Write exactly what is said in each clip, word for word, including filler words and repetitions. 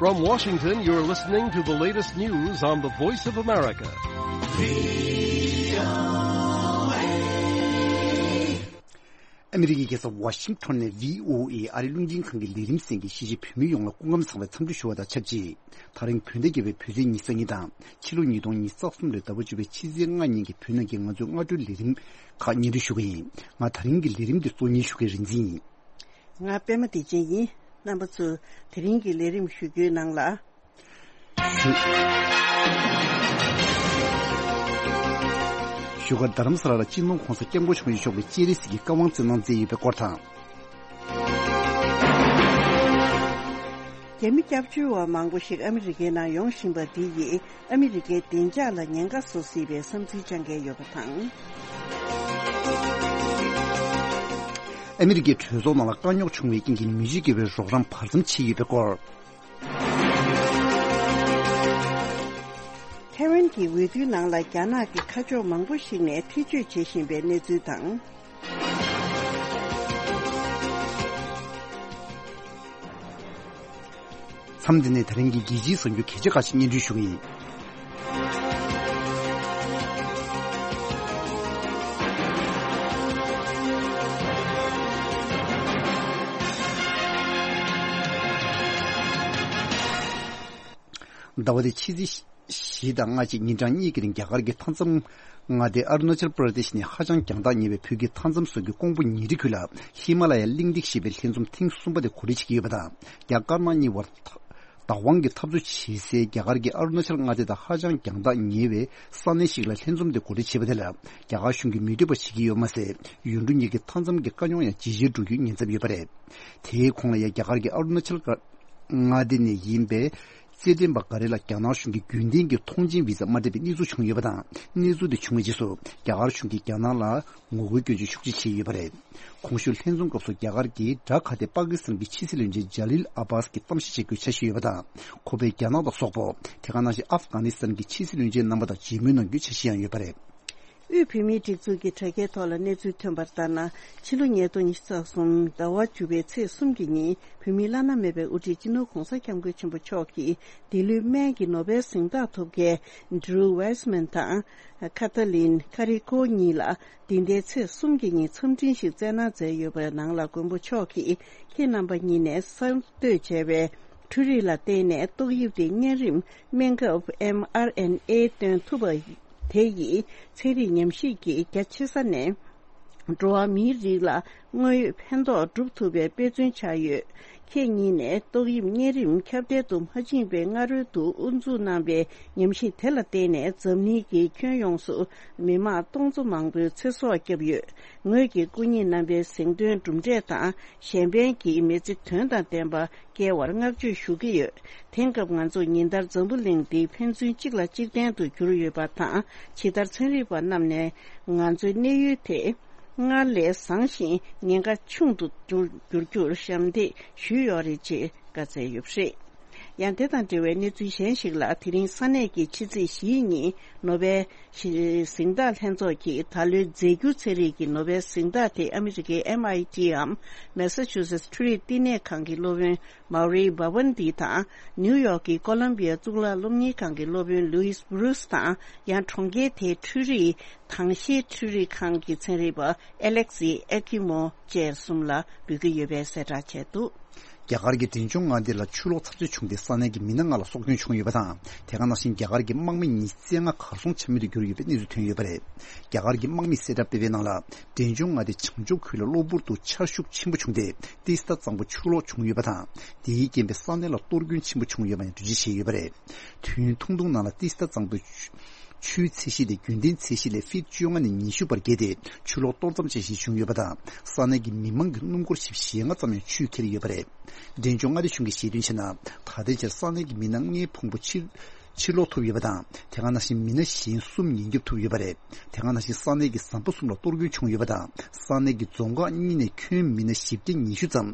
From Washington, you're listening to the latest news on the Voice of America. ཨ་མི་རི་ཀའི་རྒྱལ་ས་ཝ་ཤིང་ཊོན་ནས་བྷི་ཨོ་ཨེ་ཨ་རིའི་རླུང་འཕྲིན་ཁང་གི་ལས་རིམ་གསན་མཁན་གཞིས་བྱེས་བོད་མི་ཡོངས་ལ་སྐུ་ཁམས་བཟང་བའི་འཚམས་འདྲི་ཞུ་བ་དང་ཆབས་ཅིག་ད་རིང་བོད་ཟླ་བརྒྱད་པའི་བོད་ཚེས་ཉི་ཤུ་རྩ་གཉིས་དང་ཕྱི་ལོ་ཉིས་སྟོང་ཉི་ཤུ་རྩ་གསུམ་ལོའི་ཟླ་བ་བཅུ་པའི་ཕྱི་ཚེས་ལྔ་ཉིན་གྱི་བོད་ནང་གི་ང་ཚོའི་སྔ་དྲོའི་ལས་རིམ་ཁག་སྙན་སྒྲོན་ཞུ་གི་ཡིན། ང་ད་རིང་གི་ལས་རིམ་འདི་གཙོ་གཉེར་ཞུ་མཁན་རིག་འཛིན་ཡིན། ང་པད་མ་བདེ་ཆེན་ཡིན། རྣམ་པ་ཚོས་དེ་རིང་གི་ལས་རིམ་ཞུ་རྒྱུའི་ནང་ལ། བཞུགས་སྒར་རྡ་རམ་ས་ལ་ལ་སྤྱི་ནོར་༧གོང་ས་༧སྐྱབས་མགོན་ཆེན་པོ་མཆོག་གིས་སྤྱན་རས་གཟིགས་ཀྱི་བཀའ་དབང་བསྩལ་གནང་མཛད་ཡོད་པའི་སྐོར་དང་། རྒྱ་མི་སྐྱབས་བཅོལ་བ་མང་པོ་ཞིག་ཨ་མི་རི་ཀའི་ནང་ཡོང་བཞིན་པ་འདི་ཡིས་ཨ་མི་རི་ཀའི་བདེ་འཇགས་ལ་ཉེན་ཁ་བཟོ་སྲིད་པའི་བསམ་ཚུལ་བཅངས་མཁན་ཡོད་པ་དང་། ཨ་མི་རི་ཀའི་གྲོས་ཚོགས་ནང་ལ་དཀའ་རྙོག་བྱུང་བའི་རྐྱེན་གྱིས་མི་རྗེ་དགེ་བའི་རོགས་རམ་བར་མཚམས་ཕྱེ་ཡོད་པའི་སྐོར། ཐའེ་ཝན་གྱི་འོས་བསྡུའི་ནང་ལ་རྒྱ་ནག་གི་ཁ་ཕྱོགས་མང་པོ་ཞིག་ནས་ཐེ་བྱུས་བྱེད་བཞིན་པའི་གནས་ཚུལ་དང་། མཚམས་འདི་ནས་ད་རིང་གི་རྒྱལ་སྤྱིའི་གསར་འགྱུར་གལ་ཆེ་ཁག་ཅིག་སྙན་སྒྲོན་ཞུ་གི་ཡིན། ཟླ་བ་འདིའི་ཕྱི་ཚེས་བཞི་དང་ལྔ་གཅིག་ཉིན་གྲངས་གཉིས་ཀྱི་རིང་རྒྱ་གར་གྱི་མཐའ་མཚམས་མངའ་སྡེ་ཨ་རུ་ན་ཅལ་པྲ་དེ་ཤི་ནས་ཧ་ཅང་རྒྱང་ཐག་ཉེ་བའི་བོད་ཀྱི་མཐའ་མཚམས་སོགས་ཀྱི་ཀོང་པོ་ཉེ་འཁྲིས་ཁུལ་ལ་ཧི་མ་ལ་ཡ་གླེང་སྟེགས་ཞེས་པའི་ལྷན་འཛོམས་ཐེངས་གསུམ་པ་དེ་གོ་སྒྲིག་བྱེད་ཀྱི་ཡོད་པ་དང་། རྒྱ་དཀར་ནག་གཉིས་བར་བདག་དབང་གི་འཐབ་རྩོད་བྱེད་སའི་རྒྱ་གར་གྱི་ཨ་རུ་ན་ཅལ་མངའ་སྡེ་དང་ཧ་ཅང་རྒྱང་ཐག་ཉེ་བའི་ས་གནས་ཤིག་ལ་ལྷན་འཛོམས་དེ་གོ་སྒྲིག་བྱས་པ་དེ་ལ་རྒྱ་གར་གཞུང་གིས་མི་འདོད་པ་བྱེད་ཀྱི་ཡོད་མ་ཟད། ཡུལ་གྲུ་གཉིས་ཀྱི་མཐའ་མཚམས་ཀྱི་དཀའ་རྙོག་ཡང་ཇེ་ཆེར་འགྲོ་རྒྱུའི་ཉེན་ཚབས་ཡོད་པ་རེད། དེའི་གོང་ལ་ཡང་རྒྱ་གར་གྱི་ཨ་རུ་ན་ཅལ་མངའ་སྡེ་ནས་ཡིན་པའི་རྩེད་འགྲན་པ་འགའ་རེ་ལ་རྒྱ་ནག་གཞུང་གིས་རྒྱུན་ལྡན་གྱི་ཐོངས་མཆན་བི་ཟ་མ་སྤྲད་པའི་གནས་ཚུལ་བྱུང་ཡོད་པ་དང་། གནས་ཚུལ་དེ་བྱུང་བའི་རྗེས་སུ་རྒྱ་གར་གཞུང་གིས་རྒྱ་ནག་ལ་ངོ་རྒོལ་སྐྱོན་བརྗོད་ཤུགས་ཆེ་བྱས་ཡོད་པ་རེད། གོང་ཞུས་ལྷན་འཛོམས་སྐབས་སུ་རྒྱ་གར་གྱི་ཌ་ཁ་ཏེ་པ་ཀི་སི་ཐན་གྱི་ཕྱི་སྲིད་བློན་ཆེན་ཇ་ལིལ་ཨ་བྷ་སི་གྱིས་གཏམ་བཤད་བྱེད་དགོས་འཆར་གཞི་ཡོད་པ་དང་། ཁོ་པས་རྒྱ་ནག་དང་སོག་པོ། དེ་ག་ནང་བཞིན་ཨབ་གྷ་ནི་སི་ཐན་གྱི་ཕྱི་སྲིད་བློན་ཆེན་རྣམ་པ་དང་མཇལ་མོལ་གནང་རྒྱུའི་འཆར་གཞི་ཡང་ཡོད་པ་རེད། དབུས་བོད་མིའི་སྒྲིག་འཛུགས་ཀྱི་དྲ་རྒྱའི་ཐོག་ལ་གནས་ཚུལ་ཐོན་པ་ལྟར་ན། ཕྱི་ལོ་ཉིས་སྟོང་ཉི་ཤུ་རྩ་གསུམ་ཟླ་བ་བཅུ་པའི་ཚེས་གསུམ་གྱི་ཉིན་བོད་མིའི་བླ་ན་མེད་པའི་དབུ་ཁྲིད་སྤྱི་ནོར་༧གོང་ས་༧སྐྱབས་མགོན་ཆེན་པོ་མཆོག་གིས་འདི་ལོའི་སྨན་གྱི་ནོ་བེལ་གཟེངས་རྟགས་ཐོབ་མཁན་Drew Weissman་དང་Katalin Karikó་གཉིས་ལ་འདི་ཟླའི་ཚེས་གསུམ་གྱི་ཉིན་འཚམས་འཕྲིན་ཞིག་བསྩལ་གནང་མཛད་ཡོད་པའི་ནང་ལ་མགོན་པོ་མཆོག་གིས་ཁྱེད་རྣམ་པ་གཉིས་ནས་གསར་གཏོད་བྱས་པའི་འཕྲུལ་རིག་ལ་བརྟེན་ནས་ཏོག་དབྱིབས་དེ་གཉན་རིམས་སྨན་ཁབ་ཨེམ་ཨར་ཨེན་ཨེ་བཏོན་ཐུབ་པ་དེ་ཡིས་ཚན་རིག་ཉམས་ཞིབ་ཀྱི་རྒྱ་ཆེ་ས་ནས་འགྲོ་བ་མིའི་རིགས་ལ་དངོས་ཡོད་ཕན་ཐོགས་སྒྲུབ་ཐུབ་པའི་དཔེ་མཚོན་ཆགས་ཡོད། ཁྱེད་གཉིས་ནས་ཏོག་དབྱིབས་གཉན་རིམས་ཁྱབ་གདལ་དུ་མ་ཕྱིན་པའི་སྔ་རོལ་དུ་དབུ་འཛུགས་གནང་བའི་ཉམས་ཞིབ་དེ་ལ་བརྟེན་ནས་འཛམ་གླིང་གི་ཁྱོན་ཡོངས་སུ་མི་མང་སྟོང་ཚོ་མང་པོའི་ཚེ་སྲོག་བསྐྱབས་ཡོད། ངོས་ཀྱི་སྐུ་ཉིད་རྣམ་པའི་གཟེངས་ཐོན་གྲུབ་འབྲས་དང་གཞན་ཕན་གྱི་མི་ཚེ་དོན་དང་ལྡན་པ་སྐྱེལ་བར་བསྔགས་བརྗོད་ཞུ་གི་ཡོད། དེང་སྐབས་ང་ཚོ་ཉིན་ལྟར་འཛམ་བུ་གླིང་འདི་ཕན་ཚུན་གཅིག་ལ་གཅིག་བརྟེན་དུ་གྱུར་ཡོད་པ་དང་། ཇི་ལྟར་ཚན་རིག་པ་རྣམས་ནས་ང་ཚོའི་གནས་ཡུལ་དེ་སྔར་ལས་བཟང་ཞིང་ཉེན་ཁ་ཆུང་དུ་འགྱུར་འགྱུར་རྒྱུར་ཞབས་འདེགས་ཞུས་ཡོད་རེད་ཅེས་བཀའ་སྩལ་ཡོད་པ་རེད། ཡང་དེ་དང་འབྲེལ་བའི་གནས་ཚུལ་གཞན་ཞིག་ལ། དེ་རིང་ས་གནས་ཀྱི་ཕྱི་ཚེས་བཞིའི་ཉིན་ནོ་བེལ་གཟེངས་རྟགས་ལྷན་ཚོགས་ཀྱིས་ད་ལོའི་རྫས་འགྱུར་ཚན་རིག་གི་ནོ་བེལ་གཟེངས་རྟགས་དེ་ཨ་མི་རི་ཀའི་ཨེམ་ཨའི་ཊི་འམ་མེ་ས་ཆུ་སེ་ཊི་འཕྲུལ་རིག་བསྟི་གནས་ཁང་གི་སློབ་དཔོན་མའོ་རི་བྷ་ཝན་ཏི་དང་། ནིའུ་ཡོག་གི་ཀོ་ལམ་བི་ཡ་གཙུག་ལག་སློབ་གཉེར་ཁང་གི་སློབ་དཔོན་ལུའིས་བྷུ་རུས་དང་། ཡང་གྲོང་ཁྱེར་དེའི་འཕྲུལ་རིག་དྭངས་ཤེལ་འཕྲུལ་རིག་ཁང་གི་ཚན་རིག་པ་ཨེ་ལེག་སི་ཨེ་ཀི་མོ་བཅས་གསུམ་ལ་འབུལ་གྱི་ཡོད་པའི་གསལ་བསྒྲགས་བྱས་འདུག་རྒྱ་གར་གྱི་འབྲས་ལྗོངས་མངའ་སྡེ་ལ་ཆུ་ལོག་ཚབས་ཆེ་བྱུང་སྟེ་ས་གནས་ཀྱི་མི་སྣ་ལྔ་ལ་སྲོག་སྐྱོན་བྱུང་ཡོད་པ་དང་། དེ་ག་ནང་བཞིན་རྒྱ་གར་གྱི་དམག་མི་ཉི་ཤུ་རྩ་ལྔ་གར་སོང་ཆ་མེད་དུ་གྱུར་ཡོད་པའི་གནས་ཚུལ་ཐོན་ཡོད་པ་རེད། རྒྱ་གར་གྱི་དམག་མིས་གསལ་བསྒྲགས་སྤེལ་བའི་ནང་ལ། འབྲས་ལྗོངས་མངའ་སྡེ་བྱང་ཕྱོགས་ཁུལ་ལ་གློ་བུར་དུ་ཆར་ཤུགས་ཆེན་པོ་བྱུང་སྟེ་ཏི་སི་ཐ་གཙང་པོ་ཆུ་ལོག་བྱུང་ཡོད་པ་དང་། དེའི་རྐྱེན་པས་ས་གནས་ལ་གཏོར་སྐྱོན་ཆེན་པོ་བྱུང་ཡོད་པ་ཡང་འགྲེལ་བརྗོད་བྱས་ཡོད་པ་རེད། དུས་ཡུན་ཐུང་ཐུང་ནང་ལ་ཏི་སི་ཐ་གཙང་པོའི་ཆུ་ཆུའི་ཚད་གཞི་དེ་རྒྱུན་ལྡན་ཚད་གཞི་ལས་ཕིཊ་བཅོ་ལྔ་ནས་ཉི་ཤུ་བར་བརྒལ་ཏེ་ཆུ་ལོག་གཏོར་མཚམས་ཅན་ཞིག་བྱུང་ཡོད་པ་དང་། ས་གནས་ཀྱི་མི་མང་གི་སྣུམ་འཁོར་ཞེ་ལྔ་ཙམ་ཡང་ཆུས་ཁྱེར་ཡོད་པ་རེད། འབྲས་ལྗོངས་མངའ་སྡེ་གཞུང་གིས་བཤད་དོན་བྱས་ན། ད་ལྟའི་ཆར་ས་གནས་ཀྱི་མི་སྣ་ལྔའི་ཕུང་པོ་ཕྱིར་ཕྱིར་སློག་ཐུབ་ཡོད་པ་དང་། དེ་ག་ནང་བཞིན་མི་སྣ་གཞན་གསུམ་ཉེན་སྐྱོབ་ཐུབ་ཡོད་པ་རེད། དེ་ག་ནང་བཞིན་ས་གནས་ཀྱི་ཟམ་པ་གསུམ་ལ་གཏོར་སྐྱོན་བྱུང་ཡོད་པ་དང་། ས་གནས་ཀྱི་རྫོང་ཁག་གཉིས་ནས་ཁྱོན་མི་སྣ་བཞི་བརྒྱ་ཉི་ཤུ་ཙམ་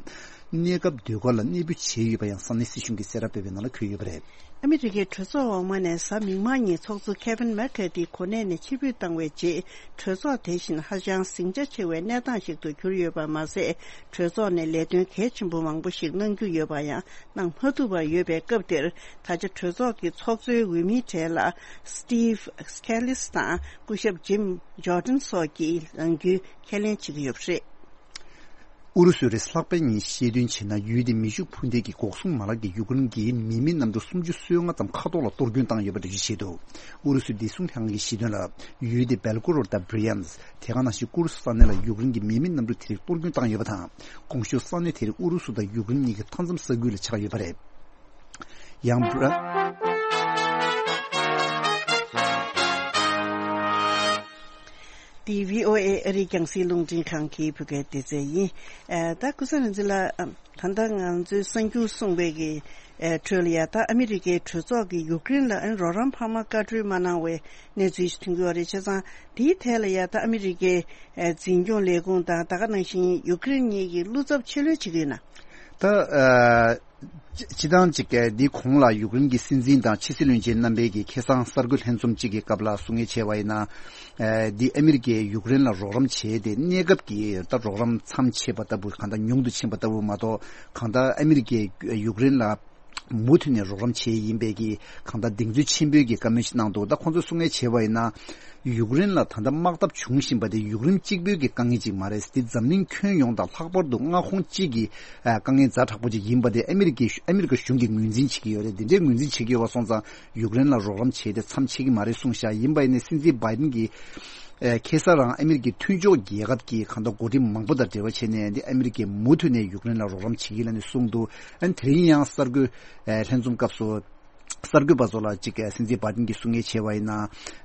གནས་སྐབས་ཟློས་གར་ལ་གནས་སྤོ་བྱས་ཡོད་པ་ཡང་ས་གནས་སྲིད་གཞུང་གིས་གསལ་བསྒྲགས་སྤེལ་བའི་ནང་ལ་འཁོད་ཡོད་པ་རེད། ཨ་མི་རི་ཀའི་གྲོས་ཚོགས་འོག་མ་ནས་གཟའ་མིག་དམར་ཉིན་ཚོགས་གཙོ་ཁེ་ཝིན་མེག་ཁ་ཐི་ཁོ་ནས་ནས་ཕྱིར་འབུད་བཏང་བའི་རྗེས། གྲོས་ཚོགས་དེ་བཞིན་ཧ་ཅང་ཟིང་ཆ་ཆེ་བའི་གནས་སྟངས་ཤིག་ཏུ་གྱུར་ཡོད་པ་མ་ཟད། གྲོས་ཚོགས་ནས་ལས་དོན་གལ་ཆེན་པོ་མང་པོ་ཞིག་གནང་རྒྱུ་ཡོད་པ་ཡང་གནང་མ་ཐུབ་པ་ཡོད་པའི་སྐབས་དེར། ད་ཆ་གྲོས་ཚོགས་ཀྱི་ཚོགས་གཙོའི་འོས་མིའི་གྲས་ལ་Steve Scalise དང་སྐུ་ཞབས་Jim Jordan སོགས་ཀྱིས་ལངས་རྒྱུའི་ཁས་ལེན་བྱེད་ཀྱི་ཡོད་པ་རེད། ཨུ་རུ་སུའི་རེས་ལྷག་པའི་ཉིན་བཤད་དོན་བྱས་ན། ཡུལ་དེའི་མེ་ཤུགས་འཕུར་མདེལ་གྱི་འགོག་སྲུང་མ་ལག་གིས་ཡུཀ་རེན་གྱི་མི་མེད་གནམ་གྲུ་སུམ་ཅུ་སོ་ལྔ་ཙམ་མཁའ་ཐོག་ལ་གཏོར་སྐྱོན་བཏང་ཡོད་པ་འགྲེལ་བརྗོད་བྱས་འདུག་ཨུ་རུ་སུའི་བདེ་སྲུང་ལྷན་ཁང་གིས་བཤད་དོན་ལ། ཡུལ་དེའི་Belgorod དང་Bryansk དེ་ག་ནང་བཞིན་ཀུར་སི་ས་གནས་ལ་ཡུཀ་རེན་གྱི་མི་མེད་གནམ་གྲུ་དེ་རིགས་གཏོར་སྐྱོན་བཏང་ཡོད་པ་དང་། གོང་ཞུས་ས་གནས་དེ་རིགས་ཨུ་རུ་སུ་དང་ཡུཀ་རེན་གཉིས་ཀྱི་མཐའ་མཚམས་ས་ཁུལ་ལ་ཆགས་ཡོད་པ་རེད། ཡང་བྷྲ། འདི་བྷི་ཨོ་ཨེ་ཨ་རིའི་རྒྱང་སྲིང་རླུང་འཕྲིན་ཁང་གི་བོད་སྐད་སྡེ་ཚན་ཡིན། ཨ། ད་ཀུན་བཟང་རིག་འཛིན་ལགས། ཨ། ད་ལྟ་ང་ཚོའི་གསར་འགྱུར་གསུངས་པའི་གི། ཨ། ཁྲོད་ལ་ཡ། ད་ཨ་མི་རི་ཀའི་གྲོས་ཚོགས་ཀྱིས་ཡུཀ་རེན་ལ་ཨ་ནི་རོགས་རམ་འཕར་མ་བཀའ་འཁྲོལ་མ་གནང་བའི་གནས་ཚུལ་ཞིག་ཐོན་གྱི་ཡོད་རེད། བྱས་ཙང་དེའི་ཐད་ལ་ཡ། ད་ཨ་མི་རི་ཀའི། ཨ། འཛིན་སྐྱོང་ལས་ཁུངས་དང་ད་ག་ནང་བཞིན་ཡུཀ་རེན་གཉིས་ཀྱིས་བློ་འཚབ་ཆེ་ལོས་བྱེད་ཀྱི་ཡོད་ན། ད། ཨ། སྤྱི་སྤྱི་བཏང་གཅིག་གི་འདི་གོང་ལ་ཡུཀ་རེན་གྱི་སྲིད་འཛིན་དང་ཕྱི་སྲིད་བློན་ཆེན་རྣམ་པའི་གི་ཁ་སང་གསར་འགོད་ལྷན་འཛོམས་གཅིག་གི་སྐབས་ལ་གསུང་ངེས་བྱས་པ་ཡིན་ན། ཨ། འདི་ཨ་མི་རི་ཀས་ཡུཀ་རེན་ལ་རོགས་རམ་བྱས་ཏེ་གནས་སྐབས་ཀྱི་ད་རོགས་རམ་མཚམས་ཆད་པ་ལྟ་བུ། གང་ལྟར་ཉུང་དུ་ཕྱིན་པ་ལྟ་བུ་མ་གཏོགས། གང་ལྟར་ཨ་མི་རི་ཀས་ཡུཀ་རེན་ལ་མུ་མཐུད་ནས་རོགས་རམ་བྱས་ཡིན་པའི་གི་གང་ལྟར་གདེང་ཚོད་ཆེན་པོའི་གི་བཀའ་མོལ་ཞིག་གནང་འདུག་ད་ཁོང་ཚོས་གསུང་ངེས་བྱས་པ་ཡིན་ན། ཡུཀ་རེན་ལ་ད་ལྟ་དམག་འཐབ་བྱུང་བཞིན་པ་དེ་ཡུཀ་རེན་གཅིག་པུའི་གི་དཀའ་ངལ་ཅིག་མ་རེད། དེ་འཛམ་གླིང་ཁྱོན་ཡོངས་དང་ལྷག་པར་དུ་མངའ་ཁོངས་གཅིག་གི་ཨ་དཀའ་ངལ་ཛ་དྲག་པོ་ཅིག་ཡིན་པ་དེ་ཨ་མི་རི་ཀའི་ཨ་མི་རི་ཀ་གཞུང་གིས་ངོས་འཛིན་བྱེད་ཀྱི་ཡོད་རེད། དེ་འདྲའི་ངོས་འཛིན་བྱེད་ཀྱི་ཡོད་པ་སོང་ཙང་ཡུཀ་རེན་ལ་རོགས་རམ་བྱས་ཏེ་མཚམས་ཆད་ཀྱི་མ་རེད་གསུངས་ཤག་ཡིན་པ་ཡིན་ནའི་སྲིད་འཛིན་བྷའི་ཏིན་གྱིས་ཨ་ཁ་སང་རང་ཨ་མི་རི་ཀའི་མཐུན་ཕྱོགས་རྒྱལ་ཁབ་ཀྱི་གང་ལྟར་འགོ་ཁྲིད་མང་པོ་དང་འབྲེལ་བ་བྱས་ནས། འདི་ཨ་མི་རི་ཀས་མུ་མཐུད་ནས་ཡུཀ་རེན་ལ་རོགས་རམ་བྱེད་ཀྱི་ལབ་ནས་གསུངས་འདུག་ཨ་ནི་དེ་རིང་ཡང་གསར་འགོད་ཨ་ལྷན་འཛོམས་སྐབས་སུ། གསར་འགོད་པ་ཚོ་ལ་གཅིག་སྲིད་འཛིན་བྷའི་ཏིན་གྱིས་གསུང་ངེས་བྱས་པ་ཡིན་ན།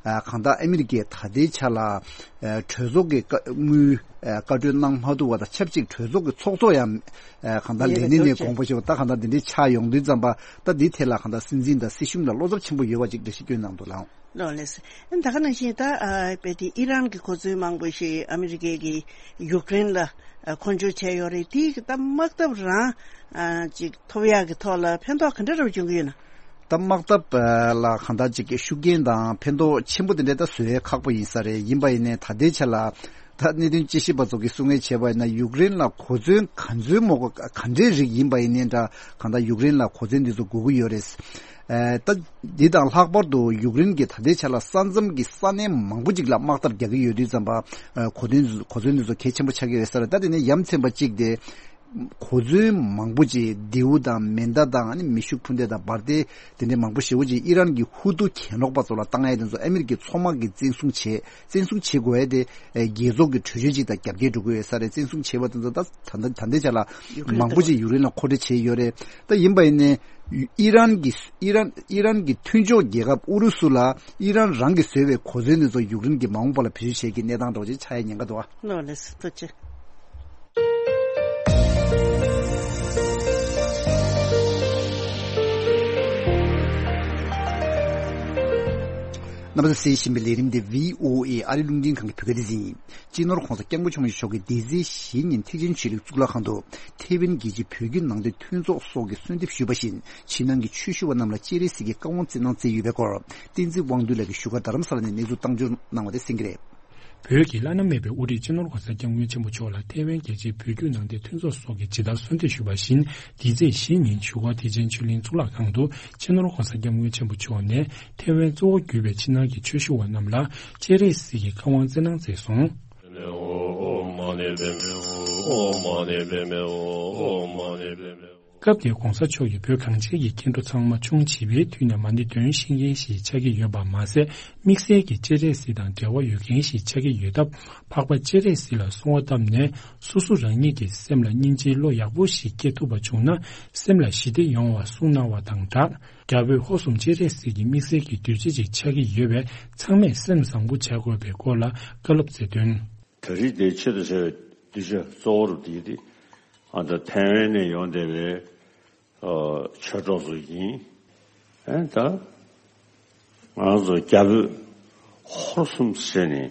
ཨ་གང་ལྟར་ཨ་མི་རི་ཀས་ད་ལྟའི་ཆ་ལ་ཨ་གྲོས་ཚོགས་ཀྱི་བཀའ་དངུལ་ཨ་བཀའ་འཁྲོལ་གནང་མ་ཐུབ་པ་དང་ཆབས་ཅིག་གྲོས་ཚོགས་ཀྱི་ཚོགས་གཙོ་ཡང་ཨ་གང་ལྟར་ལས་གནས་ནས་དགོངས་པ་ཞུ་བ། ད་གང་ལྟར་འདི་འདྲའི་ཆགས་ཡོང་དུས་ཙམ་པ། ད་འདིའི་ཐད་ལ་གང་ལྟར་སྲིད་འཛིན་དང་སྲིད་གཞུང་ལ་བློ་འཚབ་ཆེན་པོ་ཡོད་པ་ཅིག་འགྲེལ་བཤད་བསྐྱོན་གནང་འདུག་ལགས། ལགས་ལགས་སོ། ད་ག་ནང་བཞིན་ད་ཨ་དཔེ་དེ་ཨི་རན་གྱི་གོ་མཚོན་མང་པོ་ཞིག་ཨ་མི་རི་ཀའི་གི་ཡུཀ་རེན་ལ་ཨ་མཁོ་སྤྲོད་བྱས་ཡོད་རེད། དེའི་གི་ད་དམག་འཐབ་རང་ཨ་ཅིག་ཐོབ་ཡག་གི་ཐོག་ལ་ཕན་ཐོགས་ག་འདྲ་རབ་བྱུང་གི་ཡོད་ན། ད་དམག་འཐབ་ལ་གང་ལྟར་ཅིག་གི་ཤུགས་རྐྱེན་དང་ཕན་ཐོགས་ཆེན་པོ་དེ་འདྲ་ད་བཟོ་ཡས་ཁག་པོ་ཡིན་ས་རེད། ཡིན་པ་ཡིན་ནའི་ད་ལྟའི་ཆ་ལ་ད་གནད་དོན་དཔྱད་ཞིབ་པ་ཚོ་གིས་གསུང་ངེས་བྱས་པ་ཡིན་ན། ཡུཀ་རེན་ལ་གོ་མཚོན་ག་ཚོད་མོ་གོ་ག་འདྲའི་རིགས་ཡིན་པ་ཡིན་ནའི་འདྲ། གང་ལྟར་ཡུཀ་རེན་ལ་གོ་མཚོན་འདི་ཚོ་དགོས་ཀྱི་ཡོད་རེད། ཨ་ད་འདི་དང་ལྷག་པར་དུ་ཡུཀ་རེན་གྱིས་ད་ལྟའི་ཆ་ལ་ས་མཚམས་ཀྱི་ས་གནས་མང་པོ་ཅིག་ལ་དམག་འཐབ་རྒྱག་གི་ཡོད་དུས་ཙམ་པ། ཨ་གོ་མཚོན་གོ་མཚོན་འདི་ཚོ་གལ་ཆེན་པོ་ཆགས་ཀྱི་ཡོད་ས་རེད། ད་དེ་ནས་ཡ་མཚན་པ་གཅིག་དེ། གོ་མཚོན་མང་པོ་ཅིག་མདེའུ་དང་མེ་མདའ་དང་། ཨ་ནི་མེ་ཤུགས་འཕུར་མདེལ་དང་འབར་མདེལ་དེ་འདྲའི་མང་པོ་ཞེ་པོ་ཅིག་ཨི་རན་གྱི་ཧུ་ཏུ་གྱེན་ལོག་པ་ཚོ་ལ་བཏང་ཡས་དེ་ཚོ་ཨ་མི་རི་ཀའི་མཚོ་དམག་གིས་བཙན་བཟུང་བྱས། བཙན་བཟུང་བྱེད་དགོས་ཡས་དེ་རྒྱལ་ཚོགས་ཀྱི་གྲོས་ཆོད་ཅིག་དང་རྒྱབ་འགལ་འགྲོ་གི་ཡོད་ས་རེད། བཙན་བཟུང་བྱས་པ་དེ་ཚོ་ད་ད་ད་ལྟའི་ཆ་ལ་ཡུཀ་རེན་མང་པོ་ཅིག་ཡུཀ་རེན་ལ་མཁོ་སྤྲོད་བྱས་ཡོད་རེད། ད་ཡིན་པ་ཡིན་ནའི་ཨི་རན་གྱི་ཨི་རན་ཨི་རན་གྱི་མཐུན་ཕྱོགས་རྒྱལ་ཁབ་ཨུ་རུ་སུ་ལ་ཨི་རན་རང་གིས་བཟོས་པའི་གོ་མཚོན་དེ་ཚོ་ཡུཀ་རེན་གྱིས་མ་འོངས་པ་ལ་བེད་སྤྱོད་བྱེད་ཀྱི་གནས་སྟངས་འདྲ་བོ་ཅིག་ཆགས་ཡས་ཉེན་ཁ་འདུག་ཨ། ལགས་ལགས་སོ། ཐུགས་རྗེ་ཆེ། རྣམ་པ་ཚོས་གསན་བཞིན་པའི་ལས་རིམ་དེ་བྷི་ཨོ་ཨེ་ཨ་རི་རླུང་འཕྲིན་ཁང་གི་བོད་སྐད་སྡེ་ཚན་ཡིན། སྤྱི་ནོར་༧གོང་ས་༧སྐྱབས་མགོན་ཆེན་པོ་མཆོག་གིས་འདི་ཚེས་བཞི་ཉིན་ཐེག་ཆེན་ཆོས་གླིང་གཙུག་ལག་ཁང་དུ་ཐའེ་ཝན་རྒྱལ་སྤྱིའི་བོད་བརྒྱུད་ནང་བསྟན་མཐུན་ཚོགས་སོགས་ཀྱིས་གསོལ་འདེབས་ཞུས་པ་བཞིན། ཕྱི་ནང་གི་ཆོས་ཞུ་བ་རྣམས་ལ་སྤྱན་རས་གཟིགས་ཀྱི་བཀའ་དབང་བསྩལ་གནང་མཛད་ཡོད་པའི་སྐོར། བསྟན་འཛིན་དབང་འདུས་ལགས་ཀྱིས་བཞུགས་སྒར་རྡ་རམ་ས་ལ་ནས་གནས་ཚུལ་བཏང་འབྱོར་གནང་བ་དེ་གསན་གྱི་རེད། བོད་ཀྱི་བླ་ན་མེད་པའི་དབུ་ཁྲིད་སྤྱི་ནོར་༧གོང་ས་༧སྐྱབས་མགོན་ཆེན་པོ་མཆོག་ལ་ཐའེ་ཝན་རྒྱལ་སྤྱིའི་བོད་བརྒྱུད་ནང་བསྟན་མཐུན་ཚོགས་སོགས་ཀྱིས་ཇི་ལྟར་གསོལ་འདེབས་ཞུས་པ་བཞིན། འདི་ཚེས་བཞི་ཉིན་བཞུགས་སྒར་ཐེག་ཆེན་ཆོས་གླིང་གཙུག་ལག་ཁང་དུ་སྤྱི་ནོར་༧གོང་ས་༧སྐྱབས་མགོན་ཆེན་པོ་མཆོག་ནས་ཐའེ་ཝན་གཙོ་བོ་གྱུར་པའི་ཕྱི་ནང་གི་ཆོས་ཞུ་བ་རྣམས་ལ་སྤྱན་རས་གཟིགས་ཀྱི་བཀའ་དབང་བསྩལ་གནང་མཛད་སོང་། སྐབས་དེར་༧གོང་ས་མཆོག་གིས་བོད་གངས་ཅན་གྱི་སྐྱེ་འགྲོ་ཚང་མ་ཆུང་བྱིས་པའི་དུས་ནས་མ་ཎི་འདོན་ཤེས་མཁན་ཞིག་ཆགས་ཀྱི་ཡོད་པ་མ་ཟད། དམིགས་བསལ་གྱི་སྤྱན་རས་གཟིགས་དང་འབྲེལ་བ་ཡོད་མཁན་ཞིག་ཆགས་ཀྱི་ཡོད་སྟབས། འཕགས་པ་སྤྱན་རས་གཟིགས་ལ་གསོལ་བ་བཏབ་ནས། སོ་སོ་རང་ཉིད་ཀྱི་སེམས་ལ་སྙིང་རྗེའི་བློ་ཡག་པོ་ཞིག་སྐྱེ་ཐུབ་པ་བྱུང་ན། སེམས་ལ་ཞི་བདེ་ཡོང་བ་གསུངས་གནང་བ་དང་སྦྲགས། རྒྱ་བོད་ཧོར་གསུམ་སྤྱན་རས་གཟིགས་ཀྱི་དམིགས་བསལ་གྱི་གདུལ་བྱ་ཅིག་ཆགས་ཀྱི་ཡོད་པས། ཚང་མས་སེམས་བཟང་པོ་བྱ་དགོས་པའི་སྐོར་ལ་བཀའ་སློབ་སྩལ་དོན། ད་རེས་དེ་ཆེད་དུ་བྱ་བའི་གདུལ་བྱ་གཙོ་བོར་དེ་དེ་ཨ་ད་ཐའེ་ཝན་ནས་ཡོང་བསྡད་པའི་ཨ་ཆོས་གྲོགས་ཚོ་ཡིན། ཨ་ད་ང་ཚོ་རྒྱ་བོད་ཧོར་གསུམ་ཟེར་ནས་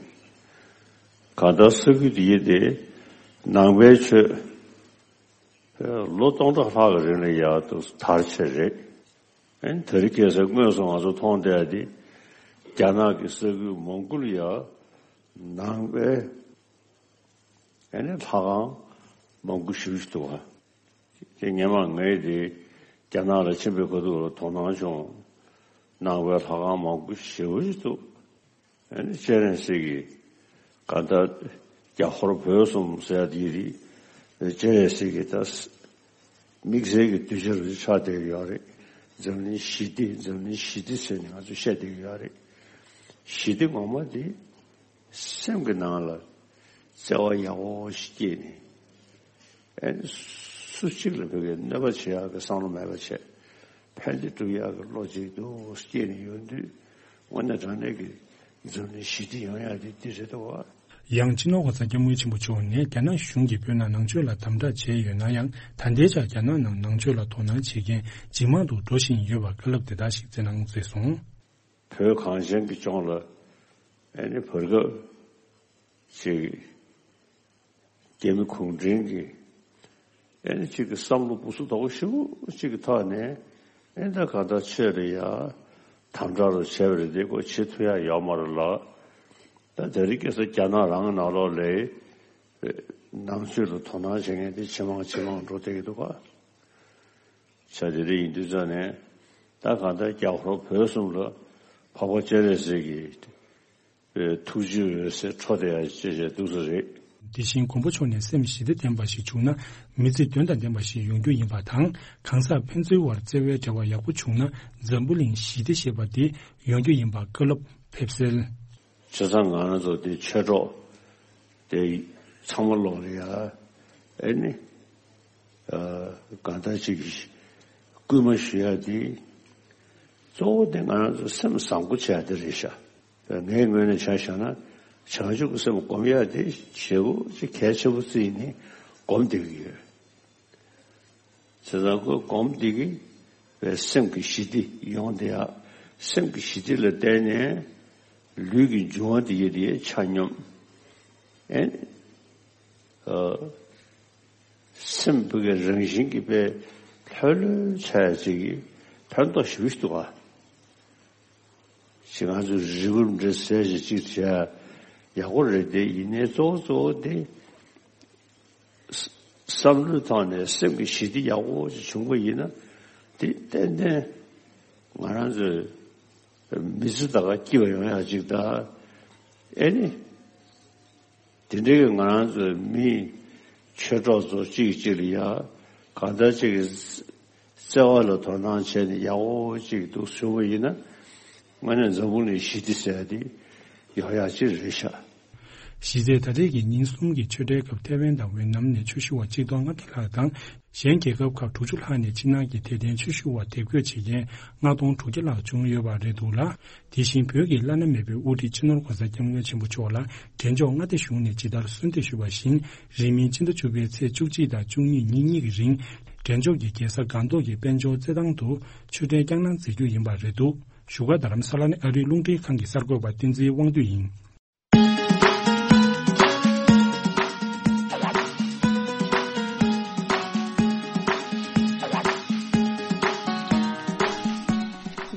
གང་ལྟར་ས་ཁུལ་དེ་དེ་ནང་པའི་ཆོས། ལོ་སྟོང་ཕྲག་ལྷག་གི་རིང་ལ་ཡ་དུ་དར་ཆེ་རེད། ཨན་དེ་རིང་ཁ་སང་དངོས་སུ་ང་ཚོ་མཐོང་བསྡད་དེ་རྒྱ་ནག་གི་ས་ཁུལ་མང་པོ་ལ་ཡ་ནང་པའི་ཨ་ནི་ལྷ་ཁང་མང་པོ་ཞེ་པོ་ཞིག་འདུག་ག་དེ་སྔོན་མ་ངས་དེ་རྒྱ་ནག་ལ་ཕྱིན་པའི་ཁ་ཐུག་ལ་དོ་སྣང་བྱུང་། ནང་པའི་ལྷ་ཁང་མང་པོ་ཞེ་པོ་ཞིག་འདུག་ཨ་ནི་སྤྱན་རས་གཟིགས་ཀྱི་ག་ད་རྒྱ་ཧོར་བོད་གསུམ་ཟེར་ཡ་དེ་རེད། སྤྱན་རས་གཟིགས་ཀྱི་ད་དམིགས་བསལ་གྱི་གདུལ་བྱ་རུ་ཆགས་བསྡད་ཀྱི་ཡོད་རེད། འཛམ་གླིང་ཞི་བདེ་འཛམ་གླིང་ཞི་བདེ་ཟེར་ནས་ང་ཚོ་བཤད་བསྡད་ཀྱི་ཡོད་རེད། ཞི་བདེ་ངོ་མ་དེ་སེམས་ཀྱི་ནང་ལ་བརྩེ་བ་ཡག་པོ་ཞིག་སྐྱེས་ནས། ཨེ་སུ་གཅིག་ལ་བོད་ཀྱི་གནོད་པ་བྱེད་ཡག་གི་བསམ་བློ་མེད་པ་བྱས། ཕན་བདེ་སྒྲུབ་ཡག་གི་བློ་གཅིག་ཏུ་སྐྱེས་ནས་ཡོང་དུས་དངོས་གནས་དྲང་གནས་ཀྱི་འཛམ་གླིང་ཞི་བདེ་ཡོང་ཡག་དེ་འདི་རེད་འདུག་བ། ཡང་སྤྱི་ནོར་གོང་ས་སྐྱབས་མགོན་ཆེན་པོ་མཆོག་ནས་རྒྱ་ནག་གཞུང་གིས་བོད་ནང་ནང་ཆོས་ལ་དམ་དྲག་བྱས་ཡོད་ན་ཡང་། ད་ལྟའི་ཆར་རྒྱ་ནག་ནང་ནང་ཆོས་ལ་དོ་སྣང་བྱེད་མཁན་ཇེ་མང་དུ་འགྲོ་བཞིན་ཡོད་པར་བཀའ་སློབ་དེ་དག་ཞིག་སྩལ་གནང་མཛད་སོང་། བོད་གངས་ཅན་གྱི་ལྗོངས་ལ་ཨེ་ནི་བར་སྐབས་ཅིག་རྒྱ་མི་གུང་ཁྲན་གྱི་ཨེ་ནི་ཅིག་གི་བསམ་བློ་སྦུ་སུ་དོག་ཞིབ་ཅིག་གི་ཐོག་ནས་ཨེ་ད་ག་ད་ཆོས་ལ་ཡ་དམ་དྲག་རུ་བྱས་པ་རེད་དེ་ཁོ་བྱེད་ཐུབ་ཡ་ཡོད་མ་རེད་ལ། ད་དེ་རིང་ཁ་སང་རྒྱ་ནག་རང་གི་ནང་ལོགས་ལ་ནང་ཆོས་ལ་དོ་སྣང་བྱེད་མཁན་དེ་ཇེ་མང་ཇེ་མང་འགྲོ་བསྡད་ཀྱི་འདུག་ག་བྱས་དེ་འདྲ་ཡིན་དུས་ཙང་ནས་ད་གང་ལྟར་རྒྱ་ཧོར་བོད་གསུམ་ལ་འཕགས་པ་སྤྱན་རས་གཟིགས་ཀྱི་ཐུགས་རྗེའི་འོད་ཟེར་འཕྲོ་བསྡད་ཡ་ཅེས་བྱས་འདུག་ས་རེད། དེ་བཞིན་མགོན་པོ་མཆོག་ནས་སེམས་ཞི་བདེ་ལྡན་པ་ཞིག་བྱུང་ན་མི་ཚེ་དོན་དང་ལྡན་པ་ཞིག་ཡོང་རྒྱུ་ཡིན་པ་དང་གང་ཟག་ཕན་ཚུན་བར་བརྩེ་བའི་འབྲེལ་བ་ཡག་པོ་བྱུང་ན་འཛམ་བུ་གླིང་ཞི་བདེ་ཞེས་པ་དེ་ཡོང་རྒྱུ་ཡིན་པ་བཀའ་སློབ་ཕེབས་གསལ། བྱས་ཙང་ང་རང་ཚོ་དེ་ཆོས་གྲོགས་དེ་ཚང་མ་ལོག་ལ་ཡ་ཨེ་ནི། གང་ལྟར་ཅིག་སྐུལ་མ་ཞུ་ཡ་དེ་གཙོ་བོ་དེ་ང་རང་ཚོ་སེམས་བཟང་པོ་བྱས་དེ་རེད་ཤག་ངའི་ངོས་ནས་ཆ་བཞག་ན་བྱང་ཆུབ་ཀྱི་སེམས་སྒོམ་ཡ་དེ་ཞེ་པོ་ཅིག་གལ་ཆེན་པོ་བརྩིས་ནས་སྒོམ་བསྡད་ཀྱི་ཡོད། བྱས་ཙང་ཁོ་སྒོམ་བསྡད་ཀྱི་བའི་སེམས་ཀྱི་ཞི་བདེ་ཡོང་བསྡད་ཡ་སེམས་ཀྱི་ཞི་བདེ་ལ་བརྟེན་ནས་ལུས་ཀྱི་འབྱུང་བ་དེ་ཡོད་དེ་ཆ་སྙོམས་ཨེ། སེམས་ཕུགས་ཀྱི་རང་བཞིན་གྱིས་དཔེ་ལྷོད་ལྷོད་ཆགས་ཡ་ཅིག་གིས་ཕན་ཐོགས་ཞེ་པོ་ཞིག་འདུག་ག་ཅིག་ང་ཚོས་རི་བོ་འདྲ་ཟས་ཞིག་ཅིག་བྱས་ཡག་པོ་རེད་དེ་ཡིན་ནའི་གཙོ་བོ་གཙོ་བོ་དེ་བསམ་བློའི་ཐོག་ནས་སེམས་ཀྱི་ཞི་བདེ་ཡག་པོ་ཅིག་བྱུང་པ་ཡིན་ན་དེ་ཏན་ཏན་ང་རང་ཚོའི་མི་ཚེ་ད་ག་སྐྱིད་པ་ཡོང་ཡག་ཅིག་དང་ཨེ་ནི། དེ་འདྲའི་ང་རང་ཚོའི་མི་ཆོས་གྲོགས་ཚོ་གཅིག་གིས་གཅིག་ལ་ཡ་གང་ལྟར་གཅིག་གིས་བརྩེ་བ་ལ་དོ་སྣང་བྱས་ནས་ཡག་པོ་གཅིག་འདུག་ཟེར་བ་ཡིན་ན་དངོས་གནས་འཛམ་བུ་གླིང་ཞི་བདེ་ཟེར་ཡ་དེ་ཡོང་ཡག་ཅིག་རེད་ཤག་གཞི་རྩའི་ད་རེས་ཀྱི་ཉིན་གསུམ་གྱི་ཆོས་འབྲེལ་སྐབས་ཐའེ་ཝན་དང་ཝེ་ནམ་ནས་ཆོས་ཞུ་བ་གཅིག་སྟོང་ལྔ་བརྒྱ་ལྷག་དང་། གཞན་རྒྱལ་ཁབ་ཁག་དྲུག་ཅུ་ལྷག་ནས་ཕྱི་ནང་གི་དད་ལྡན་ཆོས་ཞུ་བ་དེབ་འགོད་བྱེད་མཁན་ལྔ་སྟོང་དྲུག་བརྒྱ་ལྷག་བྱུང་ཡོད་པ་རེད་འདུག་ལ། དེ་བཞིན་བོད་ཀྱི་བླ་ན་མེད་པའི་དབུ་ཁྲིད་སྤྱི་ནོར་གོང་ས་སྐྱབས་མགོན་ཆེན་པོ་མཆོག་ལ་རྒྱལ་མཆོག་མངའ་སྡེ་གཞུང་ནས་ཇི་ལྟར་གསོལ་འདེབས་ཞུས་པ་བཞིན་རིང་མིན་ཕྱི་ཟླ་བཅུ་པའི་ཚེས་བཅུ་གཅིག་དང་བཅུ་གཉིས་ཉིན་གཉིས་ཀྱི་རིང་རྒྱལ་མཆོག་གི་རྒྱལ་ས་སྒང་ཏོག་གི་དཔལ་འབྱོར་རྩེད་ཐང་དུ་ཆོས་འབྲེལ་བསྐྱངས་གནང་མཛད་རྒྱུ་ཡིན་པ་རེད་འདུག་བཞུགས་སྒར་རྡ་རམ་ས་ལ་ནས་ཨ་རིའི་རླུང་འཕྲིན་ཁང་གི་གསར་འགོད་པ་བསྟན་འཛིན་དབང་འདུས་ཡིན།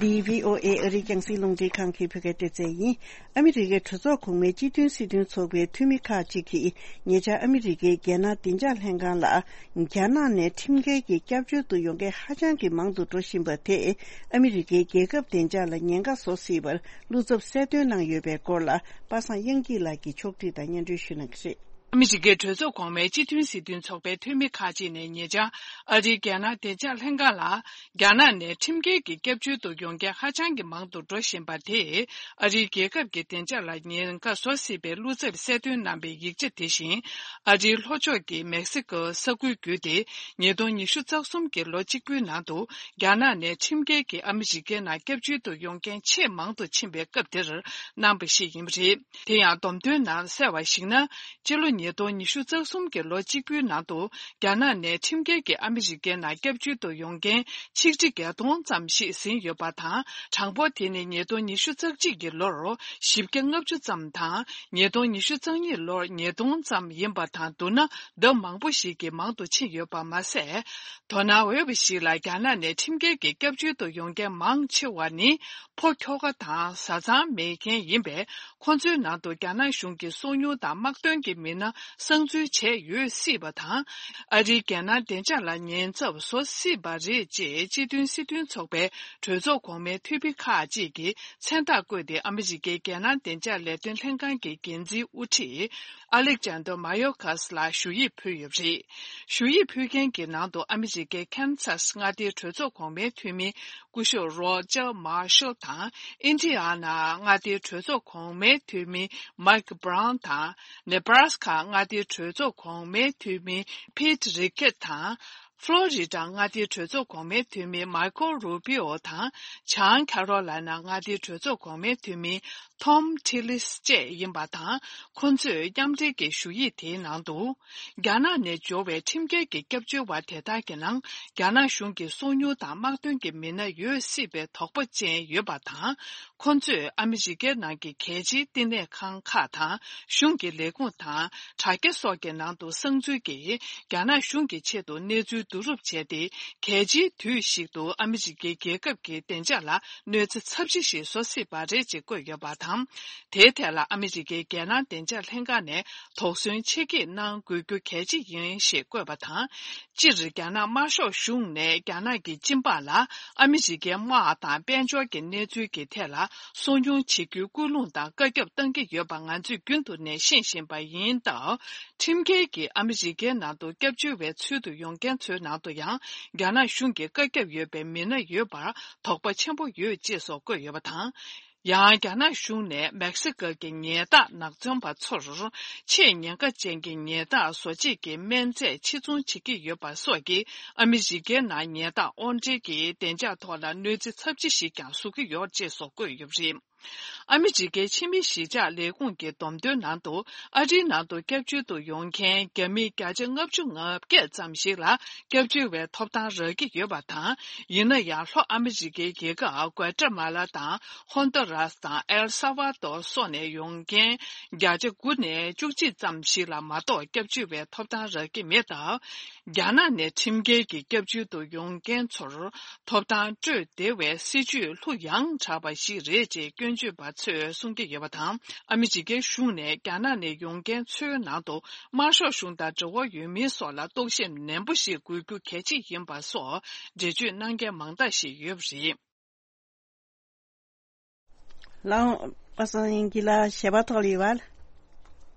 འདི་བྷི་ཨོ་ཨེ་ཨ་རིའི་རྒྱང་སྲིང་རླུང་འཕྲིན་ཁང་གི་བོད་སྐད་སྡེ་ཚན་ཡིན། ཨ་མི་རི་ཀའི་གྲོས་ཚོགས་གོང་མའི་སྤྱི་མཐུན་སྲིད་དོན་ཚོགས་པའི་འཐུས་མི་ཁག་ཅིག་གིས་ཉེ་ཆར་ཨ་མི་རི་ཀའི་རྒྱལ་ནང་བདེ་འཇགས་ལྷན་ཁང་ལ། རྒྱ་ནག་ནས་ཁྲིམས་འགལ་གྱི་སྐྱབས་བཅོལ་དུ་ཡོང་མཁན་ཧ་ཅང་གི་མང་དུ་འགྲོ་བཞིན་པ་དེས་ཨ་མི་རི་ཀའི་རྒྱལ་ཁབ་བདེ་འཇགས་ལ་ཉེན་ཁ་བཟོ་སྲིད་པར་བློ་འཚབ་གསལ་སྟོན་གནང་ཡོད་པའི་སྐོར་ལ་པ་སངས་དབྱངས་སྐྱིད་ལགས་ཀྱིས་ཕྱོགས་སྒྲིག་དང་སྙན་སྒྲོན་ཞུ་གནང་གི་རེད། ཨ་མི་རི་ཀའི་གྲོས་ཚོགས་གོང་མའི་སྤྱི་མཐུན་སྲིད་དོན་ཚོགས་པའི་འཐུས་མི་ཁག་ཅིག་ནས་ཉེ་ཆར་ཨ་རིའི་རྒྱལ་ནང་བདེ་འཇགས་ལྷན་ཁང་ལ། རྒྱ་ནག་ནས་ཁྲིམས་འགལ་གྱི་སྐྱབས་བཅོལ་དུ་ཡོང་མཁན་ཧ་ཅང་གི་མང་དུ་འགྲོ་བཞིན་པ་དེས་ཨ་རིའི་རྒྱལ་ཁབ་ཀྱི་བདེ་འཇགས་ལ་ཉེན་ཁ་བཟོ་སྲིད་པའི་བློ་འཚབ་གསལ་སྟོན་གནང་པའི་ཡིག་ཆ་དེ་བཞིན་ཨ་རིའི་ལྷོ་ཕྱོགས་ཀྱི་མེག་སི་ཀོ་ས་ཁུལ་བརྒྱུད་དེ་ཉིས་སྟོང་ཉི་ཤུ་རྩ་གསུམ་གྱི་ལོ་གཅིག་པུའི་ནང་དུ་རྒྱ་ནག་ནས་ཁྲིམས་འགལ་གྱིས་ཨ་མི་རི་ཀའི་ནང་སྐྱབས་བཅོལ་དུ་ཡོང་མཁན་ཆེས་མང་དུ་ཕྱིན་པའི་སྐབས་དེར་གནང་པ་ཞིག་ཡིན་པ་རེད། དེ་ཡང་བསྡོམས་ཐོན་ནང་གསལ་བར་གཞིགས་ན་སྤྱི་ལོ་ ཉིས་སྟོང་ཉི་ཤུ་རྩ་གསུམ་གྱི་ལོ་གཅིག་པུའི་ནང་དུ་རྒྱ་ནག་ནས་ཁྲིམས་འགལ་གྱིས་ཨ་མི་རི་ཀའི་ནང་སྐྱབས་བཅོལ་དུ་ཡོང་མཁན་ཆིག་ཁྲི་བརྒྱད་སྟོང་ཙམ་ཞིག་ཟིན་ཡོད་པ་དང་། གྲངས་འབོར་དེ་ནི་ཉིས་སྟོང་ཉི་ཤུ་རྩ་གཅིག་གི་ལོར་བཞི་བརྒྱ་ལྔ་བཅུ་ཙམ་དང་། ཉིས་སྟོང་ཉི་ཤུ་རྩ་གཉིས་ལོར་ཉིས་སྟོང་ཙམ་ཡིན་པ་དང་བསྡུར་ན། ལྡབ་མང་པོ་ཞིག་གིས་མང་དུ་ཕྱིན་ཡོད་པ་མ་ཟད། དོ་སྣང་འོས་པ་ཞིག་ལ། རྒྱ་ནག་ནས་ཁྲིམས་འགལ་གྱིས་སྐྱབས་བཅོལ་དུ་ཡོང་མཁན་མང་ཆེ་བ་ནི་ཕོ་ཁྱོ་ག་དང་བཟའ་ཚང་མེད་མཁན་ཡིན་པས། ཁོང་ཚོའི་ནང་དུ་རྒྱ་ནག་གཞུང་གི་སོ་ཉུལ་དང་དམག་དོན་གྱི་མི་སྣ་གསང་འཛུལ་བྱས་ཡོད་སྲིད་པ་དང་། ཨ་རིའི་རྒྱལ་ནང་བདེ་འཇགས་ལ་ཉེན་ཚབས་བཟོ་སྲིད་པ་རེད་ཅེས་སྤྱི་མཐུན་སྲིད་དོན་ཚོགས་པའི་གྲོས་ཚོགས་གོང་མའི་འཐུས་མི་ཁག་ཅིག་གིས་མཚན་རྟགས་བཀོད་དེ། ཨ་མི་རི་ཀའི་རྒྱལ་ནང་བདེ་འཇགས་ལས་དོན་ལྷན་ཁང་གི་འགན་འཛིན་དབུ་ཁྲིད་ཨ་ལེག་ཇན་དར་མཱ་ཡོ་ཁཱས་ལ་ཞུ་ཡིག་ཕུལ་ཡོད་པ་རེད། ཞུ་ཡིག་ཕུལ་མཁན་གྱི་ནང་དུ་ཨ་མི་རི་ཀའི་ཁེན་སཱས་མངའ་སྡེའི་གྲོས་ཚོགས་གོང་མའི་འཐུས་མི་སྐུ་ཞབས་རོ་ཇར་མཱ་ཤལ་དང་། ཨིན་ཌི་ཡ་ན་མངའ་སྡེའི་གྲོས་ཚོགས་གོང་མའི་འཐུས་མི་མཱིག་བྷ་རའུན་དང་། ནེ་བྷ་ར་སི་ཁ་མངའ་སྡེའི་གྲོས་ཚོགས་གོང་མའི་འཐུས་མི་ཕིད་རི་ཀེད་དང་། ཕློ་རི་ཌ་མངའ་སྡེའི་གྲོས་ཚོགས་གོང་མའི་འཐུས་མི་མཱི་ཁོ་རུ་པི་ཨོ་དང་། བྱང་ཁ་རོ་ལའི་ན་མངའ་སྡེའི་གྲོས་ཚོགས་གོང་མའི་འཐུས་མི་ཐོམ་ཐི་ལིས་བཅས་ཡིན་པ་དང་། ཁོ་ཚོས་མཉམ་འབྲེལ་གྱི་ཞུ་ཡིག་དེའི་ནང་དུ། རྒྱ་ནག་ནས་འབྱོར་བའི་ཁྲིམས་འགལ་གྱི་སྐྱབས་བཅོལ་བ་དེ་དག་གི་ནང་རྒྱ་ནག་གཞུང་གི་སོ་ཉུལ་དང་དམག་དོན་གྱི་མི་སྣ་ཡོད་སྲིད་པའི་དོགས་པ་ཅན་ཡོད་པ་དང་། ཁོ་ཚོས་ཨ་མི་རི་ཀའི་ནང་གི་གལ་ཆེའི་བསྟི་གནས་ཁང་ཁག་དང་། གཞུང་གི་ལས་ཁུངས་དང་དྲ་རྒྱ་སོགས་ཀྱི་ནང་དུ་གསང་འཛུལ་གྱིས་རྒྱ་ནག་གཞུང་གི་ཆེད་དུ་གནས་ཚུལ་བསྡུ་རུབ་བྱས་ཏེ། གལ་ཆེའི་དུས་ཤིག་ཏུ་ཨ་མི་རི་ཀའི་རྒྱལ་ཁབ་ཀྱི་བདེ་འཇགས་ལ་གནོད་འཚེ་ཚབས་ཆེ་ཞིག་བཟོ་སྲིད་པ་རེད་ཅེས་བཀོད་ཡོད་པ་དང་། དེའི་ཐད་ལ་ཨ་མི་རི་ཀའི་རྒྱལ་ནང་བདེ་འཇགས་ལྷན་ཁང་ནས་དོགས་ཟོན་ཆེ་བསྐྱེད་གནང་དགོས་རྒྱུ་གལ་ཆེ་ཡིན་ཞེས་བཀོད་པ་དང་། སྤྱིར་རྒྱ་ནག་དམར་ཤོག་གཞུང་ནས་རྒྱ་ནག་གི་སྤྱི་འབངས་ལ་ཨ་མི་རི་ཀའི་དམག་དང་དཔལ་འབྱོར་གྱི་གནས་ཚུལ་གྱི་ཐད་ལ་སོ་ཉུལ་བྱེད་རྒྱུའི་སྐུལ་སློང་དང་བཀའ་ཁྱབ་གཏང་གི་ཡོད་པ་ང་ཚོས་རྒྱུན་དུ་ནས་ཤེས་བཞིན་པ་ཡིན་སྟབས། ཁྲིམས་འགལ་གྱིས་ཨ་མི་རི་ཀའི་ནང་དུ་སྐྱབས་བཅོལ་བའི་ཚུལ་དུ་ཡོང་མཁན་ཚོའི་ནང་དུ་ཡང་རྒྱ་ནག་གཞུང་གི་བཀའ་ཁྱབ་ཡོད་པའི་མི་སྣ་ཡོད་པར་དོགས་པ་ཆེན་པོ་ཡོད་ཅེས་སོགས་བཀོད་ཡོད་པ་དང་། ཡང་རྒྱ་ནག་གཞུང་ནས་མེག་སི་ཀོ་གི་ཉལ་ཐ་ནག་ཚོང་པ་ཚོར་ཆེས་ཉེན་ཁ་ཅན་གྱི་ཉལ་ཐ་བཟོ་བྱེད་ཀྱི་སྨན་རྫས་ཕྱིར་ཚོང་བྱེད་ཀྱི་ཡོད་པ་སོགས་ཀྱིས་ཨ་མི་རི་ཀའི་ནང་ཉལ་ཐ་དབོར་འདྲེན་གྱིས་བདེ་འཇགས་ཐོག་ལ་གནོད་འཚེ་ཚབས་ཆེ་ཞིག་ཀྱང་བཟོ་གི་ཡོད་ཅེས་སོགས་བཀོད་ཡོད་པ་རེད། ཨ་མི་རི་ཀའི་ཕྱི་མི་གཞིས་ཆགས་ལས་ཁུངས་ཀྱི་བསྡོམས་ཐོན་ནང་དུ། ཨ་རིའི་ནང་དུ་སྐྱབས་བཅོལ་དུ་ཡོང་མཁན་རྒྱ་མི་བརྒྱ་ཆ་ལྔ་བཅུ་ང་བརྒྱད་ཙམ་ཞིག་ལ་སྐྱབས་བཅོལ་བའི་ཐོབ་ཐང་རག་གི་ཡོད་པ་དང་། ཡིན་ན་ཡང་ལྷོ་ཨ་མི་རི་ཀའི་རྒྱལ་ཁབ་ཀུ་ཨ་ཏ་མ་ལ་དང་ཧོན་ཏུ་རཱས་དང་ཨེལ་ས་ཝ་དོར་སོགས་ནས་ཡོང་མཁན་བརྒྱ་ཆ་དགུ་ནས་བཅུ་གཅིག་ཙམ་ཞིག་ལ་མ་གཏོགས་སྐྱབས་བཅོལ་བའི་ཐོབ་ཐང་རག་གི་མེད་སྟབས། རྒྱ་ནག་ནས་ཁྲིམས་འགལ་གྱིས་སྐྱབས་བཅོལ་དུ་ཡོང་མཁན་ཚོར་ཐོབ་ཐང་སྤྲོད་བདེ་བའི་སྲིད་ཇུས་ལྷུ་ཡངས་དྲགས་པ་ཞིག་རེད་ཅེས་སྐྱོན་བརྗོད་པ་ཚོས་གསུང་གི་ཡོད་པ་དང་། ཨ་མི་རི་ཀའི་གཞུང་ནས་རྒྱ་ནག་ནས་ཡོང་མཁན་ཚོའི་ནང་དུ་དམར་ཤོག་གཞུང་དང་འབྲེལ་བ་ཡོད་མིན་སོགས་ལ་རྟོག་ཞིབ་ནན་པོ་ཞིག་དགོས་རྒྱུ་གལ་ཆེ་ཡིན་པ་སོགས་འགྲེལ་བརྗོད་གནང་མཁན་མང་དག་ཞིག་ཡོད་པ་རེད། ལའོ། པ་སངས་དབྱངས་སྐྱིད་ལགས་ཞལ་པར་ཐོག་ལ་ཡོད་པ།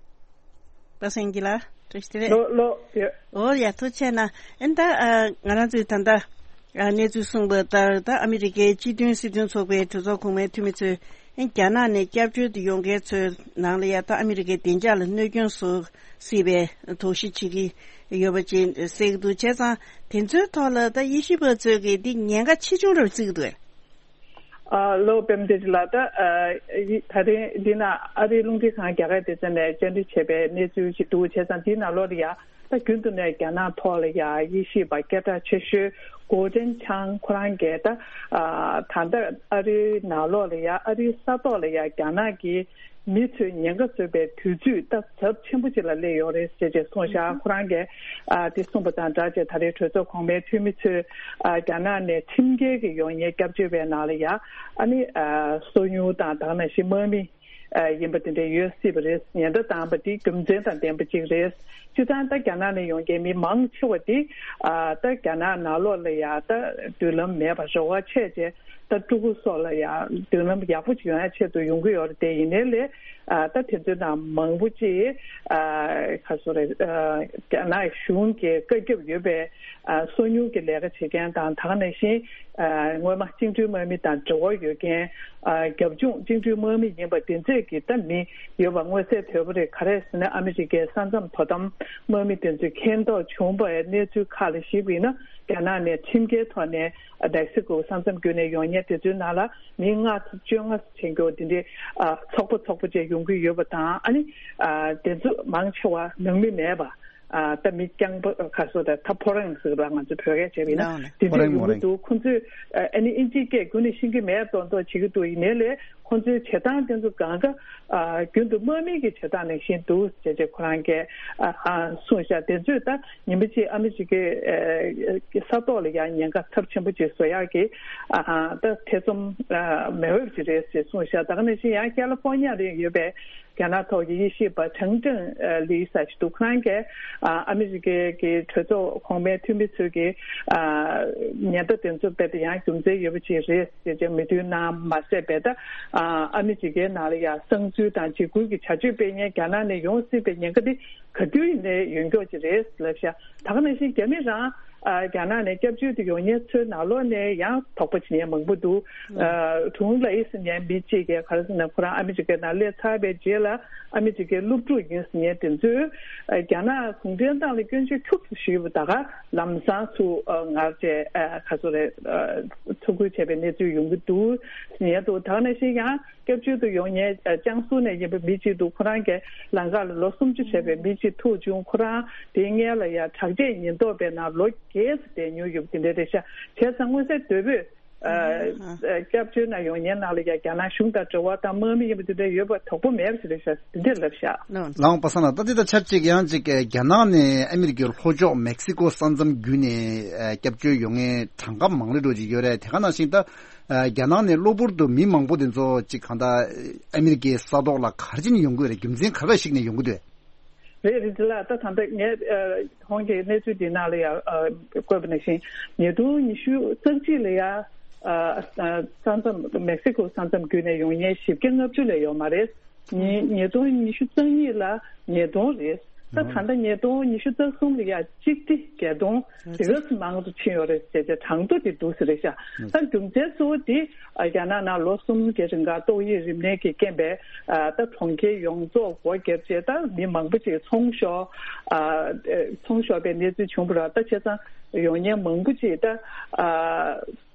པ་སངས་དབྱངས་སྐྱིད་ལགས་བཀྲ་ཤིས་བདེ་ལེགས། ལོ་ལོ་ཡོད། ཨོ་ཡ་ཐུགས་རྗེ་ཆེ་གནང་། ཨེ་ད་ཨ་ང་རང་ཚོའི་ད་ལྟ་ཨ་གནས་ཚུལ་གསུངས་པ་ལྟར། ད་ཨ་མི་རི་ཀའི་སྤྱི་མཐུན་སྲིད་དོན་ཚོགས་པའི་གྲོས་ཚོགས་གོང་མའི་འཐུས་མི་ཚོས་ཨེ་རྒྱ་ནག་ནས་སྐྱབས་བཅོལ་དུ་ཡོང་མཁན་ཚོའི་ནང་ལ་ཡ་ད་ཨ་མི་རི་ཀའི་བདེ་འཇགས་ལ་གནོད་སྐྱོན་བཟོ་སྲིད་པའི་དོགས་གཞི་བྱེད་ཀྱི་ཡོད་པ་ཅིག་གསལ་གྱི་འདུག་བྱས་ཙང་དེ་ཚོའི་ཐོག་ལ་ད་དབྱེ་ཞིབ་པ་ཚོས་ཀྱིས་འདི་ཉེན་ཁ་ཆེ་ཆུང་རབ་བརྩི་གི་འདུག་གས། ཨ་ལོ་པད་མ་བདེ་སྐྱིད་ལགས། ད་ཨ་ཡི་ད་རིང་འདི་ན་ཨ་རིའི་རླུང་འཕྲིན་ཁང་རྒྱ་གར་སྡེ་ཚན་ནས་བཅར་འདྲི་བྱས་པའི་གནས་ཚུལ་ཞིག་འདུག་བྱས་ཙང་འདིའི་ནང་ལོགས་ལ་ཡ་ད་རྒྱུན་དུ་ནས་རྒྱ་ནག་ཐོག་ལ་ཡ་དབྱེ་ཞིབ་པ་སྐད་གྲགས་ཆེ་ཤོས་གོ་ཀྲེན་ཆང་ཁོ་རང་གིས་ད་ཨ་ད་ལྟ་ཨ་རིའི་ནང་ལོགས་ལ་ཡ་ཨ་རིའི་ས་ཐོག་ལ་ཡ་རྒྱ་ནག་གི་མི་ཚོས་ཉེན་ཁ་བཟོས་པའི་དུས་ཚོད་ད་ཚབས་ཆེན་པོ་ཅིག་ལ་སླེབས་ཡོད་རེད་ཟེར་ཅེས་གསུངས་ཤག་ཁོ་རང་གིས་ཨ་དེ་གསུངས་པ་དང་སྦྲགས་བྱས་ད་རེས་གྲོས་ཚོགས་གོང་མའི་འཐུས་མི་ཚོས་ཨ་རྒྱ་ནག་ནས་ཁྲིམས་འགལ་གྱི་ཡོང་ཡས་སྐྱབས་བཅོལ་བའི་ནང་ལ་ཡ་ཨ་ནི་ཨ་སོ་ཉུལ་དང་ད་ག་ནང་བཞིན་དམག་མི་ཨ་ཡིན་པ་དེ་འདྲ་ཡོད་སྲིད་པ་རེད། ཉེན་བརྡ་བཏང་པ་དེ་རྒྱུ་མཚན་དང་ལྡན་པ་ཅིག་རེད། སྤྱིར་བཏང་ད་རྒྱ་ནག་ནས་ཡོང་མཁན་མི་མང་ཆེ་བ་དེ་ཨ་ད་རྒྱ་ནག་ནང་ལོགས་ལ་ཡ་ད་མདུན་ལམ་མེད་པ་རེ་བ་ཆེ་ཆེ། ད་ཕྲུ་གུ་སོགས་ལ་ཡང་མདུན་ལམ་ཡག་པོ་ཅིག་ཡོང་ཡ་ཆེད་དུ་ཡོང་གི་ཡོད་རེད་དེ། ཡིན་ནའི་ལས་ཨ་ད་དེ་ཚོའི་ནང་མང་པོ་ཅིག་ཨ་ག་སོ་རེད། ཨ་རྒྱ་ནག་གཞུང་གི་བཀའ་ཁྱབ་ཡོད་པའི་ཨ་སོ་ཉུལ་གྱི་ལས་ཀ་བྱེད་མཁན་དང་། ད་ག་ནང་བཞིན་ཨ་སྔོན་མ་བཅིངས་འགྲོལ་དམག་མི་དང་འབྲེལ་བ་ཡོད་མཁན། ཨ་རྒྱབ་ལྗོངས་བཅིངས་འགྲོལ་དམག་མི་ཡིན་པ་དེ་ཚོས་ཀྱི་ད་མི་ཡོད་པ་མངོན་གསལ་དོད་པོ་རེད། ག་རེ་ཟེར་ན་ཨ་མི་རི་ཀའི་ས་མཚམས་དོ་དམ་དམག་མི་དེ་ཚོས་མཁྱེན་རྟོགས་བྱུང་བའི་གནས་ཚུལ་ཁག་ལ་གཞིགས་པ་ཡིན་ན། རྒྱ་ནག་ནས་ཁྲིམས་འགལ་ཐོག་ནས་མེག་སི་ཀོ་ས་མཚམས་བརྒྱུད་ནས་ཡོང་མཁན་དེ་ཚོའི་ནང་ལ་མི་ལྔ་ཚོ་བཅོ་ལྔ་ཚོ་བྱེད་མཁན་འདི་འདྲའི་ཨ་ཚོགས་པ་ཚོགས་པ་བཅས་ཡོང་ ཡོང་གི་ཡོད་པ་དང་། ཨ་ནི་ཨ་དེ་ཚོ་མང་ཆེ་བ་ནང་མི་མེད་པ། ཨ་ད་མི་རྐྱང་པ་ག་སོ་ད་ད་ཕོ་རང་ཟེར་བ་ང་ཚོ་བོད་སྐད་བྱས་པ་ཡིན་ན། ནའོ་ནའོ། དེ་ཕོ་འདྲ་རང་ཡོང་མོ་གི་རང་འདུག་ཁོང་ཚོས་ཨ་ནི་ཨིན་ཇིའི་སྐད་ཁོ་ནས་ཤེས་ཀྱི་མེད་མདོག་མདོག་བྱེད་ཀྱི་འདུག་ཡིན་ནའི་ལས་ཁོང་ཚོའི་བྱེད་སྟངས་དེ་ཚོ་གང་ག་ཨ་རྒྱུན་དུ་དམག་མི་གི་བྱེད་སྟངས་ནང་བཞིན་འདུག་ཅེས་ཅེས་ཁོ་རང་གིས་ཨ་ཨ་གསུངས་ཤག་དེ་ཚོས་ད་ཉིན་པ་གཅིག་ཨ་མི་རི་ཀའི་ཨ་ས་ཐོག་ལ་ཡང་ཉེན་ཁ་ཚབས་ཆེན་པོ་ཅིག་བཟོ་ཡག་གི་ཨ་ཨ་ད་ཐེ་ཚོམ་ཨ་མེད་འོས་ཅིག་རེད་ཅེས་གསུངས་ཤག་ད་ག་ནང་བཞིན་ཡང་ཁ་ལི་ཧྥོ་ནི་ཡ་ལ་ཡོད་པའི་རྒྱ་ནག་ཐོག་གི་དབྱེ་ཞིབ་པ་ཁྲང་ཀྲང་ལི་ཟེར་ཞིག་འདུག་ཁོ་རང་གིས་ཨ་ཨ་མི་རི་ཀའི་གི་གྲོས་ཚོགས་གོང་མའི་འཐུས་མི་ཚོས་ཀྱི་ཨ་ཉེན་བརྡ་དེ་ཚོ་རྦད་དེ་ཡང་རྒྱུ་མཚན་ཡོད་པ་ཅིག་རེད་ཅེས་ཅེས་མོས་མཐུན་གནང་མ་ཟད། རྦད་དེ་ཨ་ཨ་མི་རི་ཀའི་ནང་ལ་ཡང་གསང་འཛུལ་དང་འཇིགས་སྐུལ་གྱི་བྱ་སྤྱོད་སྤེལ་མཁན་རྒྱ་ནག་ནས་ཡོང་སྲིད་པའི་ཉེན་ཁ་དེ་ག་དུས་ཡིན་ནའི་ཡོད་མཁན་ཅིག་རེད་ལབ་ཤག་ད་ག་ནང་བཞིན་རྒྱ་མི་རང་ཨ་རྒྱ་ནག་ནས་སྐྱབས་བཅོལ་དུ་ཡོང་མཁན་ཚོའི་ནང་ལོགས་ནས་ཡང་དོགས་པ་བྱེད་མཁན་མང་པོ་འདུག་ཨ་ཁྲུང་ལའེ་ཟེར་མཁན་མི་གཅིག་གིས་ག་རེ་ཟེར་ན། ཁོ་རང་ཨ་མི་རི་ཀའི་ནང་སླེབས་ཚར་བའི་རྗེས་ལ་ཨ་མི་རི་ཀའི་སློབ་ཕྲུག་ཡིན་ཟེར་མཁན་དེ་ཚོས་ཨ་རྒྱ་ནག་གུང་ཁྲན་ཏང་ལ་སྐྱོན་བརྗོད་ཁྱུག་ཙམ་ཞུས་པ་ད་ག་ལམ་སང་ཚུར་ཨ་ངར་བྱས་ཨ་ག་ཚོད་རེད། ཨ་ཐུགས་ཁུར་བྱས་པའི་གནས་ཚུལ་ཡོང་གི་འདུག་ཟེར་མཁན་འདུག་ད་ག་ནང་བཞིན་ཡང་སྐྱབས་བཅོལ་དུ་ཡོང་མཁན་ཨ་ཅང་སུའུ་ནས་ཡིན་པའི་མི་གཅིག་འདུག་ཁོ་རང་གིས་ལམ་ཁ་ལ་ལོ་སུམ་ཅུ་བྱས་པའི་མི་གཅིག་ཐུག་བྱུང་། ཁོ་རང་དེའི་སྔོན་ལ་ཡང་དྲག་ཆས་ཉེན་རྟོག་པའི་ནང་ལོ་བརྒྱད་ཙམ་བསྡད་མྱོང་ཡོད་པ་དེ་འདྲ་རེད་ཤག་བྱས་ཙང་མངོན་གསལ་དོད་པོས་ཨ་ཨ་སྐྱབས་བཅོལ་ནང་ཡོང་མཁན་ནང་ལ་ཡང་རྒྱ་ནག་གཞུང་དང་འབྲེལ་བ་དང་དམག་མི་ཡིན་པ་དེ་འདྲ་ཡོད་པ་དོགས་པ་མེད་པ་ཞིག་རེད་ཤག་དེ་འདྲ་ལབ་ཤག་ལའོ་ནའོ། ལའོ་པ་སངས་ལགས། ད་འདི་དང་ཆབས་ཅིག་ཡང་ཅིག་རྒྱ་ནག་ནས་ཨ་མི་རི་ཀའི་ལྷོ་ཕྱོགས་མེག་སི་ཀོ་ས་མཚམས་བརྒྱུད་ནས་ཨ་སྐྱབས་བཅོལ་ཡོང་མཁན་གྲངས་ཀ་མང་རེ་འགྲོ་ཅིག་ཡོད་རེད། དེ་ག་ནང་བཞིན་ད་ཨ་རྒྱ་ནག་ནས་གློ་བུར་དུ་མི་མང་པོ་དེ་ཚོ་ཅིག་གང་ལྟར་ཨ་མི་རི་ཀའི་ས་ཐོག་ལ་ག་རེ་བྱས་ནས་ཡོང་གི་ཡོད་རེད། རྒྱུ་མཚན་ག་རེ་ཞིག་ནས་ཡོང་གི་འདུག་རེད་རེད། དེ་ལ་ད་ད་ལྟ་ངས་ཨ་ཁོང་གི་གནས་ཚུལ་འདི་ནང་ལ་ཡང་ཨ་བཀོད་པ་ནང་བཞིན་ཉིས་སྟོང་ཉི་ཤུ་རྩ་གཅིག་ལ་ཡང་ཨ་ཨ་ས་མཚམས་མེག་སི་ཀོ་ས་མཚམས་བརྒྱུད་ནས་ཡོང་མཁན་བཞི་བརྒྱ་ལྔ་བཅུ་ལས་ཡོད་མ་རེད། ཉིས་ཉིས་སྟོང་ཉི་ཤུ་རྩ་གཉིས་ལ་ཉིས་སྟོང་རེད། ད་ད་ལྟ་ཉིས་སྟོང་ཉི་ཤུ་རྩ་གསུམ་ལ་ཡང་གཅིག་སྟེ་བརྒྱད་སྟོང་དེ་ག་ཙམ་མང་དུ་ཕྱིན་ཡོད་རེད་ཟེར་ཏེ་གྲངས་ཐོ་དེ་འདུག་ཟེར་རེད་ཤག་ད་རྒྱུ་མཚན་གཙོ་བོ་དེ་ཨ་རྒྱ་ནག་ནང་ལོ་གསུམ་གྱི་རིང་ག་ཏོག་དབྱིབས་རིམས་ནད་ཀྱི་རྐྱེན་པས་ཨ་ད་གྲོང་ཁྱེར་ཡོངས་རྫོགས་སྒོ་བརྒྱབ་རྗེས་ད་མི་མང་པོ་ཅིག་ཚོང་ཤོར། ཨ་ཚོང་ཤོར་བའི་གནས་ཚུལ་བྱུང་བ་རེད། ད་བྱས་ཙང་ཡོང་མཁན་མང་པོ་ཅིག་ད་ཨ་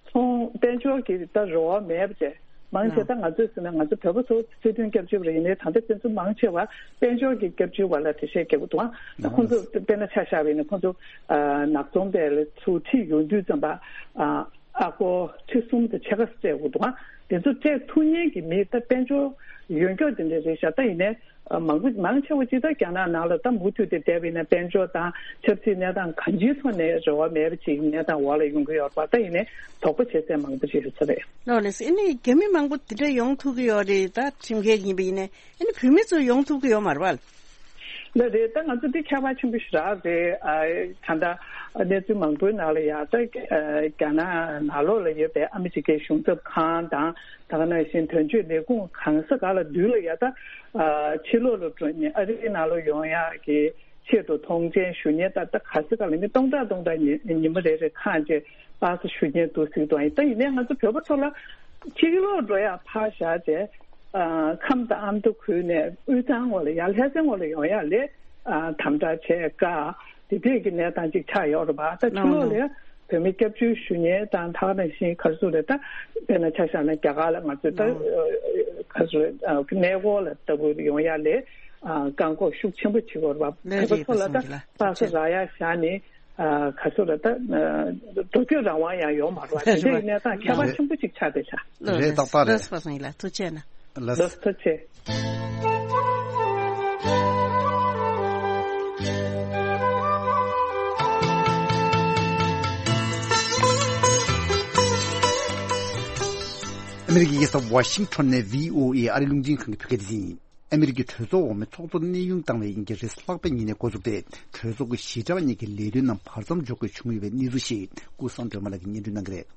ཚོང་དཔལ་འབྱོར་གྱི་ད་རོགས་མེད་པ་བྱས། མང་ཆེ་ད་ང་ཚོས་ཟེར་ན་ང་ཚོ་བོད་པ་ཚོ་སྲིད་དོན་སྐྱབས་བཅོལ་བ་རེད། ཡིན་ནའི་ད་ལྟ་དེ་ཚོ་མང་ཆེ་བ་དཔལ་འབྱོར་གྱི་སྐྱབས་བཅོལ་བ་ལ་འགྲེལ་བཤད་རྒྱག་གི་འདུག་ཨ་ད་ཁོང་ཚོ་དཔེར་ན་ཆ་བཞག་པ་ཡིན་ན་ཁོང་ཚོ་ཨ་ནག་ཚོང་པས་ཚུར་ཁྲིད་ཡོང་དུས་ཙམ་པ་ཨ་ཨ་སྒོར་ཁྲི་གསུམ་དང་ཕྱེད་ཀ་སྤྲད་དགོས་འདུག་ཨ་དེ་ཚོ་སྤྲད་ཐུབ་མཁན་གྱི་མི་ད་དཔལ་འབྱོར་ཡོད་མཁན་དེ་འདྲ་རེད་ཤག་ད་ཡིན་ནའི་ཨ་མང་པོ་མང་ཆེ་བ་ཅིག་ད་རྒྱ་ནག་ནང་ལ་ད་མུ་མཐུད་དེ་བསྡད་པ་ཡིན་ན་དཔལ་འབྱོར་དང་ཆབ་སྲིད་གནས་སྟངས་གང་ཅིའི་ཐོག་ནས་རེ་བ་མེད་པ་ཅིག་གནས་སྟངས་འོག་ལ་ཡོང་གི་ཡོད་རེད་པ། ད་ཡིན་ནའི་དོགས་པ་བྱེད་ཚད་མང་པོ་ཅིག་ཡོད་ས་རེད། ལགས་ལགས་སོ། ཨ་ནི་རྒྱ་མི་མང་པོ་དེ་འདྲ་ཡོང་ཐུབ་ཀྱི་ཡོད་རེད། ད་ཁྲིམས་འགལ་ཡིན་པ་ཡིན་ནའི་ཨ་ནི་བོད་མི་ཚོ་ཡོང་ཐུབ་ཀྱི་ཡོད་མ་རེད་པ། ལགས་རེད། ད་ང་ཚོ་འདི་ཁྱད་པར་ཆེན་པོ་ཞེ་དྲག་རེད། ཨ་ད་ལྟ་གནས་ཚུལ་མང་པོའི་ནང་ལ་ཡང་ད་ཨ་རྒྱ་ནག་ནང་ལོགས་ལ་ཡོད་པའི་ཨ་མི་རི་ཀའི་གཞུང་ཚབ་ཁང་དང་ད་ག་ནང་བཞིན་དོན་གཅོད་ལས་ཁུངས་གང་ས་ག་ལ་འདུས་ལ་ཡ་ད་ཨ་ཕྱི་ལོགས་ལ་འགྲོ་ནས་ཨ་རིའི་ནང་ལ་ཡོང་ཡག་གི་ཆེད་དུ་ཐོངས་མཆན་ཞུ་མཁན་ད་ལྟ་ག་ས་ག་ལ་མི་སྟོང་ཕྲག་སྟོང་ཕྲག་ཉི་ཉི་མ་རེ་རེ་ཁག་ཅིག་པཱ་སེ་ཞུ་མཁན་འདུག་ཟེར་དུས། ད་ཡིན་ནའི་ང་ཚོ་བོད་པ་ཚོ་ལ་ཕྱི་ལོགས་འགྲོ་ཡག་ཕར་བཞག་བྱས། ཨ་ཁམས་དང་ཨ་མདོ་ཁུལ་ནས་དབུས་གཙང་ངོས་ལ་ཡར་ལྷ་སའི་ངོས་ལ་ཡོང་ཡག་ལ་ཨ་དམ་དྲག་བྱེད་དཀའ། དེ་འདྲས་ཀྱི་གནས་སྟངས་ཅིག་ཆགས་ཡོད་རེད་པ། ད་ཕྱི་ལོགས་ལ་བོད་མི་སྐྱབས་བཅོལ་ཞུ་མཁན་དང་ད་ག་ནང་བཞིན་ག་རེ་ཟེར་རེད། ད་དཔེར་ན་ཆ་བཞག་ན་རྒྱ་གར་ལ་ང་ཚོས་ད་ག་རེ་ཟེར་རེད། གནས་སྐོར་ལ་ལྟ་བུ་ཡོང་ཡག་ལ་ཨ་བཀག་འགོག་ཤུགས་ཆེན་པོ་བྱེད་དགོས་རེད་པ། བོད་པ་ཚོ་ལ་ད་པཱ་སེ་རག་ཡག་བཞག་ནས། ཨ་ག་ཚོད་ལ་ད་ཨ་འགྲོ་སྐྱོད་རང་དབང་ཡང་ཡོད་མ་རེད་པ། དེ་འདྲ་ཡིན་ན་ད་ཁྱད་པར་ཆེན་པོ་ཅིག་ཆགས་བསྡད་ཤག་ལགས་རེད། ཏག་ཏག་རེད། ལགས་སོ་པཱ་སངས་ལགས་ཐུགས་རྗེ་གནང་། ལགས་སོ་ཐུགས་རྗེ་ཆེ། ཨ་མི་རི་ཀའི་རྒྱལ་ས་ཝ་ཤིང་ཊོན་ནས་བྷི་ཨོ་ཨེ་ཨ་རིའི་རླུང་འཕྲིན་ཁང་གི་བོད་སྐད་སྡེ་ཚན་ཡིན། ཨ་མི་རི་ཀའི་གྲོས་ཚོགས་འོག་མའི་ཚོགས་གཙོ་གནས་དབྱུང་བཏང་བའི་དབྱིན་སྐད་རེས་གཟའ་ལྷག་པའི་ཉིན་ནས་འགོ་བཙུགས་ཏེ། གྲོས་ཚོགས་ཀྱི་ཞི་དྲག་གཉིས་ཀྱི་ལས་དོན་རྣམས་བར་མཚམས་འཇོག་དགོས་བྱུང་ཡོད་པའི་གནས་ཚུལ་ཞིག་ཀུན་བཟང་སྒྲོལ་མ་ལགས་ཀྱིས་སྙན་སྒྲོན་གནང་གི་རེད།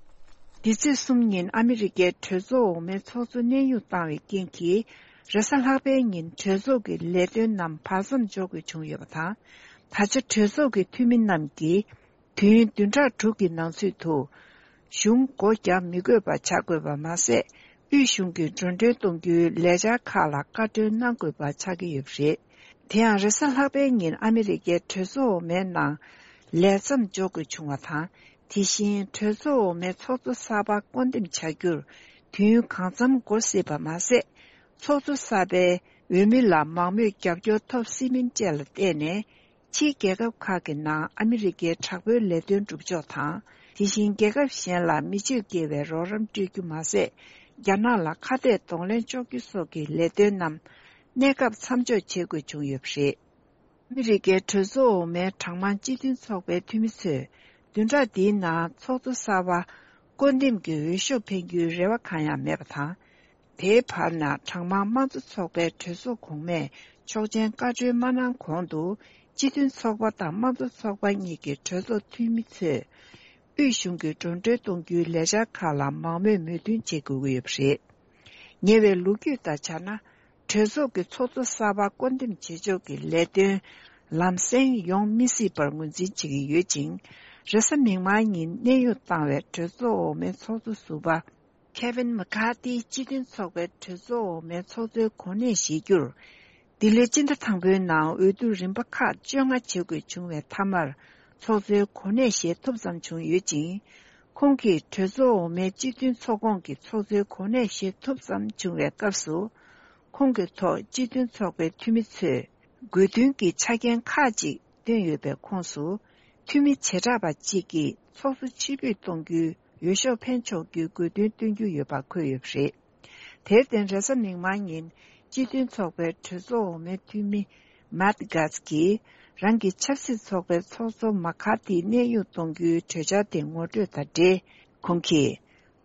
འདི་ཚེས་གསུམ་ཉིན་ཨ་མི་རི་ཀའི་གྲོས་ཚོགས་འོག་མའི་ཚོགས་གཙོ་གནས་དབྱུང་བཏང་བའི་རྐྱེན་གྱིས། རེས་གཟའ་ལྷག་པའི་ཉིན་གྲོས་ཚོགས་ཀྱི་ལས་དོན་རྣམས་བར་མཚམས་འཇོག་དགོས་བྱུང་ཡོད་པ་དང་། ད་ཆ་གྲོས་ཚོགས་ཀྱི་འཐུས་མི་རྣམས་ཀྱིས། དུས་ཡུན་བདུན་ཕྲག་དྲུག་གི་ནང་ཚུད་དུ། གཞུང་སྒོ་བརྒྱབ་མི་དགོས་པ་བྱ་དགོས་པ་མ་ཟད། དབུས་གཞུང་གིས་འགྲོ་གྲོན་གཏོང་རྒྱུའི་ལས་འཆར་ཁག་ལ་བཀའ་འཁྲོལ་གནང་དགོས་པ་ཆགས་ཀྱི་ཡོད་པ་རེད། དེ་ཡང་རེས་གཟའ་ལྷག་པའི་ཉིན་ཨ་མི་རི་ཀའི་གྲོས་ཚོགས་འོག་མའི་ནང་ལས་མཚམས་འཇོག་དགོས་བྱུང་བ་དང་། དེ་བཞིན་གྲོས་ཚོགས་འོག་མའི་ཚོགས་གཙོ་གསར་པ་བསྐོ་འདེམས་བྱ་རྒྱུར་དུས་ཡུན་གང་འཚམ་འགོར་སྲིད་པ་མ་ཟད། ཚོགས་གཙོ་གསར་པའི་ འོས་མི་ལ་མང་མོས་རྒྱབ་སྐྱོར་ཐོབ་སྲིད་མིན་བཅས་ལ་བལྟས་ནས། ཕྱིའི་རྒྱལ་ཁབ་ཁག་གི་ནང་ཨ་མི་རི་ཀའི་དྲག་པོའི་ལས་དོན་སྒྲུབ་ཕྱོགས་དང་། དེ་བཞིན་རྒྱལ་ཁབ་གཞན་ལ་མི་སྤྱོད་དགེ་བའི་རོགས་རམ་སྤྲོད་རྒྱུ་མ་ཟད། རྒྱ་ནག་ལ་ཁ་གཏད་གདོང་ལེན་གཅོག་རྒྱུ་སོགས་ཀྱི་ལས་དོན་རྣམས་གནས་སྐབས་མཚམས་འཇོག་བྱེད་དགོས་བྱུང་ཡོད་པ་རེད། ཨ་མི་རི་ཀའི་གྲོས་ཚོགས་འོག་མའི་གྲངས་མང་སྤྱི་མཐུན་ཚོགས་པའི་འཐུས་མི་ཚོས་བདུན་ཕྲག་འདིའི་ནང་ཚོགས་གཙོ་གསར་པ་བསྐོ་འདེམས་ཀྱི་འོས་ཤོག་འཕེན་རྒྱུའི་རེ་བ་གང་ཡང་མེད་པ་དང་། དེའི་བར་ན་གྲངས་མང་དམངས་གཙོ་ཚོགས་པའི་གྲོས་ཚོགས་གོང་མས་ཆོག་མཆན་བཀའ་འཁྲོལ་མ་གནང་གོང་དུ། སྤྱི་མཐུན་ཚོགས་པ་དང་དམངས་གཙོ་ཚོགས་པ་གཉིས་ཀྱི་གྲོས་ཚོགས་འཐུས་མི་ཚོས་དབུས་གཞུང་གིས་འགྲོ་གྲོན་གཏོང་རྒྱུའི་ལས་འཆར་ཁག་ལ་མང་མོས་མོས་མཐུན་བྱེད་དགོས་ཀྱི་ཡོད་པ་རེད། ཉེ་བའི་ལོ་རྒྱུས་ལྟར་ཆ་ན། གྲོས་ཚོགས་ཀྱི་ཚོགས་གཙོ་གསར་པ་བསྐོ་འདེམས་བྱེད་ཕྱོགས་ཀྱི་ལས་དོན་ལམ་སེང་ཡོང་མི་སྲིད་པར་ངོས་འཛིན་བྱེད་ཀྱི་ཡོད་ཅིང་། རེས་གཟའ་མིག་དམར་ཉིན་གནས་དབྱུང་བཏང་བའི་གྲོས་ཚོགས་འོག་མའི་ཚོགས་གཙོ་ཟུར་པ་ཁེ་ཝིན་མེ་ཁ་ཏི་སྤྱི་མཐུན་ཚོགས་པའི་གྲོས་ཚོགས་འོག་མའི་ཚོགས་གཙོའི་གོ་གནས་བཞེས་རྒྱུར། འདི་ལོའི་སྤྱི་ཟླ་དང་པོའི་ནང་འོས་བསྡུ་རིམ་པ་ཁག་བཅོ་ལྔ་བྱེད་དགོས་བྱུང་བའི་མཐའ་མར་ཚོགས་གཙོའི་གོ་གནས་བཞེས་ཐུབ་ཙམ་བྱུང་ཡོད་ཅིང་། ཁོང་གིས་གྲོས་ཚོགས་འོག་མའི་སྤྱི་མཐུན་ཚོགས་ཁོངས་ཀྱི་ཚོགས་གཙོའི་གོ་གནས་བཞེས་ཐུབ་ཙམ་བྱུང་བའི་སྐབས་སུ། ཁོང་གི་ཐོག་སྤྱི་མཐུན་ཚོགས་པའི་འཐུས་མི་ཚོས་དགོས་འདུན་གྱི་ཆ་རྐྱེན་ཁག་ཅིག་བཏོན་ཡོད་པའི་ཁོངས་སུ། འཐུས་མི་བྱེ་བྲག་པ་གཅིག་གིས་ཚོགས་གཙོ་ཕྱིར་འབུད་གཏོང་རྒྱུའི་འོས་ཤོག་འཕེན་ཆོག་རྒྱུའི་དགོས་འདུན་བཏོན་རྒྱུ་ཡོད་པ་འཁོད་ཡོད་པ་རེད། དེར་བརྟེན། རེས་གཟའ་མིག་དམར་ཉིན་སྤྱི་མཐུན་ཚོགས་པའི་གྲོས་ཚོགས་འོག་མའི་འཐུས་མི་མཱད་གྷཱས་ཀྱིས་རང་གི་ཆབ་སྲིད་ཚོགས་པའི་ཚོགས་གཙོ་མ་ཁ་ཏི་གནས་དབྱུང་གཏོང་རྒྱུའི་གྲོས་འཆར་དེ་ངོ་སྤྲོད་དང་འབྲེལ། ཁོང་གིས།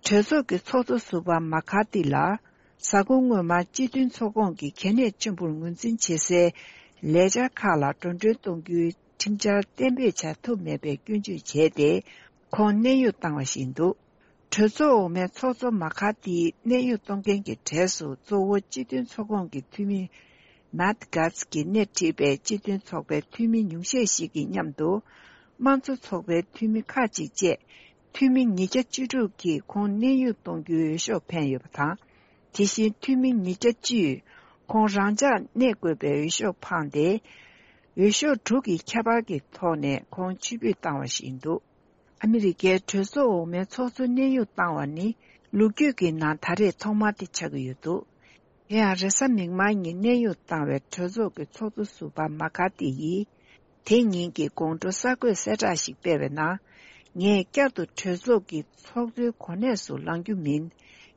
གྲོས་ཚོགས་ཀྱི་ཚོགས་གཙོ་ཟུར་པ་མ་ཁ་ཏི་ལ། གཟའ་འཁོར་སྔོན་མ་སྤྱི་མཐུན་ཚོགས་ཁོངས་ཀྱི་གལ་གནད་ཆེན་པོར་ངོས་འཛིན་བྱེད་སའི་ལས་འཆར་ཁག་ལ་འགྲོ་གྲོན་གཏོང་རྒྱུའི་ཁྲིམས་འཆར་གཏན་འབེབས་བྱ་ཐུབ་མེད་པའི་སྐྱོན་བརྗོད་བྱས་ཏེ། ཁོང་གནས་དབྱུང་བཏང་བ་ཞིག་འདུག་གྲོས་ཚོགས་འོག་མའི་ཚོགས་གཙོ་མ་ཁ་ཏིའི་གནས་དབྱུང་གཏོང་མཁན་གྱི་གྲས་སུ། གཙོ་བོ་སྤྱི་མཐུན་ཚོགས་ཁོངས་ཀྱི་འཐུས་མི་མཱད་གྷཱས་ཀྱིས་སྣེ་ཁྲིད་པའི་སྤྱི་མཐུན་ཚོགས་པའི་འཐུས་མི་ཉུང་ཤས་ཤིག་གི་མཉམ་དུ། དམངས་གཙོ་ཚོགས་པའི་འཐུས་མི་ཁག་ཅིག་བཅས། འཐུས་མི་ཉིས་བརྒྱ་བཅུ་དྲུག་གིས་ཁོང་གནས་དབྱུང་གཏོང་རྒྱུའི་འོས་ཤོག་འཕེན་ཡོད་པ་དང་། དེ་བཞིན་འཐུས་མི་ཉིས་བརྒྱ་བཅུས་ཁོང་རང་འཇགས་གནས་དགོས་པའི་འོས་ཤོག་འཕངས་ཏེ། འོས་ཤོག་དྲུག་གི་ཁྱད་པར་གྱི་ཐོག་ནས་ཁོང་ཕྱིར་འབུད་བཏང་བ་ཞིག་ཡིན་འདུག་ཨ་མི་རི་ཀའི་གྲོས་ཚོགས་འོག་མའི་ཚོགས་གཙོ་གནས་དབྱུང་བཏང་བ་ནི་ལོ་རྒྱུས་ཀྱི་ནང་ད་རེས་ཐོག་མ་དེ་ཆགས་ཀྱི་ཡོད་འདུག་དེ་ཡང་རེས་གཟའ་མིག་དམར་ཉིན་གནས་དབྱུང་བཏང་བའི་གྲོས་ཚོགས་ཀྱི་ཚོགས་གཙོ་ཟུར་པ་མ་ཁ་ཏི་ཡིས། དེ་ཉིན་གྱི་དགོང་དྲོ་གསར་འགོད་གསལ་བསྒྲགས་ཤིག་སྤེལ་བའི་ནང་། ངས་བསྐྱར་དུ་གྲོས་ཚོགས་ཀྱི་ཚོགས་གཙོའི་གོ་གནས་སུ་ལངས་རྒྱུ་མིན།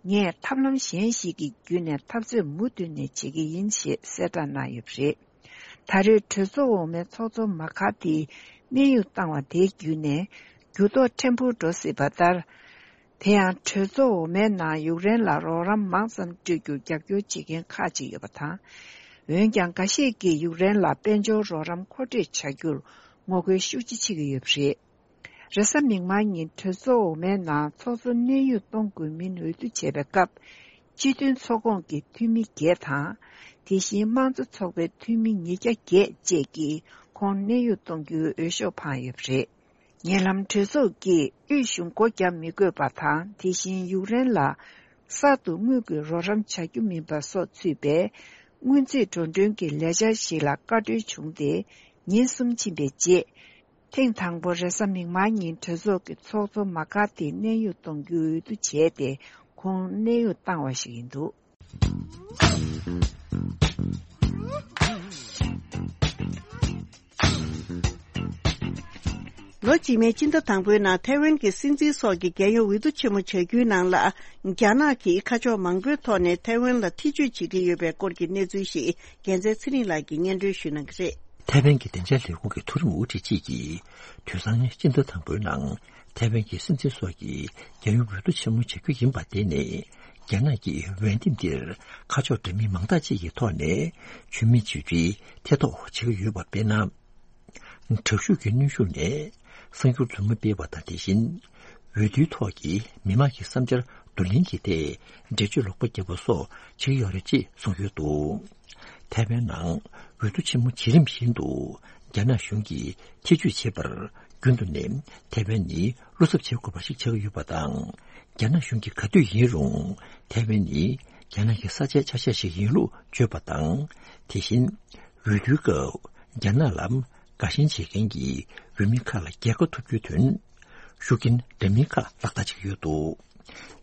ངས་ཐབས་ལམ་གཞན་ཞིག་གི་བརྒྱུད་ནས་འཐབ་རྩོད་མུ་མཐུད་ནས་བྱེད་ཀྱི་ཡིན་ཞེས་གསལ་བསྒྲགས་གནང་ཡོད་པ་རེད། ད་རེས་གྲོས་ཚོགས་འོག་མའི་ཚོགས་གཙོ་མ་ཁ་ཏིའི་གནས་དབྱུང་བཏང་བ་དེའི་བརྒྱུད་ནས་འགྱུར་ལྡོག་ཕྲན་བུ་འགྲོ་སྲིད་པ་ལྟར། དེ་ཡང་གྲོས་ཚོགས་འོག་མའི་ནང་ཡུཀ་རེན་ལ་རོགས་རམ་མང་ཙམ་སྤྲོད་རྒྱུར་རྒྱབ་སྐྱོར་བྱེད་མཁན་ཁག་ཅིག་ཡོད་པ་དང་། འོན་ཀྱང་། འགའ་ཤས་ཀྱིས་ཡུཀ་རེན་ལ་དཔལ་འབྱོར་རོགས་རམ་མཁོ་སྤྲོད་བྱ་རྒྱུར་ངོ་རྒོལ་ཤུགས་ཆེ་བྱེད་ཀྱི་ཡོད་པ་རེད། རེས་གཟའ་མིག་དམར་ཉིན་གྲོས་ཚོགས་འོག་མའི་ནང་ཚོགས་གཙོ་གནས་དབྱུང་གཏོང་དགོས་མིན་འོས་བསྡུ་བྱས་པའི་སྐབས། སྤྱི་མཐུན་ཚོགས་ཁོངས་ཀྱི་འཐུས་མི་བརྒྱད་དང་། དེ་བཞིན་དམངས་གཙོ་ཚོགས་པའི་འཐུས་མི་ཉིས་བརྒྱ་བརྒྱད་བཅས་ཀྱིས་ཁོང་གནས་དབྱུང་གཏོང་རྒྱུའི་འོས་ཤོག་འཕངས་ཡོད་པ་རེད། ཉེ་ལམ་གྲོས་ཚོགས་ཀྱིས་དབུས་གཞུང་སྒོ་བརྒྱབ་མི་དགོས་པ་དང་། དེ་བཞིན་ཡུཀ་རེན་ལ་གསར་དུ་དངུལ་གྱི་རོགས་རམ་བྱ་རྒྱུ་མིན་པ་སོགས་ཚུད་པའི་སྔོན་རྩིས་འགྲོ་གྲོན་གྱི་ལས་འཆར་ཞིག་ལ་བཀའ་འཁྲོལ་བྱུང་སྟེ། ཉིན་གསུམ་ཕྱིན་པའི་རྗེས། ཐེངས་དང་པོ་རེས་གཟའ་མིག་དམར་ཉིན་གྲོས་ཚོགས་ཀྱི་ཚོགས་གཙོ་མ་ཁ་ཏི་གནས་དབྱུང་གཏོང་རྒྱུའི་འོས་བསྡུ་བྱས་ཏེ། ཁོང་གནས་དབྱུང་བཏང་བ་ཞིག་ཡིན་འདུག་ལོ་རྗེས་མའི་སྤྱི་ཟླ་དང་པོའི་ནང་ཐའེ་ཝན་གྱི་སྲིད་འཛིན་སོགས་ཀྱི་རྒྱལ་ཡོངས་འོས་བསྡུ་ཆེན་མོ་བྱ་རྒྱུའི་ནང་ལ། རྒྱ་ནག་གིས་ཁ་ཕྱོགས་མང་པོའི་ཐོག་ནས་ཐའེ་ཝན་ལ་ཐེ་བྱུས་བྱེད་ཀྱི་ཡོད་པའི་སྐོར་གྱི་གནས་ཚུལ་ཞིག་རྒྱལ་མཚན་ཚེ་རིང་ལགས་ཀྱིས་སྙན་སྒྲོན་ཞུ་གནང་གི་རེད། ཐའེ་ཝན་གྱི་བདེ་འཇགས་ལས་ཁུངས་ཀྱི་མཐོ་རིམ་དབུ་ཁྲིད་ཅིག་གིས། དུས་སང་ཉིན་སྤྱི་ཟླ་དང་པོའི་ནང་ཐའེ་ཝན་གྱི་སྲིད་འཛིན་སོགས་ཀྱི་རྒྱལ་ཡོངས་འོས་བསྡུ་ཆེན་མོ་བྱ་རྒྱུ་ཡིན་པ་དེ་ནི། རྒྱ་ནག་གིས་འོས་འདེམས་འདིར་ཁ་ཕྱོགས་འདྲ་མིན་མང་དག་ཅིག་གི་ཐོག་ནས་ཆོས་མེད་བྱེད་རྒྱུའི་ཐེ་གཏོགས་བྱེད་ཀྱི་ཡོད་པ་དཔེར་ན། དྲག་ཤུགས་ཀྱི་གནོན་ཤུགས་ནས་གསར་འགྱུར་རྫུན་མ་སྤེལ་བ་དང་། དེ་བཞིན་འོས་བསྡུའི་ཐོག་གི་མི་མང་གི་བསམ་འཆར་བསྡུ་ལེན་གྱི་ཐད་འགྲེལ་བརྗོད་ལོག་པ་བརྒྱབ་པ་སོགས་བྱེད་ཀྱི་ཡོད་རེད་ཅེས་གསུངས་ཡོད་འདུག་ཐའེ་ཝན་ནང་འོས་བསྡུ་ཆེན་མོ་བྱེད་རིམ་བཞིན་དུ་རྒྱ་ནག་གཞུང་གིས་ཐེ་བྱུས་བྱེད་པར་རྒྱུན་དུ་ནས་ཐའེ་ཝན་ནི་བློ་འཚབ་བྱེད་དགོས་པ་ཞིག་ཆགས་ཀྱི་ཡོད་པ་དང་། རྒྱ་ནག་གཞུང་གིས་ག་དུས་ཡིན་རུང་ཐའེ་ཝན་ནི་རྒྱ་ནག་གི་ས་ཆའི་ཆ་ཤས་ཤིག་ཡིན་ལུགས་བརྗོད་པ་དང་། དེ་བཞིན་འོས་བསྡུའི་སྐབས་རྒྱ་ནག་ལ་དགའ་ཞེན་བྱེད་མཁན་གྱི་འོས་མི་ཁག་ལ་རྒྱལ་ཁ་ཐོབ་རྒྱུའི་དོན། ཤུགས་རྐྱེན་འདྲ་མིན་ཁག་ལག་བསྟར་བྱེད་ཀྱི་ཡོད་འདུག་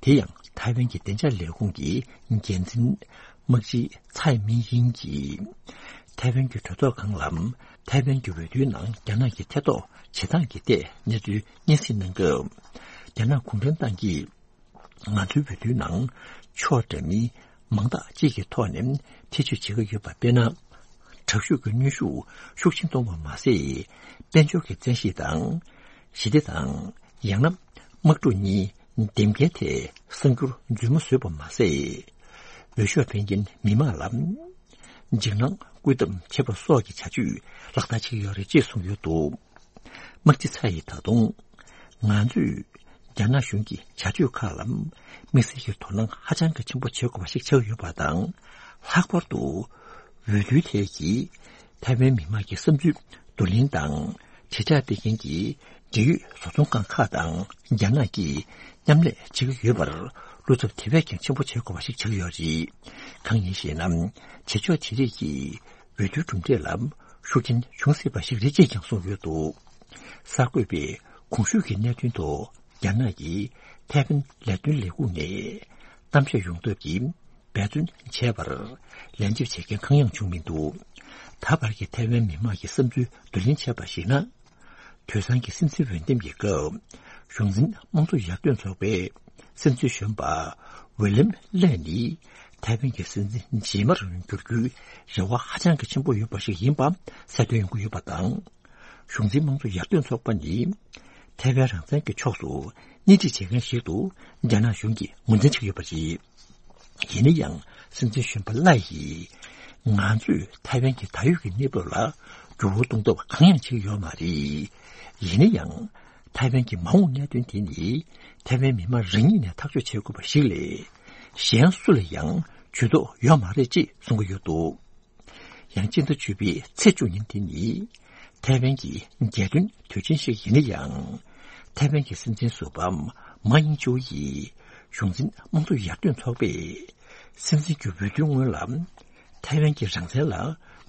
དེ་ཡང་ཐའེ་ཝན་གྱི་བདེ་འཇགས་ལས་ཁུངས་ཀྱི་འགན་འཛིན་ དམག་སྤྱི་ཚའེ་མིན་དབྱིང་གིས་ཐའེ་ཝན་གྱི་གྲོས་ཚོགས་ཁང་ལ་ཐའེ་ཝན་གྱི་འོས་བསྡུའི་ནང་རྒྱ་ནག་གིས་ཐེ་གཏོགས་བྱེད་སྟངས་ཀྱི་ཐད་གནས་ཚུལ་སྙན་སེང་གནང་སྐབས། རྒྱ་ནག་གུང་ཁྲན་ཏང་གིས་ང་ཚོའི་འོས་བསྡུའི་ནང་ཕྱོགས་འདྲ་མིན་མང་དག་ཅིག་གི་ཐོག་ནས་ཐེ་བྱུས་བྱེད་ཀྱི་ཡོད་པ་དཔེར་ན། དྲག་ཤུགས་ཀྱི་གནོན་ཤུགས་ཤུགས་ཆེན་གཏོང་བ་མ་ཟད། དཔལ་འབྱོར་གྱི་བཙན་ཤེད་དང་། ཞི་བདེ་དང་། ཡང་ན་དམག་འཁྲུག་གཉིས་འདེམས་ཀའི་ཐད་གསར་འགྱུར་རྫུན་མ་བཟོས་པ་མ་ཟད། འོས་ཤོག་འཕེན་མཁན་མི་མང་ལ་འཇིགས་སྣང་སྐུལ་ཐབས་བྱེད་པ་སོགས་ཀྱི་བྱ་སྤྱོད་ལག་བསྟར་བྱེད་ཀྱི་ཡོད་རེད་ཅེས་གསུངས་ཡོད་འདུག། དམག་སྤྱི་ཚ་ཡིས་ད་དུང་། ང་ཚོས་རྒྱ་ནག་གཞུང་གི་བྱ་སྤྱོད་ཁག་ལ་དམིགས་བསལ་གྱི་དོ་སྣང་ཧ་ཅང་གི་ཆེན་པོ་བྱེད་དགོས་པ་ཞིག་ཆགས་ཡོད་པ་དང་། ལྷག་པར་དུ་འོས་བསྡུའི་ཐད་ཀྱི་ཐའེ་ཝན་མི་དམངས་ཀྱི་བསམ་ཚུལ་བསྡུ་ལེན་དང་དྲིལ་བསྒྲགས་སྤེལ་མཁན་གྱི་འབྲེལ་ཡོད་བཟོ་ཚོང་ཁང་ཁག་དང་རྒྱ་ནག་གིས་མཉམ་ལས་བྱེད་ཀྱི་ཡོད་པར་བློ་འཚབ་དེ་བས་ཀྱང་ཆེན་པོ་བྱེད་དགོས་པ་ཞིག་ཆགས་ཡོད་རེད། གང་ཡིན་ཞེ་ན། བྱེད་ཕྱོགས་དེ་རིགས་ཀྱིས་འོས་བསྡུའི་གྲུབ་འབྲས་ལ་ཤུགས་རྐྱེན་འབྱུང་སྲིད་པ་ཞིག་རེད་ཅེས་ཀྱང་གསུངས་ཡོད་འདུག། གསར་འགོད་པས་གོང་ཞུས་ཀྱི་གནད་དོན་ཐོག་རྒྱ་ནག་གི་ཐའེ་ཝན་ལས་དོན་ལས་ཁུངས་ནས་གཏམ་བཤད་ཡོང་ཐབས་ཀྱི་འབད་བརྩོན་བྱས་པར་ལན་འདེབས་བྱེད་མཁན་གང་ཡང་བྱུང་མི་འདུག། ད་བར་གྱི་ཐའེ་ཝན་མི་དམངས་ཀྱི་བསམ་ཚུལ་བསྡུ་ལེན་བྱས་པར་གཞིགས་ན། དུས་སང་གི་སྲིད་འཛིན་འོས་འདེམས་ཀྱི་སྐབས། གཞུང་འཛིན་དམངས་གཙོ་ཡར་ཐོན་ཚོགས་པའི་སྲིད་འཛིན་གཞོན་པ་ཝེ་ལེམ་ལེ་ནི་ཐའེ་ཝན་གྱི་སྲིད་འཛིན་རྗེས་མར་འགྱུར་རྒྱུའི་རེ་བ་ཧ་ཅང་གི་ཆེན་པོ་ཡོད་པ་ཞིག་ཡིན་པ་གསལ་སྟོན་ཡོང་གི་ཡོད་པ་དང་། གཞུང་འཛིན་དམངས་གཙོ་ཡར་ཐོན་ཚོགས་པ་ནི་ཐའེ་ཝན་རང་བཙན་གྱི་ཕྱོགས་སུ་སྣེ་ཁྲིད་བྱེད་མཁན་ཞིག་ཏུ་རྒྱ་ནག་གཞུང་གིས་ངོས་འཛིན་བྱེད་ཀྱི་ཡོད་པ་རེད། ཡིན་ན་ཡང་སྲིད་འཛིན་གཞོན་པ་ལའེ་ཡིས། ང་ཚོས་ཐའེ་ཝན་གྱི་ད་ཡོད་ཀྱི་གནས་བབ་ལ་འགྱུར་བ་གཏོང་ཐབས་གང་ཡང་བྱེད་ཀྱི་ཡོད་མ་རེད། ཡིན་ན་ཡང་། ཐའེ་ཝན་གྱི་མ་འོངས་གནད་དོན་དེ་ནི་ཐའེ་ཝན་མི་མང་རང་ཉིད་ནས་ཐག་གཅོད་བྱེད་དགོས་པ་ཞིག་ལས། གཞན་སུ་ལ་ཡང་ཇུས་གཏོགས་ཡོད་མ་རེད་ཅེས་གསུང་གི་ཡོད་འདུག། ཡང་སྤྱི་ཟླ་བཅུ་པའི་ཚེས་བཅུ་ཉིན་དེ་ནི་ཐའེ་ཝན་གྱི་རྒྱལ་སྟོན་དུས་ཆེན་ཞིག་ཡིན་ན་ཡང་། ཐའེ་ཝན་གྱི་སྲིད་འཛིན་ཟུར་པ་མཱ་ཡིང་ཅུའུ་ཡིས་གཞུང་འཛིན་དམངས་གཙོ་ཡར་ཐོན་ཚོགས་པས་སྲིད་འཛིན་གྱི་འོས་བསྡུའི་སྔོན་ལ་ཐའེ་ཝན་གྱི་རང་བཙན་ལ་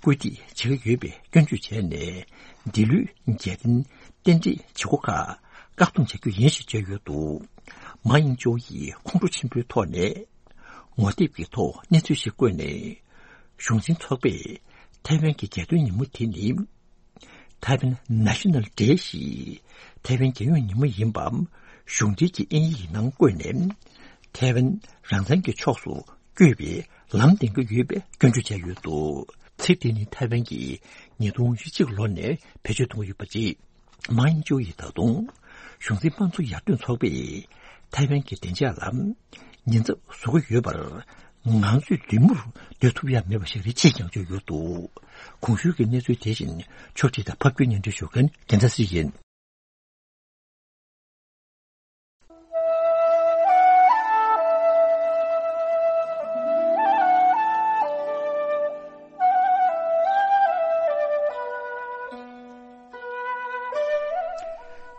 བཀོད་སྒྲིག་བྱེད་ཀྱི་ཡོད་པའི་སྐྱོན་བརྗོད་བྱས་ནས་འདི་ལོའི་རྒྱལ་སྟོན་རྟེན་འབྲེལ་བྱེད་སྒོ་ཁག་བཀག་སྡོམ་བྱ་རྒྱུ་ཡིན་ཞེས་བརྗོད་ཡོད་འདུག། མཱ་ཡིང་ཅུའུ་ཡིས་ཁོང་ཁྲོ་ཆེན་པོའི་ཐོག་ནས། ངོ་དེབ་ཀྱི་ཐོག་གནས་ཚུལ་ཞིག་བཀོད་ནས། གཞུང་འཛིན་ཚོགས་པས་ཐའེ་ཝན་གྱི་རྒྱལ་སྟོན་ཉིན་མོ་དེ་ནི། ཐའེ་ཝན་ནེ་ཤ་ནལ་ཌེ་ཞེས་ཐའེ་ཝན་རྒྱལ་ཡོངས་ཉིན་མོ་ཡིན་པའམ་གཞུང་འབྲེལ་གྱི་དབྱིན་ཡིག་ནང་བཀོད་ནས། ཐའེ་ཝན་རང་བཙན་གྱི་ཕྱོགས་སུ་བསྐྱོད་པའི་ལམ་འདེང་གི་ཡོད་པའི་སྐྱོན་བརྗོད་བྱས་ཡོད་འདུག། ཚིག་དེ་ནི་ཐའེ་ཝན་གྱིས་ཉིས་སྟོང་ཉི་ཤུ་གཅིག་ལོ་ནས་བེད་སྤྱོད་གཏོང་གི་ཡོད་པ་རེད། མཱ་ཡིང་ཅུའུ་ཡིས་ད་དུང་གཞུང་འཛིན་དམངས་གཙོ་ཡར་ཐོན་ཚོགས་པས་ཐའེ་ཝན་གྱི་བདེ་འཇགས་ལ་ཉེན་ཚབས་བཟོ་གི་ཡོད་པར་ང་ཚོས་མདུན་མོར་སྡོད་ཐུབ་ཡ་མེད་པ་ཞིག་རེད་ཅེས་ཀྱང་བརྗོད་ཡོད་འདུག། གོང་ཞུས་ཀྱི་གནས་ཚུལ་དེ་བཞིན་ཕྱོགས་སྒྲིག་དང་ཕབ་སྒྱུར་སྙན་སྒྲོན་ཞུ་མཁན་རྒྱལ་མཚན་སྲིད་ཡིན།